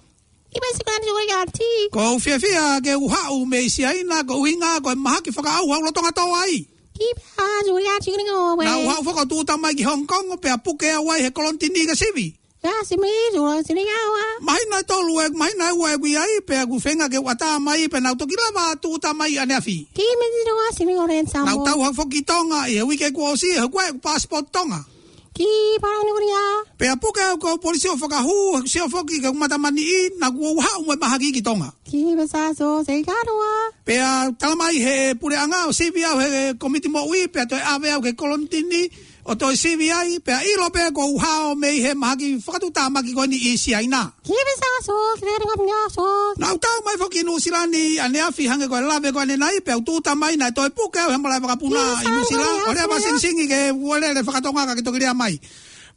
Kipe sika ni ua ya ti. ʻOku ou fiefia ke u haʻu mei Siaina, ko e ʻuhinga ko e mahaki fakaʻauha ʻoku lolotonga tō ai. Kipe a, ua ya ti ni o we. Naʻa ku haʻu foki ʻo tūʻuta mai ki Hong Kong, pea puke au ai he kolonitini ke sivi. Ya si mi, ua si ni ya wa. Māhina ʻe tolu ē, māhina ʻe ua ʻeku ʻi ai, pea ʻoku feinga ke u ʻatā mai, pea naʻa ku toki lava tūʻuta mai ʻaneafi. Kipe si ua si ni o ren sa mo. Naʻa ku tau haʻu foki ki Tonga ʻi he uike kuo ʻosi, he ʻoku ʻi ai ʻeku passport Tonga. Kipe a ni ua ya. Pea puke au ko e polisi ʻo fakahū, he ʻoku sio foki ki heʻeku matamaniʻi, naʻa ku haʻu mo e mahaki ki Tonga. Kipe sa so se karoa. Pea talamai he puleʻanga ʻo sivi au he komiti moʻui, pea toe ʻave au ki he kolonitini ʻo toe sivi ai, pea ʻilo pē ʻoku ou hao mei he mahaki fakatuʻutāmaki ko eni ʻi Siaina. Kipe sa so, kipe a ni ua ya so. Naʻa ku tau mai foki Nuʻusila ni ʻaneafi hangē ko e lave ko eni ʻanenai, pea u tūʻuta mai naʻe toe puke au he malaʻe vakapuna ʻi Nuʻusila, ʻo lea pē ʻa Singisingi ke u lele fakatonga ka ke toki lea mai.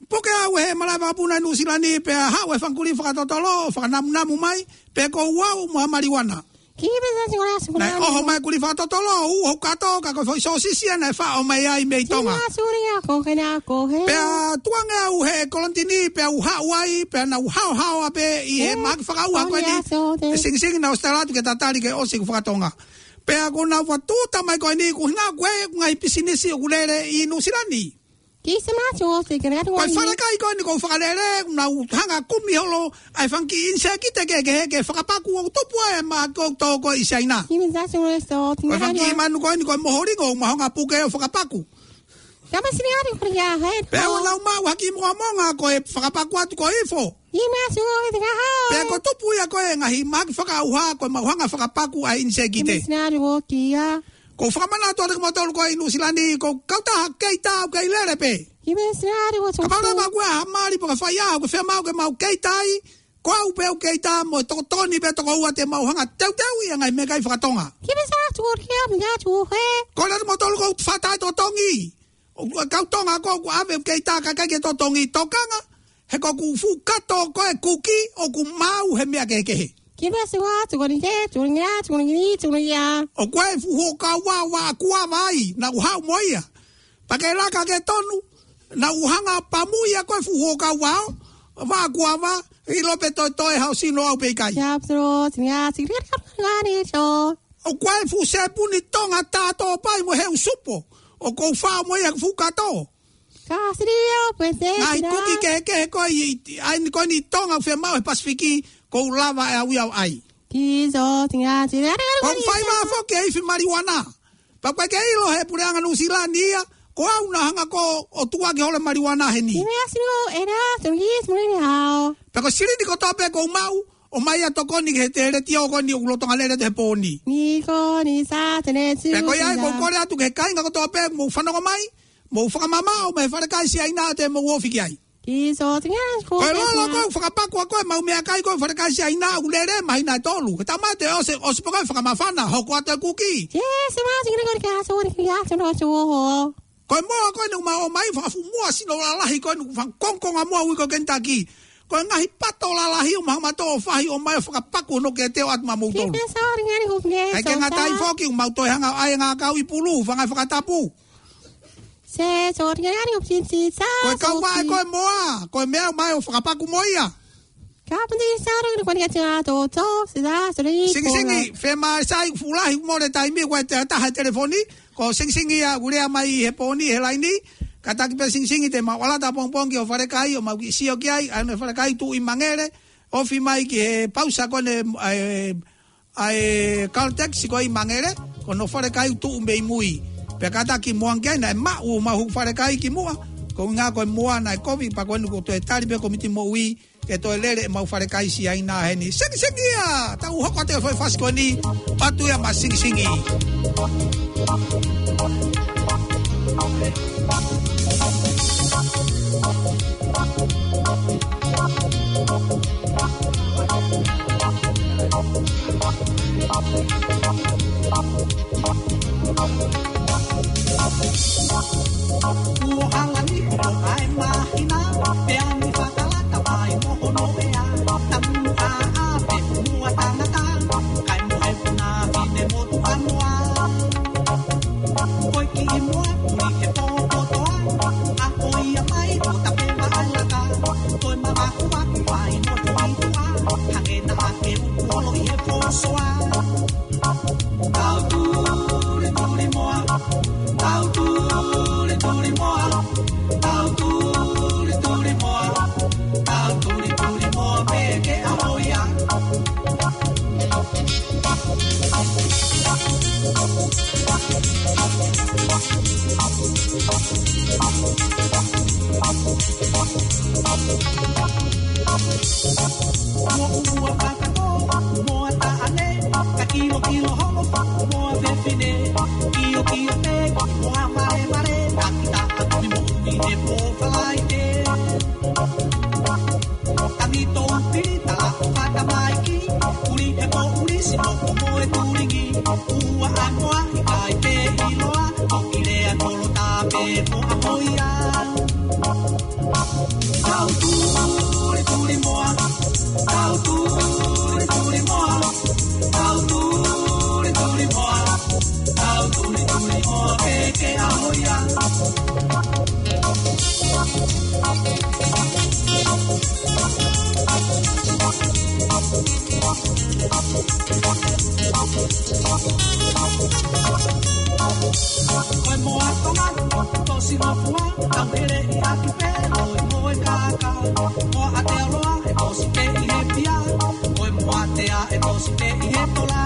Puke au he malaʻe vakapuna ʻi Nuʻusila ni pea haʻu e fanga kulī fakatotolo, fakanamunamu mai, pea ʻoku ou aʻu mo ha maliuana. Kipe sa si ua ya si ua ya. Naʻe ʻoho mai kulī fakatotolo, ʻū hoku kato, ka ko e foʻi sōsisi ia naʻe faʻo mai ai mei Tonga. Sina suri a ko ke na ko he. Pea tuʻu ange au he kolonitini, pea u haʻu ai, pea naʻa ku haohaoa pē ʻi he mahaki fakaʻauha ko eni. ʻE Singisingi naʻa ku ʻosi tala atu ke tatali ke ʻosi ʻeku fakatonga. Pea ko ʻena ua tūʻuta mai ko eni, ko e ʻuhinga ko e ngaahi pisinisi ʻoku lele ʻi Nuʻusila ni. Kipe sa ma so se ke na ko e falekai ko eni ʻoku ou fakalele, naʻa ku hanga ʻo kumi holo ʻa e fanga kiʻi ʻinisēkite kehekehe ke fakapaku ʻoku tupu ai ʻa e mahaki ʻoku tō ko ē ʻi Siaina. Kipe sa so so. Ko e fanga kiʻi manu ko eni ko e moholingo ʻoku mau hanga ʻo puke ʻo fakapaku. Kipe si ni a ni ko ya he. Pea ʻoku nau maʻu ha kiʻi mongamonga ko e fakapaku atu ko e ifo. Kipe sa so ke te ka hao. Pea ʻoku tupu ia ko e ngaahi mahaki fakaʻauha ko e mau hanga ʻo fakapaku ʻa e ʻinisēkite. Kipe sa ni a ni ko kia. ʻOku ou fakamanatu atu kiate kimoutolu ko ē ʻi Nuʻusila ni, ko e kautaha keita ʻoku kei lele pē. Kipe sa ni a ni ko so. Kapau leva ʻoku ʻi ai ha mali pe ko ha faiʻaho ʻoku fiemaʻu ke mau keita ai, ko au pē ʻoku keita mo e tokoni pē toko ua te mau hanga ʻo teuteuʻi ʻa e ngaahi meʻakai fakatonga. Kipe sa so kia mi ya so he. Ko e lea atu kimoutolu ʻoku ou faʻa taʻetotongi. ʻOku ʻi ai e kau Tonga ko ē ʻoku ʻave ʻo keita kae ʻikai ke totongi, tokanga, he ko ʻeku fuʻu kato ko ē ʻoku kī, ʻoku maau he meʻa kehekehe. Kipe sa so, tukuni ke, tukuni ya, tukuni ni, tukuni ya. ʻOku ʻi ai e fuʻu huokau vao vaʻa kuava ai, naʻa ku haʻu mo ia. Pea ke laka ke tonu, naʻa ku hanga ʻo pamu ia ko e fuʻu huokau vao, vaʻa kuava, ʻilo pe toetoe haʻo sino au pe ʻikai. Ya so, tukuni ya, tukuni ya, tukuni ya, tukuni ya, tukuni ya. ʻOku ʻi ai e fuʻu sepuni Tonga tā tō pai mo e heu supo, ʻoku ou faʻo mo ia he fuʻu kato. Ka siri o pete. Ngaahi kuki kehekehe ko ē ʻi, ʻi, ʻa eni ko eni ʻi Tonga ʻoku fiemaʻu he Pasifiki, ʻoku ou lava ʻe au ia ʻo ʻai. Kipe so, tukuni ya, tukuni ya. ʻOku ou fai vā foki e ifi maliuana. Pea ʻoku ʻikai ke ʻilo he puleʻanga Nuʻusila ni ia, ko au naʻa ku hanga ko ē ʻo tukuaki holo e maliuana heni. Kipe a si ni o e na, tukuni ki si muli ni hao. Pea ko e silini kotoa pē ʻoku ou maʻu, ʻomai ʻo tokoni ki he teletiō ko eni ʻoku lolotonga lele atu he pō ni. Ni ko ni sa te ne tu. Pea ko ia ai ʻoku ou kole atu ki he kāinga kotoa pē ʻoku mou fanongo mai, mou fakamamaʻo mei he falekai Siaina ʻoku te mou ofi ki ai. Kipe so, tukuni ya, ko e lolo ko ē ʻoku fakapaku ʻa ko ē ʻemau meʻakai ko ē he falekai Siaina ʻoku lele māhina ʻe tolu. He taimi te ʻosi, ʻosi pē ko ē fakamafana, hoko atu e kuki. Kipe sa ma, tukuni ko kia so, tukuni kia so, tukuni kia so. Ko e moa ko eni ʻoku mau ʻomai, fakafuʻu moa sino lalahi ko eni, fakakongokonga moa ui ko e Kentucky. Ko e ngaahi pato lalahi ʻoku mau hanga ʻo fahi ʻo ʻomai ʻo fakapaku hono kete ʻo ʻatu maʻamoutolu. Keep shouting and hope, yes, ʻIkai ke ngata ai foki, ʻoku mau toe hanga ʻo ʻai e ngaahi kau ʻi pulu, fanga fakatapu. Say, shouting and hope, sin, sin, sa, Ko e kau vaʻe ko e moa, ko e meʻa ʻoku ʻomai ʻo fakapaku mo ia. Kapiti, sa, ora, ora, ora, ora, ora, ora, ora, ora, Singisingi, ora. Fema, sai, fuʻu lahi mo e taimi, ko e te taha telefoni, ko Singisingi ia, ʻoku lea mai he pō ni, he laini, kātaki pē Singisingi te mau ʻalu atu ʻapongipongi ki hoʻo falekai, ʻo mau kiʻi sio ki ai, ʻa hono falekai tuʻu ʻi Mangele, ofi mai ki he pausa ko eni, ʻa e, ʻa e Caltex ko ē ʻi Mangele, ko hono falekai tuʻu mei mui. Pea kātaki mo ange ai naʻe maʻu homau falekai kimuʻa, ko e ʻuhinga ko e moa naʻe kovi, pea ko eni kuo toe tali pē ʻe he kōmiti moʻui, ke toe lele ʻemau falekai Siaina heni. Singisingi ia, tau hoko atu e foʻi fasi ko eni, patu ia maʻa Singisingi. Kuo hangani ʻo ʻai mahina, pea ni fakalata mai mo hono ea, tamu a a pe mua tangata, kai mo e puna fine motuʻa moa. Ko e kiʻi moa ui ke popotoa, a ko ia mai ko tape maʻalaka, ko e mamaku aku mai mo tuitua, hangē naʻa ke uku holo ʻi he pōsoa. Tau tulituli moa, tau tulituli moa, tau tulituli moa, tau tulituli moa, peke a hoia. Mo ua paka ko, mo a taʻane, ka kilo kilo holo, mo a fefine, kio kio te, mo a mare mare, ka kita ka tumi mo ui he pō Falaite. Tangi tou pili tala o fata maiki, uli he ko uli sino ko mo e tulingi, ua a moa i kai te iloa, o kilea tolo tape ko a hoia. Tau tulituli moa, tau tulituli moa, tau tulituli moa, tau tulituli moa, peke a hoia. Ko e moa Tonga, tosi ngofua, tau hele ʻi ʻaki pē, ʻo e moa kākā. Moa ʻAotearoa, ʻe tosi pē ʻi he pia. Ko e moa tea, ʻe tosi pē ʻi he tola.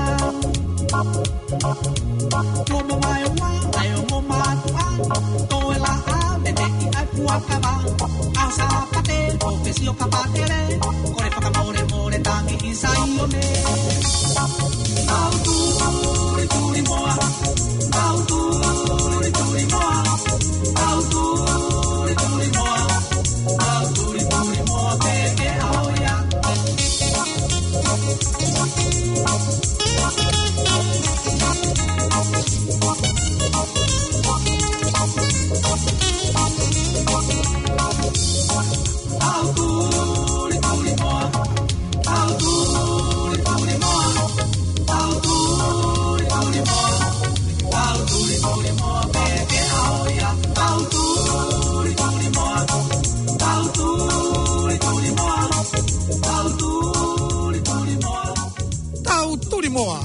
Kuo mo mai ua, ʻa e ongo mātuʻa. Toe laʻā, mene ʻi ai puakava. ʻAho Sāpate, ko ke sio kapatele. Ko e fakamolemole tangi ʻi Saione. Tau tulituli moa, tau tulituli moa, tau tulituli moa, tau tulituli moa, peke a hoia. Tau tulituli moa, tau tulituli moa, tau tulituli moa, tau tulituli moa, peke a hoia. Tau tulituli moa, tau tulituli moa, tau tulituli moa. Tau tuli moa.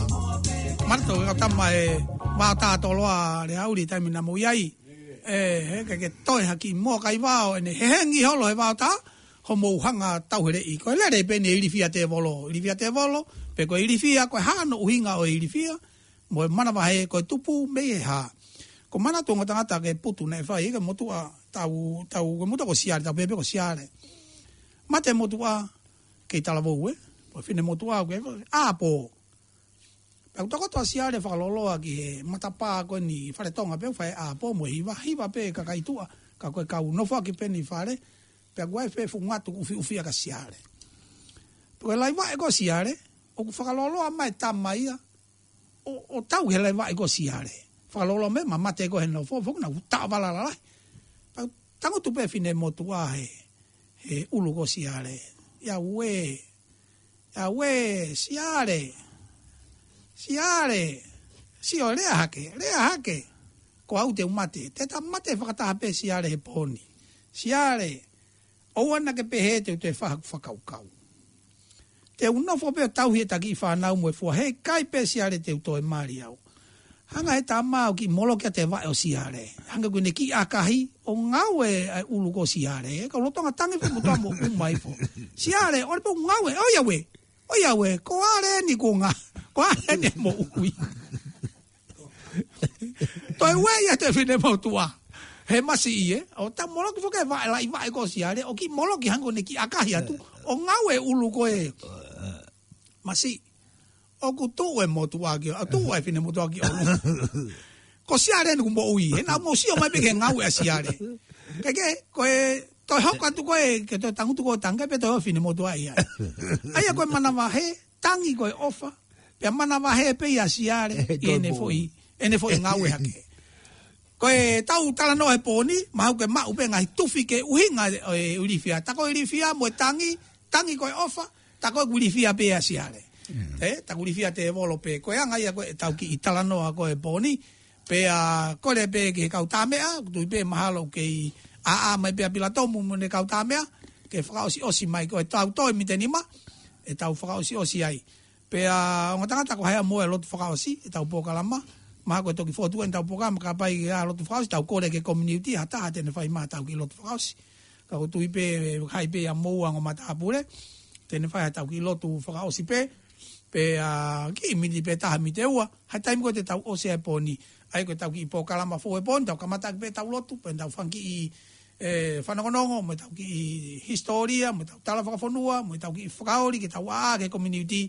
Manatu ʻe kau tama e vaotā toloa le auli taimi naʻa mou ʻi ai. ʻE, he ke ke toe haki moa kai vao ʻene hehengi holo he vaotā, hoʻomou hanga tauheleʻi. Ko e lele pē ʻeni e ilifia tēvolo, ilifia tēvolo, pe ko e ilifia, ko e hā hono ʻuhinga ʻo e ilifia, mo e manavahē ko e tupu mei he hā. Ko manatu ongo tangata ke putu naʻe fai, ke motuʻa tau, tau, ke motuʻa ko Siale, tau pehē pē ko Siale. Mate motuʻa, kei talavou ē, ko e fine motuʻa, ke ʻāpō. Pea ʻoku tokoto ʻa Siale fakaloloa ki he matapā ko eni fale Tonga pē ʻoku fai ʻāpō mo e hiva, hiva pē kakai tuʻa, ka ko e kau nofoʻaki pē ʻeni fale, pea ʻoku ʻi ai e feʻunga tuku ʻufiʻufi ʻa Siale. Pea ko e laivaʻe ko Siale, ʻoku fakaloloa mai tama ia, ʻo, ʻo tau he laivaʻe ko Siale. fakalolo me, ma mate ko he nofo, foki na utaʻa vala lalahi. Pea tangutu pē finemotuʻa he, he ʻulu ko Siale. ʻIa uē, ʻia uē, Siale, Siale, sio lea hake, lea hake. Ko au te u mate, te ta mate fakataha pē Siale he pō ni. Siale, ʻoua naʻa ke pehē te u toe fai haku fakakaukau. Te u nofo pē ʻo tauhi ʻeta kiʻi fānau mo e fua, heʻikai pē Siale te u toe mali au. Hanga he tama ʻo kiʻi moloki ʻa e vaʻe ʻo Siale. Hanga ko ʻene kiʻi ʻakahi, ʻo ngaue ʻa e ʻulu ko Siale. Ka lolotonga tangi pē mo toa mo uma ifo. Siale, ʻoua pē ʻo ngaue, ʻoiauē. ʻOiauē, ko Ale ni ko nga, ko Ale ni mo ui. Toe ueʻi ʻa e finemotuʻa. He masiʻi ē, ʻo ta moloki foki e vaʻe, laʻi vaʻe ko Siale, ʻo kiʻi moloki hanga ko ʻene kiʻi ʻakahi atu, ʻo ngaue ʻulu ko e masiʻi. ʻOku tuʻu e motuʻa ki, ʻa tuʻu e finemotuʻa ki ʻolunga. Ko Siale ni kuo moʻui, he naʻa mou sio mai pē ki he ngaue ʻa Siale. Ke ke, ko e, toe hoko atu ko e, ke toe tangutu ko e tangi, pea toe ʻo finemotuʻa ia. ʻA ia ko e manavahē, tangi ko e ʻofa, pea manavahē pē ia Siale, ʻi heʻene foʻi, ʻene foʻi ngaue hake. Ko e tau talanoa he pō ni, mahalo ke maʻu pē ngaahi tufi ke ʻuhinga e, e ilifia. Ta ko e ilifia mo e tangi, tangi ko e ʻofa, ta ko e kuo ilifia pē ia Siale. Ē, ta kuo ilifia tēvolo pē. Ko e anga ia ko e tau kiʻi talanoa ko e pō ni, pea kole pē ki he kau tāmeʻa, ʻoku tui pē mahalo kei ʻaʻa mai pē ʻa Pilatomu mo ʻene kau tāmeʻa, ke fakaʻosiʻosi mai ko e tau toe mitenima, ʻe tau fakaʻosiʻosi ai. Pea ongo tangata ko hai ʻa mo e lotu fakaʻosi, ʻetau polokalama, mahalo ko e toki fotu ʻetau polokalama, ka pai ʻa lotu fakaʻosi, tau kole ki he community, ha taha te ne fai mai ʻetau kiʻi lotu fakaʻosi. Ka ʻoku tui pē, hai pē ʻa mo ongo matāpule, te ne fai ʻetau kiʻi lotu fakaʻosi pē, pea kiʻi miniti pē taha miniti ʻe ua, ha taimi ko ē te tau ʻosi ai e pō ni, ʻa ia ko ʻetau kiʻi polokalama foʻou he pō ni, tau kamata pē ʻetau lotu, pea tau fanga kiʻi, ē, fanongonongo, mo ʻetau kiʻi hisitōlia, mo ʻetau tala fakafonua, mo ʻetau kiʻi fakaoli, ke tau ʻaʻa ki he community,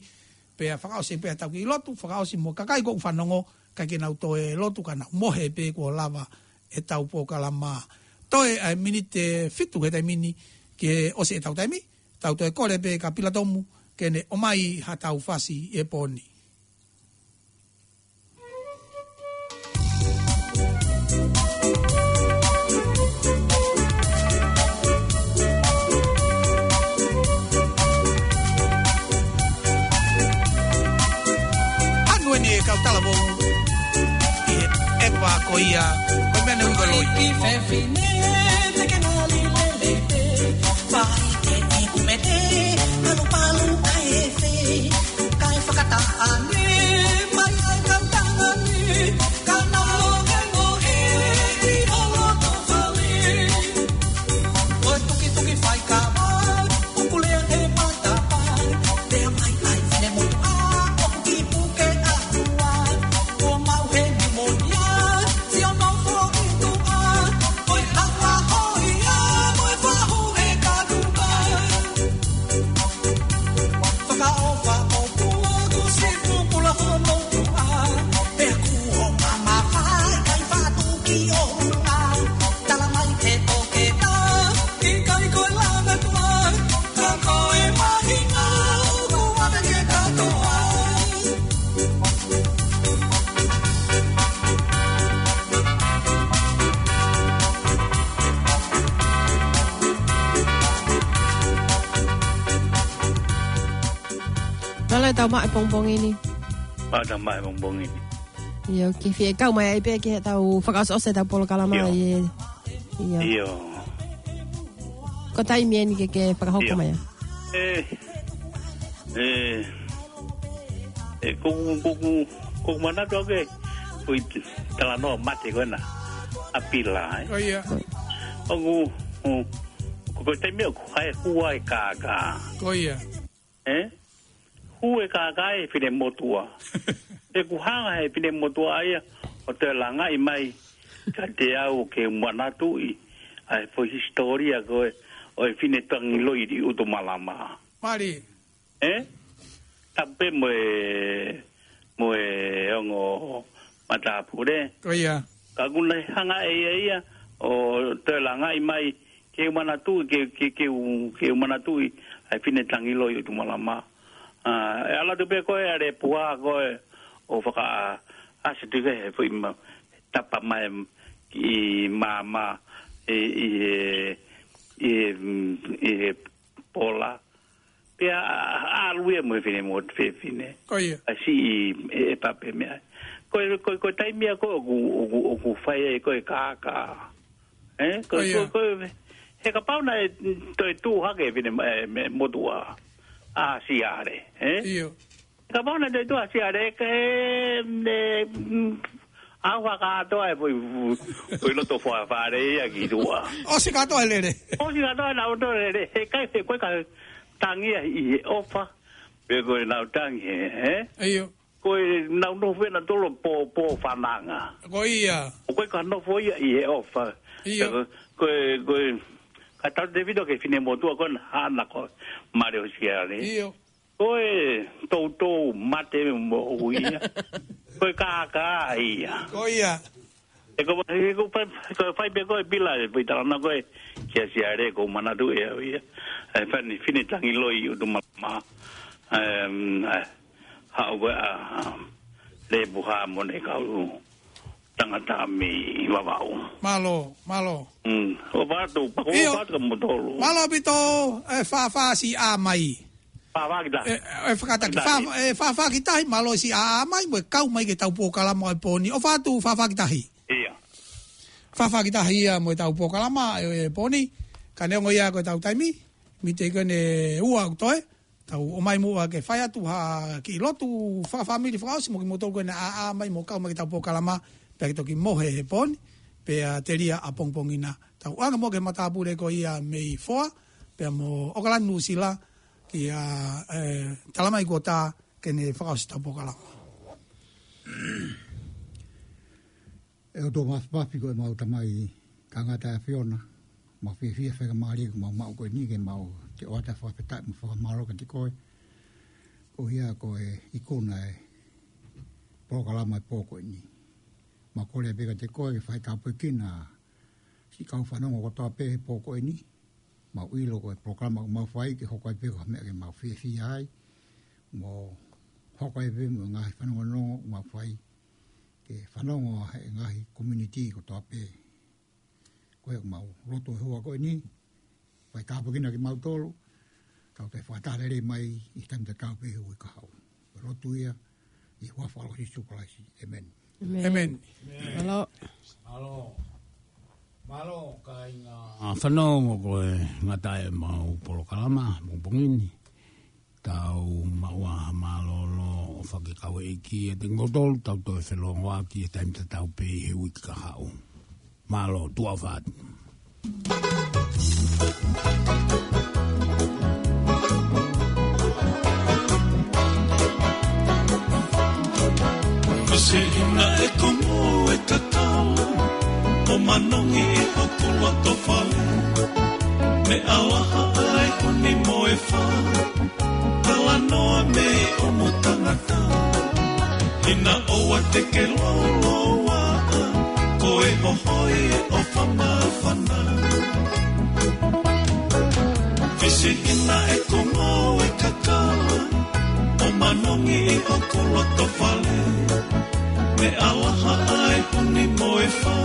pea fakaʻosi pē ʻetau kiʻi lotu, fakaʻosi mo e kakai ko ē ʻoku fanongo, kae ke nau toe lotu ka nau mohe pē kuo lava ʻetau polokalama. Toe ʻa e miniti ʻe fitu he taimi ni ke ʻosi ʻetau taimi, tau toe kole pē kia Pilatomu, ke ne ʻomai ha tau fasi he pō ni. Anu eni e kau talavou, ʻi he ʻepa ko ia, ko e meʻa ne ui ko e loi. Ki fefine te ke ngali lelei pē, fai ke iku mete, palupalu ai e fei, kae fakataʻane mai ai kau tangani, ka nau ngohengohe ʻi ho loto fale. Ko e tukituki faikava, kukulea he matapa, pea mai ai finemotuʻa, ʻoku kiʻi puke ʻa tua, kuo maʻu he nimonia, sio nofo ʻi tuʻa, ko e hanga hoʻi ia, mo e fahu he kakupa. Fakaʻofa ʻo pua, kuo sifu pula hono tua, pea kuo mamafa, kai fatu ki ʻolunga. Tala mai ke toketa, ʻikai ko e langa tua, ka ko e mahinga, ʻoku ave ke katoa. Tala e tau maʻu e pongipongi ni. Maʻu tau maʻu e pongipongi ni. ʻIo, ke fie kau mai ai pē ke tau fakaʻosiʻosi e tau polokalama. ʻIo. ʻIo. ʻIo. Ko e taimi eni ke, ke fakahoko mai. ʻIo. Ē, ē, ē, ko, ko, ko, ko manatu ake, ko e talanoa mate ko ena. ʻA Pila, ē? Ko ia. ʻOku, ʻo, ko, ko e taimi ʻoku hae hua e kākā. Ko ia. Ē? Hū e kākā ʻe finemotuʻa. ʻOku hanga he finemotuʻa ia, ʻo toe langaʻi mai, kiate au ke u manatuʻi, ʻa e foʻi hisitōlia ko ē, ʻo e fine tangiloi ʻi ʻUtumalama. Mali. Ē? Tapu pē mo e, mo e ongo matāpule. Ko ia. Ka ʻoku ne hanga ʻe ia ia, ʻo toe langaʻi mai, ke u manatuʻi, ke, ke, ke u, ke u manatuʻi, ʻa e fine tangiloi ʻUtumalama. ʻA, ʻe ʻalu atu pē ko e ʻa e puha ko ē, ʻo fakaʻasi atu ke he foʻi ma, tapa mai ki māmā ʻi, ʻi he, ʻi he, mm, ʻi he pola. Pea ʻalu ia mo e fefine mo e fefine. Ko ia. ʻA si ʻi, ʻe, ʻe pape meʻa. Ko e, ko e, ko e taimi ia ko ē ʻoku, ʻoku, ʻoku fai ai ko e kākā. Ē? Ko, ko ia. Ko, ko, he kapau naʻe toe tuʻu hake fefine, ē, mo e motuʻa. ʻA Siale, ē? ʻIo. Kapau naʻe toe tuʻu ʻa Siale, ke, ne, mm, ʻa ua kātoa e foʻi, foʻi loto fua fale ia ki tuʻa. ʻOsi kātoa e lele. ʻOsi kātoa e nau toe lele. He ʻikai, he ko e ka tangi ia ʻi he ʻofa. Pe ko e nau tangi he, ē? ʻIo. Ko e nau nofo ʻe nautolu pō, pō fananga. Ko ia. ʻO ko e ka nofo ia ʻi he ʻofa. ʻIo. Ko e, ko e, ko e, ka tau te vito ke fefine motuʻa ko ena hana ko Male ʻo Siale. ʻIo. Ko e toutou mate mo ia. Ko e kākā ia. Ko ia. ʻE ko, ʻe ko fai, ko fai pē ko e pila, ʻe pui talana ko e kia Siale ko manatu ʻe au ia. ʻE fani, fefine tangi loi ʻo tu malama. Em, ʻe, haʻu ko ē ʻa, ʻa, Lepu Hāmone kau tangata mei Vavaʻu. Mālō, mālō. Mm, ʻofa atu, pako ʻio. ʻOfa atu ka motolo. Mālō ʻaupito, ʻe Fafā Siʻamai. Fafā ki tahi. ʻE, ʻe fakataki, Fafā ki tahi. Fafā, ʻe Fafā ki tahi, mālō siʻa mai, mo e kau mai ki he tau polokalama ʻo e pō ni. ʻOfa atu, Fafā ki tahi. ʻIo. Fafā ki tahi ia mo e tau polokalama ʻo e pō ni. Ka neongo ia ko e tau taimi, mite ko eni ua ʻoku toe. Tau ō mai muʻa ke fai atu ha kiʻi lotu fakafāmili fakaʻosi mo kimoutolu ko ena ʻa, ʻa mai mo kau mai ki he tau polokalama, pea ke toki mohe he pō ni, pea telia ʻapongipongi na. Tau ʻoange muʻa ki he matāpule ko ia mei Foa, pea mo ʻOkalani Nuʻusila, kia, ē, Talamai Kuota ke ne fakaʻosi tau polokalama. ʻE ʻOtua Māfimafi ko e mau Tamai, ka ngata e ʻAfiona, mau fiefia faingamālie ko mau maʻu ko eni ke mau toe ʻoatu e fakafetaʻi mo e fakamālō kiate koe. Ko ia ko e ikuna e polokalama e pō ko eni. Mau kole pē kiate koe ke fai tāpuekina siʻi kau fanongo kotoa pē he pō ko eni. Mau ʻilo ko e polokalama ʻoku mau fai ke hoko ai pē ko ha meʻa ke mau fiefia ai. Mo hoko ai pē mo e ngaahi fanongonongo ʻoku mau fai ke fanongo ʻa e ngaahi community kotoa pē. Ko ia ʻoku mau lotu he houa ko eni, fai tāpuekina kimautolu, tau toe fakataha lelei mai ʻi he taimi tatau pē he uike kahaʻu. Ko e lotu ia, ʻi he huafa ʻo Sīsū Kalaisi. ʻĒmeni. ʻĒmeni. ʻĒmeni. Mālō. Mālō. Mālō, kāinga. ʻA, fanongo ko e ngata e mau polokalama, pongipongi ni. Tau maʻu ha mālōlō ʻofa ke kau e ʻEiki ʻiate kimoutolu, tau toe felongoaki he taimi tatau pē he uike kahaʻu. Mālō, tuʻa ʻofa atu. Misi hina e kongo e kakala, ʻo manongi ʻi hoku loto fale. Meʻa lahi ʻa e huni mo e fā, talanoa mei ʻomu tangata. Hina ʻoua te ke lōloaʻa, ko e hohoi ʻo e ʻofa māfana. Misi hina e kongo e kakala, ʻo manongi ʻi hoku loto fale. Meʻa lahi ʻa e huni mo e fā,